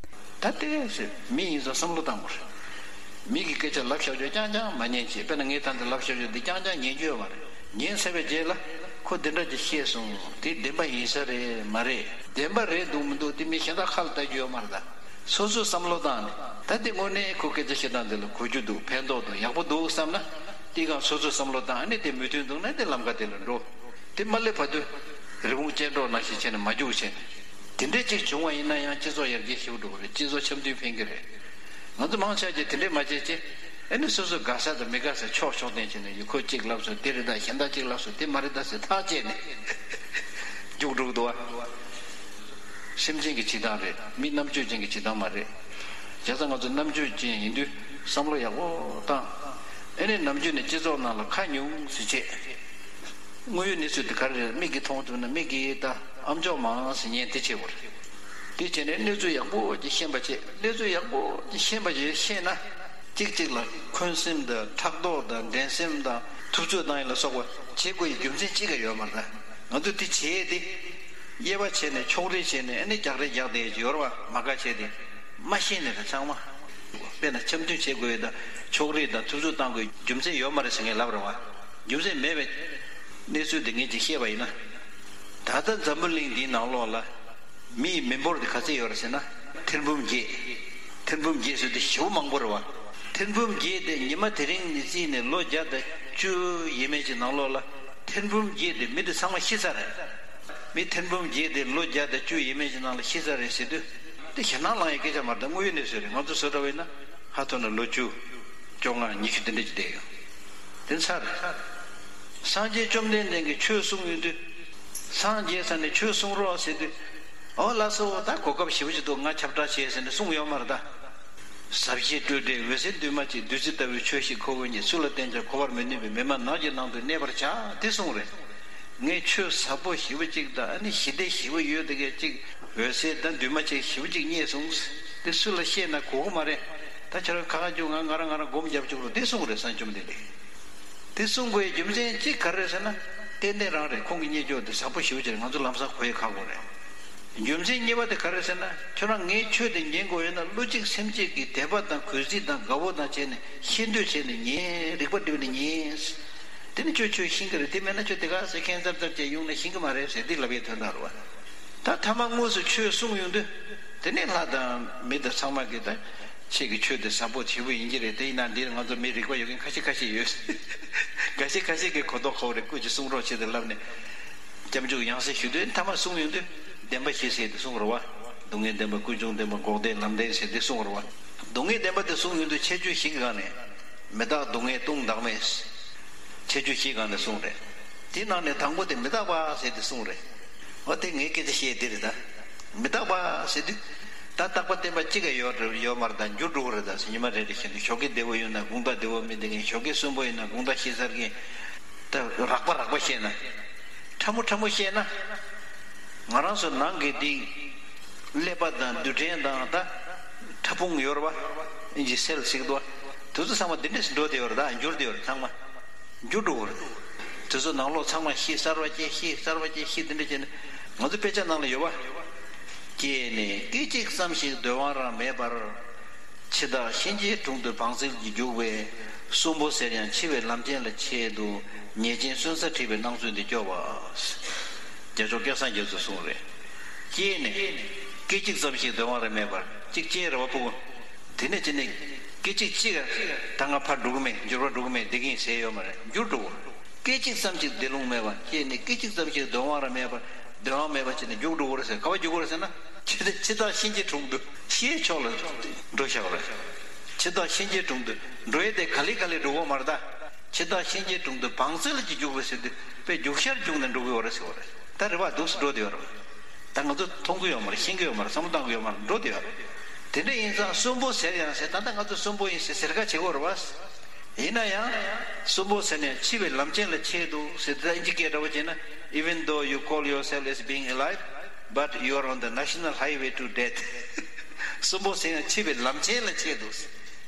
ད་ལྟའི་མི་ཡིན་ཙང་བསམ་བློ་བཏང་དགོས་རེད། མི་གི་སྐད་ཆ་ལབ་བཞག་རྒྱུ་རྐྱང་རྐྱང་མ་ཉན་བྱེད། དཔེར་ན་ངས་ད་འདི་ལབ་བཞག་རྒྱུ་འདི་རྐྱང་རྐྱང་ཉན་རྒྱུ་ཡོད་མ་རེད། ཉན་ཚར་བའི་རྗེས་ལ་ཁོ་འདི་འདྲ་ཅིག་བཤད་སོང་། དེ་བདེན་པ་ཡིན་ས་རེད་མ་རེད། བདེན་པ་རེད་འདུག་མི་འདུག་དེ་མི་གཞན་དག་ཁ་ལ་ལྟ་རྒྱུ་ཡོད་མ་རེད་ད། སོ་སོས་བསམ་བློ་བཏང་ནས་ད་དེ་དངོས་གནས་ཁོ་སྐད་ཆ་བཤད་སྟངས་འདི་ལ་གོ་རྒྱུ་འདུག་ཕན་ཐོགས་འདུག་ཡག་པོ་འདུག་བསམ་ན། དེ་གང་སོ་སོས་བསམ་བློ་བཏང་ཨ་ནི་དེ་མོས་མཐུན་འདུག་ན་དེ་ལམ་ཁ་དེ་ལ་འགྲོ། དེ་མ་སླེབས་བར་དུ་རི་བོང་ཅལ་འདྲོགས་ནང་བཞིན་བྱས་ནས་མ་རྒྱུག་བྱས་ནས། དེ་འདྲའི་ཅིག་བྱུང་བ་ཡིན་ན་ཡང་སྤྱི་ཚོགས་ཡར་རྒྱས་ཞེ་པོ་འགྲོ་གི་རེད། སྤྱི་ཚོགས་འཆམ་མཐུན་ཕན་གི་རེད། ང་ཚོ་མང་ཆེ་གིས་དེ་འདྲས་མ་བྱེད་ཅེས། ཨ་ནི་སོ་སོ་དགའ་ས་དང་མི་དགའ་ས་ཕྱོགས་ཕྱོགས་བསྟན་བྱས་ནས་ཡུལ་ཁོ་གཅིག་ལབ་སོང་དེ་རེད་ད། གཞན་དག་གཅིག་ལབ་སོང་དེ་མ་རེད་ད་ཟེར་ཐག་བཅད་ནས་རྒྱུགས་འགྲོ་གི་འདུག་བ། སེམས་ཅན་གྱི་བྱེད་སྟངས་རེད། མི་རྣམ་དཔྱོད་ཅན་གྱི་བྱེད་སྟངས་མ་རེད། བྱས་ཙང་ང་ཚོ་རྣམ་དཔྱོད་ཅན་ཡིན་དུས་བསམ་བློ་ཡག་པོ་བཏང་། ཨ་ནི་ནམ་རྒྱུན་ནས་སྤྱི་ཚོགས་ནང་ལ་ཁ་ཉུང་ཟེར་བྱས། དངོས་ཡོད་གནས་ཚུལ་དེ་ག་རེ་རེད། མིག་གིས་མཐོང་ཐུབ་ན་མིག་གིས་ད་ཨ་མཆོག་མང་ཟེར་ཉན་དེ་བྱེད་དགོས་རེད། དེ་བྱས་ནས་གནས་ཚུལ་ཡག་པོ་ཅིག་ཤེས་པ་བྱེད། གནས་ཚུལ་ཡག་པོ་ཅིག་ཤེས་པ་ཅིག་ཤེས་ན། གཅིག་གཅིག་ལ་འཁོན་སེམས་དང་ཕྲག་དོག་དང་འགྲན་སེམས་དང་ཐུབ་ཚོད་བཏང་ཡིན་ལ་སོགས་པ་བྱེད་དགོས་ཡི་རྒྱུ་མཚན་གཅིག་ཀྱང་ཡོད་མ་རེད། ང་ཚོས་དེ་བྱས་ཏེ། དབྱེ་བ་ཕྱེ་ནས་ཕྱོགས་རིས་བྱས་ནས་ཨ་ནི་རྒྱག་རེས་རྒྱག་བསྡད་ཡོད་རེད་བ། མ་དགའ་བྱས་ཏེ། མ་ཤེས་ནས་རེད་ཚང་མ། དཔེར་ན་འཆམ་མཐུན་བྱེད་དགོས་ཡོད་དང་ཕྱོགས་རིས་དང་ཐུབ་ཚོད་བཏང་དགོས་རྒྱུ་མཚན་ཡོད་མ་རེད་ཟེར་མཁན་ལབ་རེད་བ། རྒྱུ་མཚན་མེད་པའི་གནས་ཚུལ་དེ་ངས་ཅིག་བཤད་པ་ཡིན་ན། ད་ལྟ་འཛམ་བུ་གླིང་འདིའི་ནང་ལོགས་ལ་མིའི་མི་འབོར་དེ་ག་ཚད་ཡོད་རེད་ཟེར་ན། ཐེར་འབུམ་བརྒྱད། ཐེར་འབུམ་བརྒྱད་ཟེར་དུས་ཞེ་པོ་མང་པོ་རེད་བ། ཐེར་འབུམ་བརྒྱད་དེ་ཉི་མ་དེ་རིང་ནས་བརྩིས་ནས་ལོ་བརྒྱ་དང་བཅུ་ཡས་མས་ཀྱི་ནང་ལོགས་ལ་ཐེར་འབུམ་བརྒྱད་དེ་མི་དེ་ཚང་མ་ཤི་ཚར་རེད། མི་ཐེར་འབུམ་བརྒྱད་དེ་ལོ་བརྒྱ་དང་བཅུ་ཡས་མས་ཀྱི་ནང་ལ་ཤི་ཚར་རེད་ཟེར་དུས། དེ་ཞེད་སྣང་ལངས་ཡའི་སྐད་ཆ་མ་རེད། ད་དངོས་ཡོད་གནས་ཚུལ་རེད། ང་ཚོ་བཟོ་འདྲ་བས་ན་ཧ་ཐོ་ན་ལོ་བཅུ། བཅོ་ལྔ་ཉི་ཤུ་དེ་འདྲ་ཅིག་བསྡད་ཡོད། དེ་ཚར་རེད། སངས་རྒྱས་བཅོམ་ལྡན་འདས་ཀྱིས་ཆོས་གསུངས་ཡོང་དུས། སངས་རྒྱས་ས་ནས་ཆོས་གསུང་རོགས་ཟེར་དུས། ཨོ་ལགས་སོ། ད་གོ་སྐབས་ཞེ་པོ་ཅིག་འདུག་ང་ཁྱབ་བསྒྲགས་བྱེད་ཟེར་ནས་གསུངས་ཡོད་མ་རེད་ད། ཟབ་ཞི་སྤྲོས་བྲལ་འོད་གསལ་འདུས་མ་བྱས། བདུད་རྩི་ལྟ་བུའི་ཆོས་ཤིག་ཁོ་བོས་རྙེད། སུ་ལ་བསྟན་ཀྱང་གོ་བར་མི་ནུས་པས། མི་སྨྲ་ནགས་ཀྱི་ནང་དུ་གནས་པར་བྱ། དེ་གསུངས་རེད། ངས་ཆོས་ཟབ་པོ་ཞེ་པོ་ཅིག་དང་ཨ་ནི་ཞི་བདེ་ཞེ་པོ་ཡོད་དེ་གས་ཅིག་འོད་གསལ་དང་འདུས་མ་བྱས་ཞེ་པོ་ཅིག་རྙེད་སོང་། དེ་སུ་ལ་བཤད་ན་གོ་གི་མ་རེད། ད་ཁྱོད་རང་ཁ་ཁ་རྒྱུག་ང་ང་རང་ང་རང་སྒོམ་རྒྱབ་བཅུག་རོགས། དེ་གསུངས་རེད། སངས་བཅོམ་ལྡན་འདས། དེ་གསུང་དགོས་རྒྱུ་མཚན་གཅིག་ག་རེ་རེད་ཟེར་ན། ཏན་ཏན་རང་རེད། ཁོང་གི་བརྙས་བཅོས་དེ་ཟབ་པོ་ཞེ་པོ་ཅིག་རེད། ང་ཚོ་ལམ་སང་གོ་ཡས་ཁག་པོ་རེད། རྒྱུ་མཚན་གཉིས་པ་དེ་ག་རེ་རེད་ཟེར་ན། ཁྱོད་རང་ངའི་ཆོས་དེ་ཉན་དགོས་ཡོད་ན་བློ་གཅིག་སེམས་གཅིག་གིས་དད་པ་དང་གུས་བརྩི་དང་དགའ་བོ་དང་བྱས་ནས་ཤེས་འདོད་བྱས་ནས་ཉན། རིག་པ་བསྒྲིམས་ནས་ཉན། དེ་ནི་ཁྱོད་ཆོས་ཤེས་ཀྱི་རེད། དེ་མེད་ན་ཁྱོད་དེ་ག་ཟེ་ཁེན་ཙར་ཙར་བྱས་ཡོང་ན་ཤེས་ཀྱི་མ་རེད་ཟེར། དེ་ལབ་ཡས་དོན་དག་རེད་བ། ད་ཐ་མ་དངོས་སུ་ཆོས་གསུང་ཡོང་དུས། དེ་ནས་ལྷ་དང་མི་དང་ཚང་མ་གིས་ད་ཁྱེད་ཀྱི་ཆོས་དེ་ཟབ་པོ་ཞེ་པོ་ཡིན་གྱི་རེད། དེ་ཡིན་ན་འདིར་ང་ཚོ་མི་རིག་པ་ཡོད་མཁན་ཁ་ཤས་ཁ་ཤས་ཡོད། འགའ་ཤས་ཁ་ཤས་ཀྱིས་གོ་རྟོགས་ཁོ་རེ་སྐུ་མཁྱེན་གསུང་རོགས་བྱེད་དེ་ལབ་ནས་སྐྱབས་འཇུག་ཡང་སེ་ཞུ་དུས། ཐ་མ་གསུང་ཡོང་དུས་བདེན་པ་བཞི་ཟེར་དེ་གསུང་རོགས་བ། སྡུག་བསྔལ་བདེན་པ། ཀུན་འབྱུང་བདེན་པ། འགོག་བདེན་ལམ་བདེན་ཟེར་དེ་གསུང་རོགས་བ། སྡུག་བསྔལ་བདེན་པ་དེ་གསུང་ཡོང་དུས་ཁྱད་ཆོས་བཞི་གི་སྒང་ནས། མི་རྟག་སྡུག་བསྔལ་ལྟུང་བདག་མེད། ཁྱད་ཆོས་བཞིའི་སྒང་ནས་གསུངས་རེད། དེའི་ནང་ནས་དང་པོ་དེ་མི་རྟག་པ་ཟེར་དེ་གསུངས་རེད། འོ་དེ་ངའི་སྐད་ཆ་བཤད་དེ་རེད་ད། མི་རྟག་པ་ཟེར་དུས། ད་རྟག་པ་བརྟན་པ་གཅིག་ཡོད་རེད་ཡོད་མ་རེད་ད། འགྱུར་འགྲོ་གི་རེད་ད་ཟེར། ཉི་མ་རེ་རེ་བཞིན་དུ་ཞོགས་ཀས་བདེ་བོ་ཡོང་ན་དགོང་དག་བདེ་བོ་མི་བདེ་མཁན། ཞོགས་ཀས་གསོན་པོ་ཡོང་ན་དགོང་དག་ཤི་ཚར་མཁན། ད་རགས་པ་རགས་པ་བཤད་ན། ཕྲ་མོ་ཕྲ་མོ་བཤད་ན། ང་རང་ཚོ་ནང་གི་འདི་ཀླད་པ་དང་རྡུལ་ཕྲན་དང་ད་ཕྲ་ཕུང་ཡོད་རེད་བ། ཨིན་ཇི་སེལ་ཟེར་གི་འདུག་བ། དེ་ཚོ་ཚང་མ་འདི་འདྲས་སུ་འགྲོ་བསྡད་ཡོད་རེད། ད་འགྱུར་བསྡད་ཡོད་རེད་ཚང་མ། འགྱུར་འགྲོ་གི་རེད། དེ་ཚོ་ནང་ལོགས་ཚང་མ་ཤི་གསར་བ་སྐྱེ། ཤི་གསར་བ་སྐྱེ། ཤི་འདི་འདྲ་བྱས་ནས་ང་ཚོ་དཔེ་ཆ་ནང་ལ་ཡོད་བ། སྐྱེས་ནས་སྐད་ཅིག་ཙམ་ཞིག་སྡོད་དབང་རང་མེད་པར། འཆི་བདག་གཤིན་རྗེའི་དྲུང་དུ་བང་རྩལ་གྱིས་རྒྱུག་པས། གསོན་པོ་ཟེར་ཡང་འཆི་བའི་ལམ་ཆེན་ལ་ཆེད་དུ། ཉེས་ཅན་གསོན་ས་ཁྲིད་པའི་སྣང་ཚུལ་འདི་སྐྱོ་བ། རྒྱལ་མཆོག་སྐལ་བཟང་རྒྱ་མཚོས་གསུངས་རེད། སྐྱེས་ནས་སྐད་ཅིག་ཙམ་ཞིག་སྡོད་དབང་རང་མེད་པར། གཅིག་སྐྱེས་རེད་བ་ཕྲུ་གུ། དེ་ནས་ཅི་ནས་སྐད་ཅིག་གཅིག་ད་ང་ཕར་འགྲོ་གི་མེད། འགྱུར་བ་འགྲོ་གི་མེད། བསྡད་ཀྱི་ཡིན་ཟེར་ཡོད་མ་རེད། འགྱུར་འགྲོ་གི་རེད། སྐད་ཅིག་ཙམ་ཞིག་བདེ་ལུང་མེད་པ། སྐྱེས་ནས་སྐད་ཅིག་ཙམ་ཞིག་སྡོད་དབང་རང་མེད་པར། སྡོད་དབང་མེད་པ་བྱས་ནས་རྒྱུག་འགྲོ་གི་རེད་ཟེར། ག་པར་རྒྱུག་གི་རེད་ཟེར་ན། འཆི་འཆི་བདག་གཤིན་རྗེའི་དྲུང་དུ། ཤིའི་ཕྱོགས་ལ་འགྲོ་བཞག་གི་རེད། འཆི་བདག་གཤིན་རྗེའི་དྲུང་དུ་འགྲོ་ཡས་དེ་ག་ལེ་ག་ལེ་འགྲོ་གི་ཡོད་མ་རེད་ད། འཆི་བདག་གཤིན་རྗེའི་དྲུང་དུ་བང་རྩལ་གྱིས་རྒྱུག་པ་ཟེར་དུས་དཔེ་རྒྱུག་ཤར་རྒྱུག་ནས་འགྲོ་གི་ཡོད་རེད་ཟེར་བ་རེད། ད་རེད་བ། འདུག་སེ་འགྲོ་བསྡད་ཡོད་རེད། ད་ང་ཚོ་མཐོང་གི་ཡོད་མ་རེད། ཤེས་ཀྱི་ཡོད་མ་རེད། བསམ་བློ་བཏང་གི་ཡོད་མ་རེད། འགྲོ་བསྡད་ཡོད་རེད། དེ་འདྲ་ཡིན་ཙང་གསོན་པོ་ཟེར་ཡང་ཟེར། ད་ལྟ་ང་ཚོ་གསོན་པོ་ཡིན་ཟེར་ཟེར་ཁ་བྱེད་དགོས་རེད་བ། ཡིན་ན་ཡང་། གསོན་པོ་ཟེར་ནས་འཆི་བའི་ལམ་ཆེན་ལ་ཆེད་དུ་ཟེར། ད་ཨིན་ཇི་སྐད་འདྲ་བོ་བྱས་ན། Even though you call yourself as being alive, but you are on the national highway to death. གསོན་པོ་ཟེར་ཡང་འཆི་བའི་ལམ་ཆེན་ལ་ཆེད་དུ།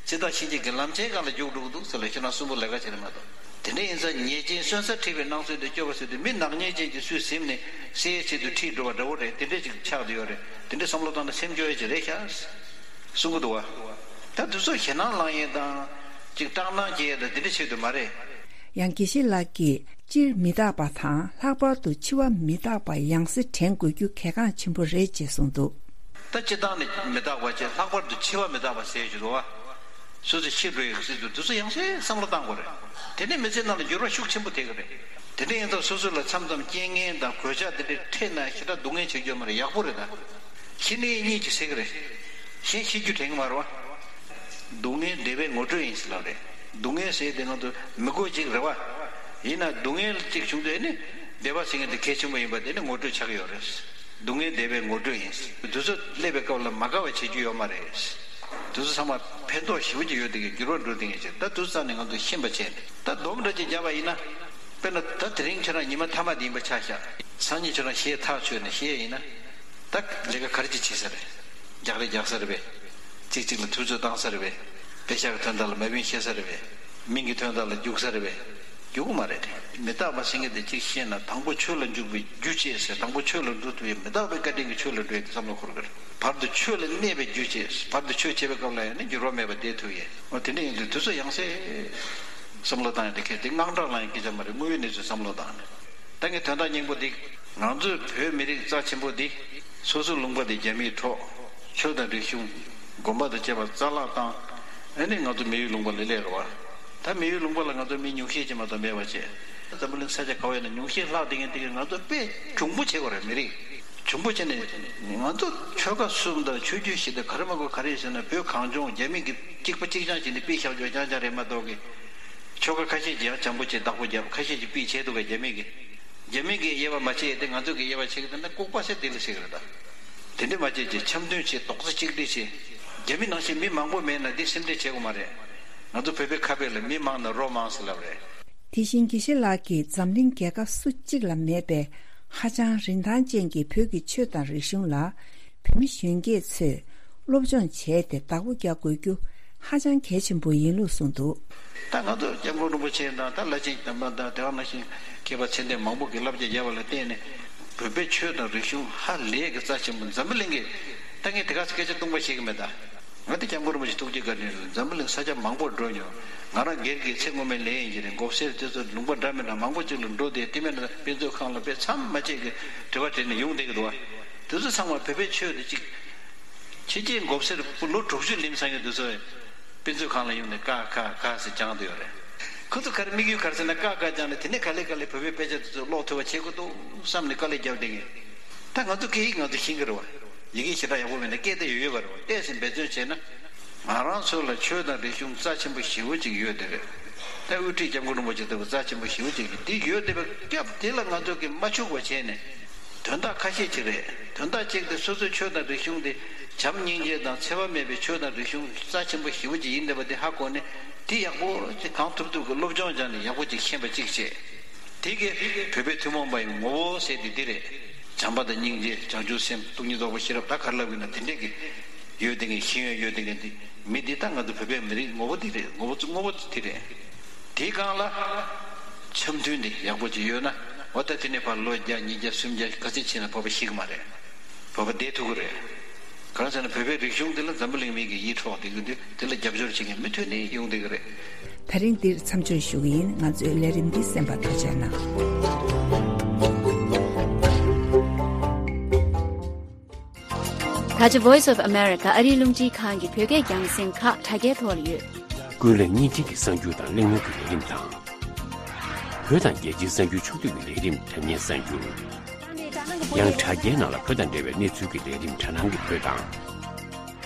འཆི་བདག་གཤིན་རྗེ་གི་ལམ་ཆེན་སྒང་ལ་རྒྱུག་འགྲོ་གི་འདུག་ཟེར་ལ། ཁྱེད་རང་གསོན་པོ་ལས་ཀ་བྱེད་རེད་མ་གཏོགས། དེ་འདྲ་ཡིན་ཙང་ཉེས་ཅན་གསོན་ས་ཁྲིད་པའི་སྣང་ཚུལ་དེ་སྐྱོ་བ་ཟེར་དུས། མི་ནག་ཉེས་ཅན་གྱིས་སུས་ཟིན་ནས་བསད་ཡས་ཆེད་དུ་ཁྲིད་འགྲོ་བ་འདྲ་བོ་རེད། དེ་འདྲ་ཅིག་ཆགས་བསྡད་ཡོད་རེད། དེ་འདྲ་བསམ་བློ་བཏང་ན་སེམས་སྐྱོ་ཡས་ཅིག་རེད་ཤག་གསུང་གི་འདུག་བ། ད་དུས་ཚོད་ཞེད་སྣང་ལངས་ཡས་དང་། ཅིག་སྐྲག་སྣང་སྐྱེ་ཡས་དང་། དེ་འདྲ་ཆེད་དུ་མ་རེད། ཡང་དགེ་བཤེས་ལགས་ཀྱིས་སྤྱིར་མི་རྟག་པ་དང་། ལྷག་པར་དུ་འཆི་བ་མི་རྟག་པ་ཡང་སེ་དྲན་དགོས་རྒྱུ་གལ་འགངས་ཆེན་པོ་རེད་ཅེས་གསུངས་འདུག་ད་སྤྱིར་བཏང་ནས་མི་རྟག་པ་བྱས། ལྷག་པར་དུ་འཆི་བ་མི་རྟག་པ་ཟེར་གྱི་འདུག་བ། སོ་སོ་ཤི་འགྲོ་ཡི་ཟེར་དུས་དུས་ཚོད་ཡང་སེ་བསམ་བློ་བཏང་དགོས་རེད། དེ་ནས་མི་ཚེ་ནང་ལ་འགྱུར་བ་ཤུགས་ཆེན་པོ་ཐེབས་ཀྱི་རེད། དེ་འདྲ་ཡིན་ཙང་སོ་སོ་ལ་མཚམས་མཚམས་རྐྱེན་ངན་དང་གོད་ཆག་དེ་འདྲ་འཕྲད་ན་ཞེ་དྲག་སྡུག་བསྔལ་བྱེད་རྒྱུ་མ་རེད། ཡག་པོ་རེད་ད། ཤི་ནས་གཉིད་ཅིག་སད་ཀྱི་རེད། གཞན་ཤི་རྒྱུ་དྲན་གྱི་མ་རེད་བ། སྡུག་བསྔལ་བདེ་བའི་ངོ་སྤྲོད་ཡིན་ཟེར་ལབ་རེད། སྡུག་བསྔལ་ཟེར་དེ་ང་ཚོ་མི་དགོས་ཅིག་རེད་བ། ཡིན་ན་སྡུག་བསྔལ་ཅིག་བྱུང་དུས་ནི་བདེ་བ་ཟེར་མཁན་དེ་གལ་ཆེན་པོ་ཡིན་པ་དེ་ནི་ངོ་སྤྲོད་ཆགས་ཀྱི་ཡོད་རེད། སྡུག་བསྔལ་བདེ་བའི་ངོ་སྤྲོད་ཡིན། དུས་ཚོད་སླེབས་པའི་སྐབས་ལ་མ་དགའ་བ་བྱེད་རྒྱུ་ཡོད་མ་རེད། དུས་ཚོད་ཚང་མ་ཕན་ཐོགས་ཞེ་པོ་ཅིག་ཡོད་དེ་གའི་འགྱུར་བ་འགྲོ་དེ་ངེས་ཅིག་ད་དུས་ཚོད་ནས་ང་ཚོ་ཤེས་པ་བྱས་ནས། ད་སྡོམ་འདྲ་ཅིག་བརྒྱབ་པ་ཡིན་ན། དཔེར་ན་ད་དེ་རིང་ཁྱོད་རང་ཉི་མ་མཐའ་མ་དེ་ཡིན་པ་ཆ་བཞག་སང་ཉིན་ཁྱོད་རང་གཞས་ཐག་ཆོད་ནས་གཞས་ཡིན་ན། ད་ལས་ཀ་ག་རེ་ཅིག་བྱེད་ས་རེད། རྒྱག་རེས་རྒྱག་ས་རེད་པས། གཅིག་གཅིག་ལ་དུས་ཚོད་བཏང་ས་རེད་པས། པེ་ཤག་གི་དོན་དག་ལ་མ་བིན་བཤད་ས་རེད་པས། མིང་གི་དོན་དག་ལ་རྒྱུག་ས་རེད་པས། རྒྱུག་གི་མ་རེད། མི་རྟག་པ་ཟེར་མཁན་དེ་གཅིག་ཤེས་ན། དང་པོ་ཆོས་ལ་འཇུག་པའི་རྒྱུ་བྱེད་ཟེར། དང་པོ་ཆོས་ལ་འགྲོ་ཐུབ་པའི་མི་རྟག་པའི་བཀའ་དྲིན་གྱིས་ཆོས་ལ་འགྲོ་ཡས་དེ་བསམ་བློ་འཁོར་གི་རེད། བར་དུ་ཆོས་ལ་གནས་པའི་རྒྱུ་བྱེད། བར་དུ་ཆོས་བྱེད་པའི་སྐབས་ལ་ཡང་ནི་འགྱུར་བ་མེད་པར་བསྡད་ཐུབ་ཡས། འོ་དེ་འདྲ་ཡིན་དུས་དུས་ཚོད་ཡང་སེ། བསམ་བློ་བཏང་ཡ་དེ་གལ་ཏེ་དངངས་སྐྲག་ལངས་ཡ་སྐད་ཆ་མ་རེད། དངོས་ཡོད་གནས་ཚུལ་བསམ་བློ་བཏང་ནས། ད་ངས་དོན་དག་སྙིང་པོ་འདི། ང་ཚོའི་བོད་མི་རིགས་རྩ་ཆེན་པོ་འདི། སོ་སོའི་ལུང་པ་འདི་རྒྱ་མིའི་འཕྲོག་ཆོས་དང་རིག་གཞུང་། དགོན་པ་དང་བཅས་པ་རྩ་བརླག་བཏང་། ཨ་ནི་ང་ཚོ་མི་ཡུལ་ལུང་པ་ལ་སླེབས་རེད་བ། ད་མི་ཡུལ་ལུང་པ་ལ་ང་ཚོ་མི་ཉུང་ཤས་ཅིག་མ་གཏོགས་མེད་པ་བྱས། འཛམ་བུ་གླིང་ས་ཆ་ག་བ་ཡིན་ན་ཉུང་ཤས་ལྷག་བསྡད་མཁན་དེ་གས་ང་ཚོ་དཔེ་གྱོང་པོ་བྱེད་དགོས་རེད། མི་རིགས་གྱོང་པོ་བྱས་ནས། ང་ཚོ་ཆོལ་ཁ་གསུམ་དང་ཆོས་བརྒྱུད་བཞི་དང་ག་རེ་མ་དགོས་ག་རེ་ཟེར་ན། བོད་གངས་ལྗོངས་རྒྱ་མི་གིས་གཅིག་པ་གཅིག་རྐྱང་བྱས་ནས་དཔེ་བཞག་ཆོག་རྐྱང་རྐྱང་རེད་མ་གཏོགས་གི། ཆོལ་ཁ་ཁ་ཤས་ཀྱིས་ཡང་བྱམས་པོ་བྱས་བདག་པོ་རྒྱབ། ཁ་ཤས་ཀྱིས་དཔེ་བྱས་འདུག་ག་རྒྱ་མི་གིས། རྒྱ་མི་གིས་དབྱེ་བ་མ་ཕྱེ་ཡས་དེ་ང་ཚོ་གིས་དབྱེ་བ་ཕྱེ་གི་འདུག་ན་ལྐུགས་པ་ཟེར་དེ་ལ་ཟེར་གི་རེད་ད། དེ་འདྲས་མ་བྱས་ཀྱི་འཆམ་མཐུན་བྱས། རྡོག་རྩ་གཅིག་སྒྲིལ་བྱས། རྒྱ་མི་ནང་བཞིན་མི་མང་པོ་མེད་ན་འདི་སེམས་ཁྲལ་བྱེད་དགོས་མ་རེད། ང་ཚོ་བོད་པའི་ཁ་དཔེ་ལ་མི་མང་ན་རོ་མང་ཟེར་ལབ་རེད། དེ་བཞིན་དགེ་བཤེས་ལགས་ཀྱིས་འཛམ་གླིང་རྒྱལ་ཁབ་སུ་གཅིག་ལ་མེད་པའི་ཧ་ཅང་རིན་ཐང་ཅན་གྱི་བོད་ཀྱི་ཆོས་དང་རིག་གཞུང་ལ། བོད་མི་གཞོན་སྐྱེས་ཚོས་སློབ་སྦྱོང་བྱས་ཏེ་བདག་པོ་རྒྱག་དགོས་རྒྱུ་ཧ་ཅང་གལ་ཆེན་པོ་ཡིན་ལུགས་གསུངས་འདུག་ད་ང་ཚོ་སྐྱབས་མགོན་རིན་པོ་ཆེ་དང་། ད་བླ་ཆེན་དམ་པ་དང་དེ་ག་ནང་བཞིན་མཁས་པ་ཚད་ལྡན་མང་པོ་གིས་བསླབ་བྱ་བརྒྱབ་པ་ལ་བརྟེན་ནས། བོད་པའི་ཆོས་དང་རིག་གཞུང་ཧ་ལས་ཀྱི་རྩ་ཆེན་པོ། འཛམ་བུ་གླིང་གིས་ད་ངས་དེ་ག་ཚོད་སྐད་ཆ་སྟོང་པ་བཤད་ཀྱི་མེད་ད། ང་དེ་སྐྱབས་མགོན་རིན་པོ་ཆེ་ཐུགས་རྗེ་བཀའ་དྲིན་རེད། འཛམ་བུ་གླིང་ས་ཆ་མང་པོར་འགྲོ་མྱོང་། ང་རང་སྒེར་གྱི་ཚེ་སྔོན་མའི་ལས་ཡིན་གྱི་རེད། མགོ་སེར་དེ་ཚོ་ལུང་པ་འདྲ་མི་འདྲ་མང་པོ་ཅིག་ལ་འགྲོ་སྟེ། དེ་མིན་ན་དཔེ་མཛོད་ཁང་ལ་དཔེ་མཚམས་མ་ཆད་ཀྱི་དྲི་བ་དྲིས་ནས་ཡོང་བསྡད་ཀྱི་འདུག་བ། དེ་ཚོ་ཚང་མ་བོད་པའི་ཆོས་དེ་གཅིག་ཕྱི་རྒྱལ་མགོ་སེར་ལོ་དྲུག་ཅུ་ལིམ་ཚང་གི་དེ་ཚོ་དཔེ་མཛོད་ཁང་ལ་ཡོང་ནས་ཀ་ཁ་ག་ཟེར་སྦྱངས་བསྡད་ཡོད་རེད། ཁོ་ཚོ་ག་རེ་དམིགས་ཡུལ་ག་རེ་ཟེར་ན། ཀ་ཁ་སྦྱངས་ནས་དེ་ནས་ག་ལེ་ག་ལེ་བོད་པའི་དཔེ་ཆ་དེ་ཚོ་ཀློག་ཐུབ་པ་བྱེད་དགོས་འདུག་བསམ་ནས་དཀའ་ལས་བརྒྱབ་བསྡད་མཁན། ད་ང་ཚོ་སྐད་ཡིག་ང་ཚོ་ཤེས་ཀྱི་རེད་བ། ཡི་གེ་ཞེ་དྲག་ཡག་པོ་མེད་ན་སྐད་དེ་ཡོད་ཡོད་པ་རེད་བ། བལྟས་ཟིན་འབད་བརྩོན་བྱས་ན། ང་རང་ཚོ་ལ་ཆོས་དང་རིག་གཞུང་རྩ་ཆེན་པོ་ཞེ་པོ་ཅིག་ཡོད་བསྡད་རེད། ད་དབུ་ཁྲིད་སྐྱབས་མགོན་རིན་པོ་ཆེ་ལྟ་བུ་རྩ་ཆེན་པོ་ཞེ་པོ་ཅིག་གིས་འདི་ཡོད་བསྡད་པའི་སྐབས་དེ་ལ་ང་ཚོ་གིས་མ་འཕྱུགས་པ་བྱས་ནས། དོན་དག་ཁ་ཤས་ཅིག་རེད། དོན་དག་གཅིག་དེ་སོ་སོའི་ཆོས་དང་རིག་གཞུང་དེ་བྱམས་སྙིང་རྗེ་དང་འཚེ་བ་མེད་པའི་ཆོས་དང་རིག་གཞུང་རྩ་ཆེན་པོ་ཞེ་པོ་ཅིག་ཡིན་བསྡད་པ་དེ་ཧ་གོ་ནས། དེ་ཡག་པོ་ཅིག་གང་ཐུབ་ཐུབ་ཀྱིས་སློབ་སྦྱོང་སྦྱངས་ནས་ཡག་པོ་ཅིག་ཤེས་པ་གཅིག་བྱས། དེ་གིས་བོད་པའི་ཐུན་མོང་པ་ཡི་ངོ་བོ་ཟེར་དེ་འདི་རེད། བྱམས་པ་དང་སྙིང་རྗེ། བྱང་ཆུབ་སེམས། སྟོང་ཉིད་རྟོགས་པ། ཤེས་རབ། ད་ག་རེ་ལབ་ཡིན་ན་དེ་འདྲས་ཀྱི་ཡོད་དེ་ངས་ཤེས་ཡོན་ཡོད་དེ་ངས་འདི་མི་འདི་ད་ང་ཚོ་བོད་པའི་མི་རིགས་ངོ་བོ་འདི་རེད། ངོ་བོ་ངོ་བོ་འདི་རེད། དེའི་སྒང་ལ་འཆམ་མཐུན་འདི་ཡག་པོ་ཅིག་ཡོད་ན། འོ་ད་དེ་ནས་ཕར་ལོ་བརྒྱ་ཉིས་བརྒྱ་སུམ་བརྒྱ་ག་ཚད་ཕྱིན་ན་བོད་པ་ཤི་གི་མ་རེད། བོད་པ་བསྡད་ཐུབ་ཀྱི་རེད། གང་ཟེར་ན་བོད་པའི་རིག་གཞུང་འདི་ལ་འཛམ་བུ་གླིང་མི་གིས་ཡིད་འཕྲོག་བསྡད་ཀྱི་འདུག་དེ་ལ་རྒྱབ་སྐྱོར་བྱེད་མཁན་མུ་མཐུད་ནས་ཡོང་བསྡད་ཀྱི་རེད། ད་རིང་འདིར་མཚམས་འཇོག་ཞུ་གི་ཡིན། ང་ཚོའི་ལས་རིམ་འདི་གསན་པར་ཐུགས་རྗེ་གནང་། ད་ཆ་Voice of America ཨ་རིའི་རླུང་འཕྲིན་ཁང་གི་བོད་སྐད་རྒྱང་སྲིང་ཁག་དྲ་རྒྱའི་ཐོག་ལ་ཡོད། ཀུན་གླེང་བརྙན་འཕྲིན་གྱི་གསར་འགྱུར་དང་གླེང་མོལ་གྱི་ལས་རིམ་དང་། བོད་དང་རྒྱལ་སྤྱིའི་གསར་འགྱུར་ཕྱོགས་བསྡུས་ཀྱི་ལས་རིམ་དྲ་བརྙན་གསར་འགྱུར། ཡང་དྲ་རྒྱའི་ནང་ལ་བོད་དང་འབྲེལ་བའི་གནས་ཚུལ་གྱི་ལས་རིམ་དྲ་སྣང་གི་བོད་དང་།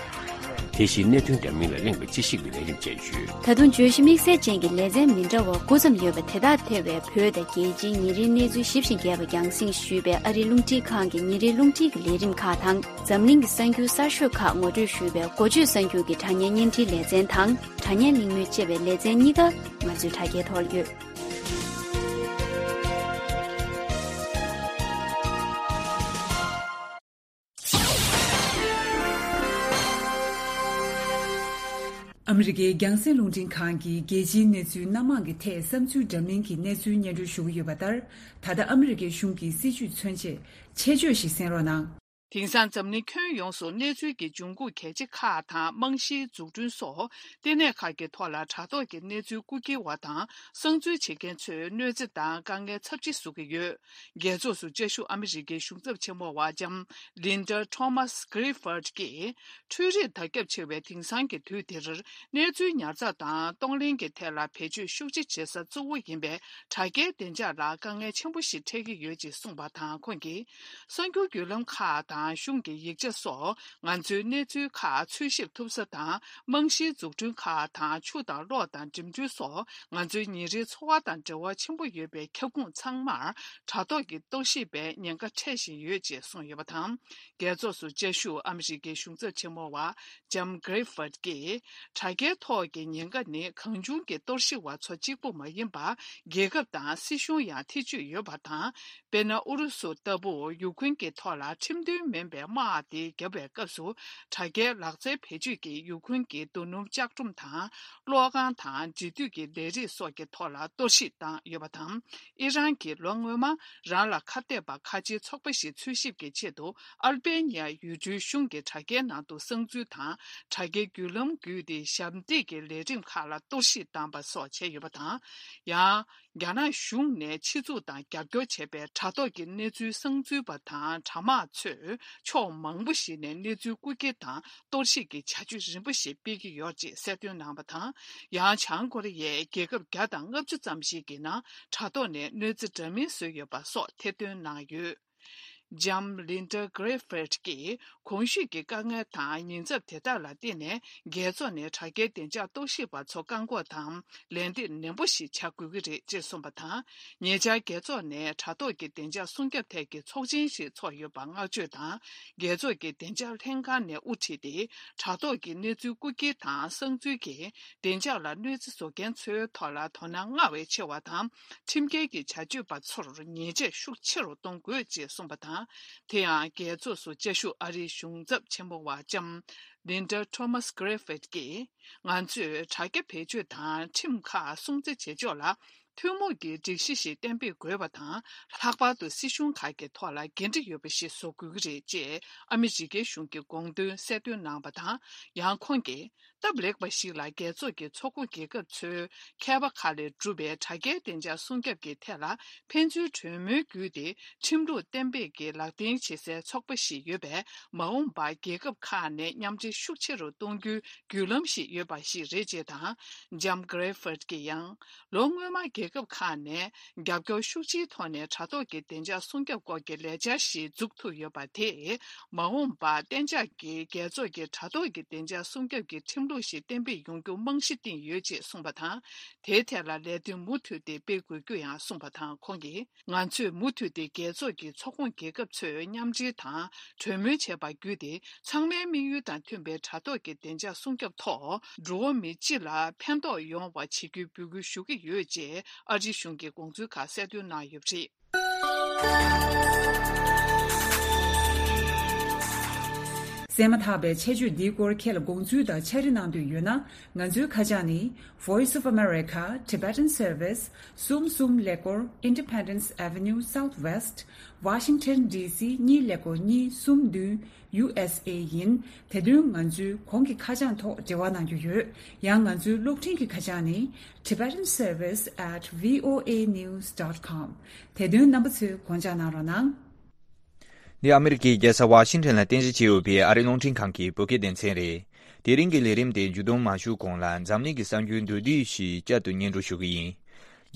དེ་བཞིན་གནད་དོན་འདྲ་མིན་ལ་གླེང་བའི་དཔྱད་ཞིབ་ཀྱི་ལས་རིམ་བཅས་ཡོད། ད་དུང་བརྗོད་གཞི་དམིགས་བསལ་ཅན་གྱི་ལེ་ཚན་མི་འདྲ་བ་དགུ་ཙམ་ཡོད་པ་དེ་དག་ཐེ་བའི་བོད་དང་རྒྱལ་སྤྱིའི་ཉིན་རེའི་གནས་ཚུལ་ཞིབ་ཅིང་རྒྱས་པ་རྒྱང་སྲིང་ཞུས་པའི་ཨ་རིའི་རླུང་འཕྲིན་ཁང་གི་ཉིན་རེའི་རླུང་འཕྲིན་གྱི་ལས་རིམ་ཁག་དང་། འཛམ་གླིང་གི་གསར་འགྱུར་གསར་ཤོས་ཁག་ངོ་སྤྲོད་ཞུས་པའི་འགོ་བརྗོད་གསར་འགྱུར་གྱི་དྲ་བརྙན་བརྙན་འཕྲིན་ལེ་ཚན་དང་། དྲ་བརྙན་གླེང་མོལ་བཅས་པའི་ལེ་ཚན་གཉིས་ཀ་ང་ཚོའི་དྲ་རྒྱའི་ཐོག་ཡོད། ཨ་མི་རི་ཀའི་རྒྱང་སྲིང་རླུང་འཕྲིན་ཁང་གིས་རྒྱལ་སྤྱིའི་གནས་ཚུལ་སྣ་མང་གི་ཐད་བསམ་ཚུལ་འདྲ་མིན་གྱི་གནས་ཚུལ་སྙན་སྒྲོན་ཞུ་གི་ཡོད་པ་ལྟར། ད་ལྟ་ཨ་མི་རི་ཀའི་གཞུང་གི་སྲིད་བྱུས་མཚོན་ཆེད་ཆེད་བརྗོད་ཞིག་གསན་རོགས་གནང་། དེང་སང་འཛམ་གླིང་ཁྱོན་ཡོངས་སུ་གནས་ཚུལ་གྱི་འབྱུང་ཁུངས་གལ་ཆེ་ཁག་དང་རྨང་གཞིའི་འཛུགས་སྐྲུན་སོགས་ལྟེ་གནས་ཁག་གི་ཐོག་ལ་དྲ་ཐོག་གི་གནས་ཚུལ་རྐུ་འཁྱེར་བ་དང་གསང་འཛུལ་བྱེད་མཁན་ཚོས་གནོད་འཚེ་དང་དཀའ་ངལ་ཚབས་ཆེ་བཟོ་གི་ཡོད། རྒྱལ་ཚོགས་སུ་བཅའ་བཞུགས་ཨ་མི་རི་ཀའི་གཞུང་ཚབ་ཆེན་མོ་བ་ལྕམ་Linda Thomas Greenfield་གྱིས། འཕྲུལ་རིག་དར་ཁྱབ་ཆེ་བའི་དེང་སང་གི་དུས་འདིར། གནས་ཚུལ་ཉར་ཚགས་དང་གཏོང་ལེན་གྱི་ཐད་ལ་བེད་སྤྱོད་ཤུགས་ཆེ་བྱེད་ས་གཙོ་བོ་ཡིན་པའི་དྲ་རྒྱའི་བདེ་འཇགས་ལ་དཀའ་ངལ་ཆེན་པོ་ཞིག་འཕྲད་ཀྱི་ཡོད་ཅེས་གསུངས་པ་དང་། ཁོང་གིས། གསར་འགྱུར་བརྒྱུད་ལམ་ཁག་དང་གཞུང་གི་ཡིག་ཆ་སོགས་ང་ཚོའི་གནས་ཚུལ་ཁག་འཚོལ་ཞིབ་ཐུབ་ས་དང་། རྨང་གཞིའི་འཛུགས་སྐྲུན་ཁག་དང་ཆུ་དང་གློག་དང་འགྲིམ་འགྲུལ་སོགས་ང་ཚོའི་ཉིན་རེའི་འཚོ་བ་དང་འབྲེལ་བ་ཆེན་པོ་ཡོད་པའི་ཁྱབ་ཁོངས་ཚང་མར་དྲ་ཐོག་གི་གཏོར་བཤིག་པའི་ཉེན་ཁ་འཕྲད་བཞིན་ཡོད་ཅེས་གསུངས་ཡོད་པ་དང་། རྒྱལ་ཚོགས་སུ་བཅའ་བཞུགས་ཨ་མི་རི་ཀའི་གཞུང་ཚབ་ཆེན་མོ་བ་ལྕམ་Greenfield་གྱིས། དྲ་རྒྱའི་ཐོག་གི་ཉེན་ཁ་ནི་གང་བྱུང་གིས་གཏོར་བཤིག་པ་ཚོ་གཅིག་པུ་མ་ཡིན་པར། རྒྱལ་ཁབ་དང་སྲིད་གཞུང་ཡང་ཐེ་བྱུས་ཡོད་པ་དང་། དཔེར་ན། ཨུ་རུ་སུ་ལྟ་བུ་ཡུཀ་རེན་གྱི་ཐོག་ལ་ཁྲིམས་མཐུན་ མིན་པའི་དམག་དེ་བརྒྱབ་པའི་སྐབས་སུ། དྲ་རྒྱའི་ལག་རྩལ་བེད་སྤྱོད་ཀྱིས་ཡུ་ཁུན་གྱི་རྡོ་སྣུམ་ལྕགས་སྒྲོམ་དང་། གློག་ཁང་དང་འབྲེལ་མཐུད་ཀྱི་ལས་རིགས་སོགས་ཀྱི་ཐོག་ལ་གཏོར་བཤིག་བཏང་ཡོད་པ་དང་། ཨི་རན་གྱིས་ལོ་སྔོན་མ། རང་ལ་ཁ་གཏད་པ་ཁ་ཆེའི་ཚོགས་པ་ཞིག་འཚོལ་ཞིབ་ཀྱི་ཆེད་དུ། ཨལ་བེ་ནི་ཡ་ཡུལ་གྲུའི་གཞུང་གི་དྲ་རྒྱའི་ནང་དུ་གསང་འཛུལ་དང་། དྲ་རྒྱའི་བརྒྱུད་ལམ་བརྒྱུད་དེ་ཞབས་འདེགས་ཀྱི་ལས་རིམ་ཁག་ལ་གཏོར་བཤིག་བཏང་པ་སོགས་བྱས་ཡོད་པ་དང་། ཡང་། རྒྱ་ནག་གཞུང་ནས་ཆེད་འཛུགས་དང་རྒྱབ་སྐྱོར་བྱས་པའི་དྲ་ཐོག་གི་གནས་ཚུལ་གསང་འཛུལ་པ་དང་དྲ་དམག་ཚོས་ཕྱོགས་མང་པོ་ཞིག་ནས་གནས་ཚུལ་རྐུ་འཁྱེར་དང་གཏོར་བཤིག་གི་བྱ་སྤྱོད་རིམ་པ་ཞིག་སྤེལ་གྱི་ཡོད་ཅེས་གསལ་སྟོན་གནང་བ་དང་། ཡང་བྱང་ཀོ་རི་ཡས་རྒྱལ་ཁབ་བརྒྱ་དང་ལྔ་བཅུ་ཙམ་ཞིག་གི་ནང་དྲ་ཐོག་ནས་གནོད་འཚེ་འདྲ་མིན་བཟོས་ཡོད་པ་སོགས་ཐེར་འདོན་གནང་ཡོད། ལྕམ་ལིན་ཌ་གྷི་རེ་ཧྥིད་ཀྱིས་གོང་ཞུས་ཀྱི་དཀའ་ངལ་དང་ཉེན་ཚབས་དེ་དག་ལ་བརྟེན་ནས། རྒྱལ་ཚོགས་ནས་དྲ་རྒྱའི་བདེ་འཇགས་གཏོར་བཤིག་པ་ཚོ་བཀག་འགོག་དང་ལན་འདེབས་ནན་པོ་ཞིག་བྱ་དགོས་ཀྱི་རེད་ཅེས་གསུངས་པ་དང་། ཉེ་ཆར་རྒྱལ་ཚོགས་ནས་དྲ་ཐོག་གི་བདེ་འཇགས་སྲུང་སྐྱོབ་ཐད་ཀྱི་ཚོགས་ཆེན་ཞིག་ཚོགས་ཡོད་པ་བསྔགས་བརྗོད་དང་། རྒྱལ་ཚོགས་ཀྱི་བདེ་འཇགས་ལྷན་ཁང་ནས་དབུ་ཁྲིད་དེ། དྲ་ཐོག་གི་གནས་ཚུལ་རྐུ་འཁྱེར་དང་གསང་འཛུལ་གྱིས་བདེ་འཇགས་ལ་གནོད་འཚེ་བཟོ་མཁན་ཚོའི་ཐོག་ལ་དོ་སྣང་སྔར་བས་ཆེ་བ་དང་། ཁྲིམས་འགལ་གྱི་བྱ་སྤྱོད་པ་ཚོར་ཉེས་ཆད་ཤུགས་ཆེ་རུ་གཏོང་དགོས་ཅེས་གསུངས་པ་དང་། དེ་ཡང་རྒྱལ་ཚོགས་སུ་བཅའ་བཞུགས་ཨ་རིའི་གཞུང་ཚབ་ཆེན་མོ་བ་ལྕམ་ལིན་ཌ་ཐོ་མཱས་གྷི་རེ་ཧྥིད་ཀྱིས། ང་ཚོས་དྲ་རྒྱ་བེད་སྤྱོད་དང་ཁྲིམས་ཁག་སྲུང་བརྩི་བྱེད་ཕྱོགས་ལ་ཐུན་མོང་གི་སྒྲིག་གཞི་ཞིག་གཏན་འབེབས་དགོས་པ་དང་། ལྷག་པར་དུ་སྲིད་གཞུང་ཁག་གི་ཐོག་ལ་འགན་འཁྲི་ཡོད་པ་ཞིག་བཟོ་དགོས་ཀྱི་རེད་ཅེས་ཨ་མི་རི་ཀའི་གཞུང་གི་དགོངས་དོན་གསལ་སྟོན་གནང་བ་དང་། ཡང་ཁོང་གིས། སྟབས་ལེགས་པ་ཞིག་ལ་རྒྱལ་ཚོགས་ཀྱི་ཚོགས་པ་རྒྱལ་ཁབ་ཚོའི་མཁས་པ་ཁག་ལས་གྲུབ་པའི་དྲ་རྒྱའི་བདེ་འཇགས་སྲུང་སྐྱོབ་ཀྱི་ཐད་ལ་ཕན་ཚུན་གྲོས་མོལ་བརྒྱུད་དེ་ཁྲིམས་ལུགས་གཏན་འབེབས་ཀྱི་ལག་དེང་བྱེད་སའི་ཚོགས་པ་ཞིག་ཡོད་པས། མ་འོངས་པར་རྒྱལ་ཁབ་ཁག་ནས་མཉམ་འབྲེལ་ཤུགས་ཆེ་རུ་གཏོང་རྒྱུའི་བརྒྱུད་ལམ་ཞིག་ཡོད་པ་ཞིག་རེད་ཅེས་དང་། ལྕམ་གྷི་རེ་ཧྥིད་ཀྱིས་ཡང་། ལོ་སྔོན་མ་རྒྱལ་ཁབ་ཁག་ནས་རྒྱབ་སྐྱོར་ཤུགས་ཆེའི་ཐོག་ནས་དྲ་ཐོག་གི་བདེ་འཇགས་སྲུང་སྐྱོབ་སྐོར་གྱི་ལས་འཆར་ཞིག་འཛུགས་ཐུབ་ཡོད་པ་དེས། མ་འོངས་པར་གཏན་འཇགས་ཀྱི་རྒྱལ་ཚོགས་ཀྱི་དྲ་ཐོག་གི་བདེ་འཇགས་སྲུང་སྐྱོབ་ཀྱི་ཁྲིམས་ལུགས་ཤིག་གཏན་འབེབས་ཡོང་རྒྱུ་རྨང་གཞི་བཏིང་ཡོད་ཅེས་གསུངས་པ་དང་། དེའི་ཐད་ལ་ལས་དོན་མུ་མཐུད་དེ་སྤེལ་དགོས་རྒྱུ་ཡང་གསུངས་པ་དང་། ཁོང་གིས། ང་ཚོས་མུ་མཐུད་དེ་རྒྱལ་ཚོགས་ཀྱི་ཚོགས་ཁོངས་རྒྱལ་ཁབ་ཚོས་མཉམ་འབྲེལ་དང་གྲོས་མོལ་བྱས་པ་བརྒྱུད་དེ། ཚང་མའི་དམིགས་ཡུལ་དང་མཐུན་པའི་དྲ་ཐོག་གི་བདེ་འཇགས་སྲུང་སྐྱོབ་ཐོག་འགྲོ་བ་མི་སྤྱི་ལ་ཕན་ཐོགས་ཡོང་བ་བྱེད་རྒྱུའི་འབོད་སྐུལ་ཞུ་གི་ཡོད་ཅེས་ཨ་རིའི་གཞུང་གི་དགོངས་ཚུལ་ཁག་གསལ་སྟོན་གནང་ཡོད་པ་རེད། གསན་མ་ཐག་པའི་ཆེད་བརྗོད་འདིའི་སྐོར་ཁྱེད་ལ་དགོངས་ཚུལ་དང་འཆར་གཞི་གནང་འདོད་ཡོད་ན། ང་ཚོའི་ཁ་བྱང་ནི། Voice of America Tibetan Service གསུམ་གསུམ་ཀླད་ཀོར་Independence Avenue Southwest Washington D C གཉིས་ཀླད་ཀོར་གཉིས་གསུམ་བདུན། U S A ཡིན། དེ་དོན་ང་ཚོའི་གོང་གི་ཁ་བྱང་ཐོག་འབྲེལ་བ་གནང་རྒྱུ་ཡོད། ཡང་ང་ཚོའི་གློག་འཕྲིན་གྱི་ཁ་བྱང་ནི། Tibetan Service at V O A news dot com དེ་དོན་རྣམ་པ་ཚོས་དགོངས་འཇགས་གནང་རོགས་གནང་། འདི་ཨ་མི་རི་ཀའི་རྒྱལ་ས་ཝ་ཤིང་ཊོན་ལ་རྟེན་གཞི་བྱས་ཡོད་པའི་ཨ་རིའི་རླུང་འཕྲིན་ཁང་གི་བོད་སྐད་སྡེ་ཚན་རེད། དེ་རིང་གི་ལས་རིམ་དེ་མཇུག་བསྡོམས་མ་ཞུ་གོང་ལ་འཛམ་གླིང་གི་གསར་འགྱུར་མདོར་བསྡུས་ཤིག་བསྐྱར་དུ་སྙན་སྒྲོན་ཞུ་གི་ཡིན།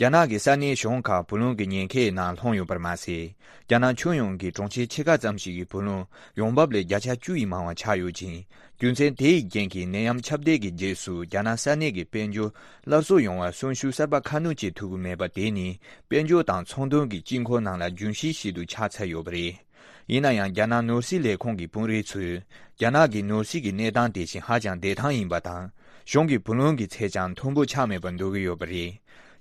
རྒྱ་ནག་གི་ས་གནས་གཞུང་ཁག་བུ་ལོན་གྱི་ཉེན་ཁའི་ནང་ལྷུང་ཡོད་པར་མ་ཟད། རྒྱ་ནག་ཁྱོན་ཡོངས་ཀྱི་གྲོང་ཁྱེར་ཕྱེད་ཀ་ཙམ་ཞིག་གི་བུ་ལོན་ཡོང་འབབ་ལས་བརྒྱ་ཆ་བཅུ་ཡིས་མང་བ་ཆག་ཡོད་ཅིང་། རྒྱུ་མཚན་དེ་ཡི་རྐྱེན་གྱིས་ནད་ཡམས་ཁྱབ་གདལ་གྱི་རྗེས་སུ་རྒྱ་ནག་ས་གནས་ཀྱི་དཔལ་འབྱོར་སླར་གསོ་ཡོང་བར་གསོན་ཤུགས་གསར་པ་ཁ་སྣོན་བྱེད་ཐུབ་ཀྱི་མེད་པ་དེ་ནི་དཔལ་འབྱོར་དང་ཚོང་དོན་གྱི་དཀྱིལ་འཁོར་ནང་ལ་རྒྱུན་ཤེས་ཤིག་ཏུ་ཆགས་ཚར་ཡོད་པ་རེད། ཡིན་ན་ཡང་རྒྱ་ནག་ནོར་སྲིད་ལས་ཁུངས་ཀྱི་དཔོན་རིགས་ཚོས་རྒྱ་ནག་གི་ནོར་སྲིད་ཀྱི་གནས་སྟངས་དེ་བཞིན་ཧ་ཅང་བདེ་ཐང་ཡིན་པ་དང་། གཞུང་གི་བུ་ལོན་གྱི་ཚད་ཀྱང་མཐོན་པོ་ཆགས་མེད་པར་འདོད་ཀྱི་ཡོད་པ་རེད།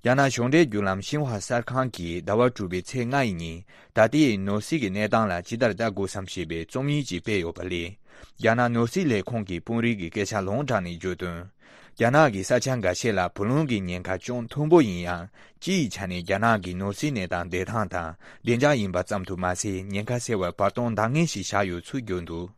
རྒྱ་ནག་གཞུང་འབྲེལ་བརྒྱུད་ལམ་ཤིན་ཧྭ་གསར་ཁང་གིས་ཟླ་བ་དྲུག་པའི་ཚེས་ལྔ་ཡི་ཉིན་ད་ལྟའི་ནོར་སྲིད་ཀྱི་གནས་སྟངས་ལ་ཇི་ལྟར་ལྟ་དགོས་སམ་ཞེས་པའི་རྩོམ་ཡིག་ཅིག་སྤེལ་ཡོད་པ་ལས། རྒྱ་ནག་ནོར་སྲིད་ལས་ཁུངས་ཀྱི་དཔོན་རིགས་ཀྱི་སྐད་ཆ་ལུང་དྲངས་ནས་བརྗོད་དོན། རྒྱ་ནག་གི་ས་ཆ་འགའ་ཤས་ལ་བུ་ལོན་གྱི་ཉེན་ཁ་ཅུང་མཐོན་པོ་ཡིན་ཡང་། སྤྱི་ཡི་ཆ་ནས་རྒྱ་ནག་གི་ནོར་སྲིད་གནས་སྟངས་བདེ་ཐང་དང་བདེ་འཇགས་ཡིན་པ་ཙམ་དུ་མ་ཟད། ཉེན་ཁ་སེལ་བར་བར་སྟོང་འདང་ངེས་ཤིག་བཞག་ཡོད་ཚུལ་བརྗོད་འདུག་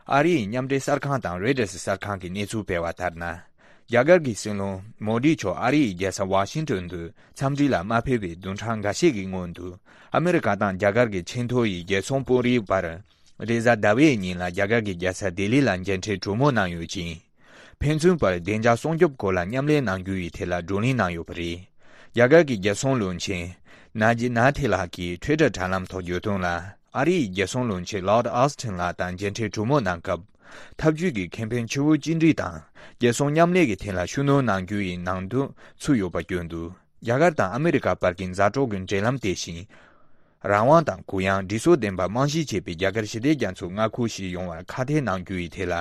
ཨ་རི་ཡི་མཉམ་འབྲེལ་གསར་ཁང་དང་Reuters གསར་ཁང་གིས་གནས་ཚུལ་སྤེལ་བ་ལྟར་ན། རྒྱ་གར་གྱི་སྲིད་བློན་མོ་དི་མཆོག་ཨ་རི་ཡི་རྒྱལ་ས་ཝ་ཤིང་ཏོན་དུ་འཚམས་འདྲི་ལ་མ་ཕེབས་པའི་བདུན་ཕྲག་འགའ་ཤས་ཀྱི་སྔོན་དུ། ཨ་མེ་རི་ཀ་དང་རྒྱ་གར་གྱི་ཆེས་མཐོ་ཡི་རྒྱལ་སྲུང་དཔོན་རིགས་བར། རེས་གཟའ་ཟླ་བའི་ཉིན་ལ་རྒྱ་གར་གྱི་རྒྱལ་ས་ལྡི་ལི་ལ་མཇལ་འཕྲད་གྲོས་མོལ་གནང་ཡོད་ཅིང་། ཕན་ཚུན་བར་བདེ་འཇགས་སྲུང་སྐྱོབ་སྐོར་ལ་མཉམ་ལས་གནང་རྒྱུ་ཡི་ཐད་ལ་བགྲོ་གླེང་གནང་ཡོད་པ་རེད། རྒྱ་གར་གྱི་རྒྱལ་སྲུང་བློན་ཆེན་ནཱ་ཇི་ནཱ་ཐི་ལགས་ཀྱིས་Twitter དྲ་ལམ་ཐོག་བརྗོད་དོན་ལ། ཨ་རི་ཡི་རྒྱལ་སྲུང་བློན་ཆེན་Lloyd Austin ལགས་དང་མཇལ་འཕྲད་གྲོས་མོལ་གནང་སྐབས། འཐབ་ཇུས་ཀྱི་ཁེ་ཕན་ཆེ་བོ་གཅིག་སྒྲིལ་དང་རྒྱལ་སྲུང་མཉམ་ལས་ཀྱི་ཐད་ལ་ཤུགས་སྣོན་གནང་རྒྱུ་ཡི་ནང་དོན་ཚུད་ཡོད་པ་བརྗོད་འདུག་རྒྱ་གར་དང་ཨ་མེ་རི་ཀ་བར་གྱི་མཛའ་གྲོགས་ཀྱི་འབྲེལ་ལམ་དེ་བཞིན། རང་དབང་དང་གུ་ཡངས་སྒྲིག་སྲོལ་ལྡན་པ་རྨང་གཞི་བྱས་པའི་རྒྱ་གར་ཞི་བདེ་རྒྱ་མཚོའི་མངའ་ཁུལ་ཞིག་ཡོང་བར་ཁག་ཐེག་གནང་རྒྱུ་ཡི་ཐད་ལ་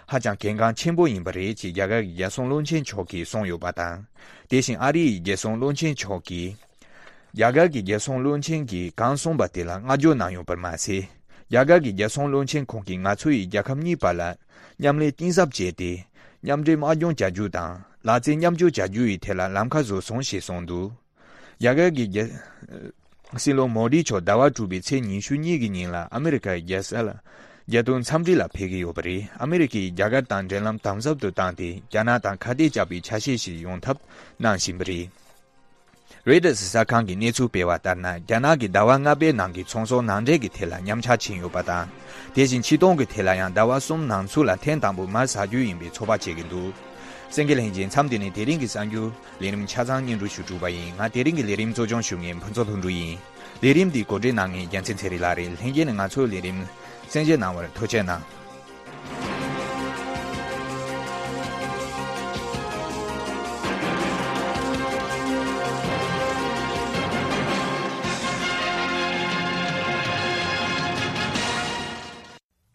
ཧ་ཅང་གལ་འགངས་ཆེན་པོ་ཡིན་པ་རེད་ཅེས་རྒྱ་གར་གྱི་རྒྱལ་སྲུང་བློན་ཆེན་མཆོག་གིས་གསུངས་ཡོད་པ་དང་། དེ་བཞིན་ཨ་རི་ཡི་རྒྱལ་སྲུང་བློན་ཆེན་མཆོག་གིས། རྒྱ་གར་གྱི་རྒྱལ་སྲུང་བློན་ཆེན་གྱིས་གང་གསུངས་པ་དེ་ལ་བསྔགས་བརྗོད་གནང་ཡོད་པར་མ་ཟད། རྒྱ་གར་གྱི་རྒྱལ་སྲུང་བློན་ཆེན་ཁོང་གིས་ང་ཚོ་ཡིས་རྒྱལ་ཁབ་གཉིས་བར་ལ་མཉམ་ལས་གཏིང་ཟབ་བྱས་ཏེ། མཉམ་འབྲེལ་དམག་སྦྱོང་བྱ་རྒྱུ་དང་ལག་རྩལ་མཉམ་སྤྱོད་བྱ་རྒྱུ་ཡི་ཐད་ལ་ལམ་ཁ་བཟོས་སོང་ཞེས་གསུངས་འདུག་རྒྱ་གར་གྱི་རྒྱལ་སྲིད་བློན་མོ་དི་མཆོག་ཟླ་བ་དྲུག་པའི་ཚེས་ཉི་ཤུ་གཉིས་ཀྱི་ཉིན་ལ་ཨ་མི་རི་ཀའི་རྒྱལ་ས་ལ་རྒྱལ་དོན་འཚམས་འདྲི་ལ་ཕེབས་ཀྱི་ཡོད་པ་རེད། ཨ་མི་རི་ཀས་རྒྱ་གར་དང་འབྲེལ་ལམ་དམ་ཟབ་ཏུ་བཏང་སྟེ། རྒྱ་ནག་དང་ཁ་གཏད་བཅག་པའི་ཆ་ཤས་ཤིག་ཡོང་ཐབས་གནང་བཞིན་པ་རེད། རོའི་ཊར་གསར་ཁང་གིས་གནས་ཚུལ་སྤེལ་བ་ལྟར་ན། རྒྱ་ནག་གིས་ཟླ་བ་ལྔ་པའི་ནང་གི་ཚོང་ཟོག་ནང་འདྲེན་གྱི་ཐད་ལ་མཉམ་ཆག་ཕྱིན་ཡོད་པ་དང་། དེ་བཞིན་ཕྱིར་གཏོང་གི་ཐད་ལ་ཡང་ཟླ་བ་གསུམ་ནང་ཚུད་ལ་ཐེངས་དང་པོ་མར་ཟ་རྒྱུ་ཡིན་པའི་ཚོད་དཔག་བྱེད་ཀྱི་འདུག་གསན་མཁན་ལྷན་རྒྱས། མཚམས་འདི་ནས་དེ་རིང་གི་གསར་འགྱུར་ལས་རིམ་ཆ་ཚང་སྙན་སྒྲོན་ཞུ་གྲུབ་པ་ཡིན། ང་དེ་རིང་གི་ལས་རིམ་གཙོ་སྐྱོང་ཞུ་མཁན་ཕུན་ཚོགས་ལྷུན་གྲུབ་ཡིན། ལས་རིམ་འདི་གོ་སྒྲིག་གནང་མཁན་རྒྱལ་མཚན་ཚེ་རིང་ལགས་རེད། ལྷན་རྒྱས་ནས་ང་ཚོའི་ལས་རིམ་གསན་བཞེས་གནང་བར་ཐུགས་རྗེ་གནང་།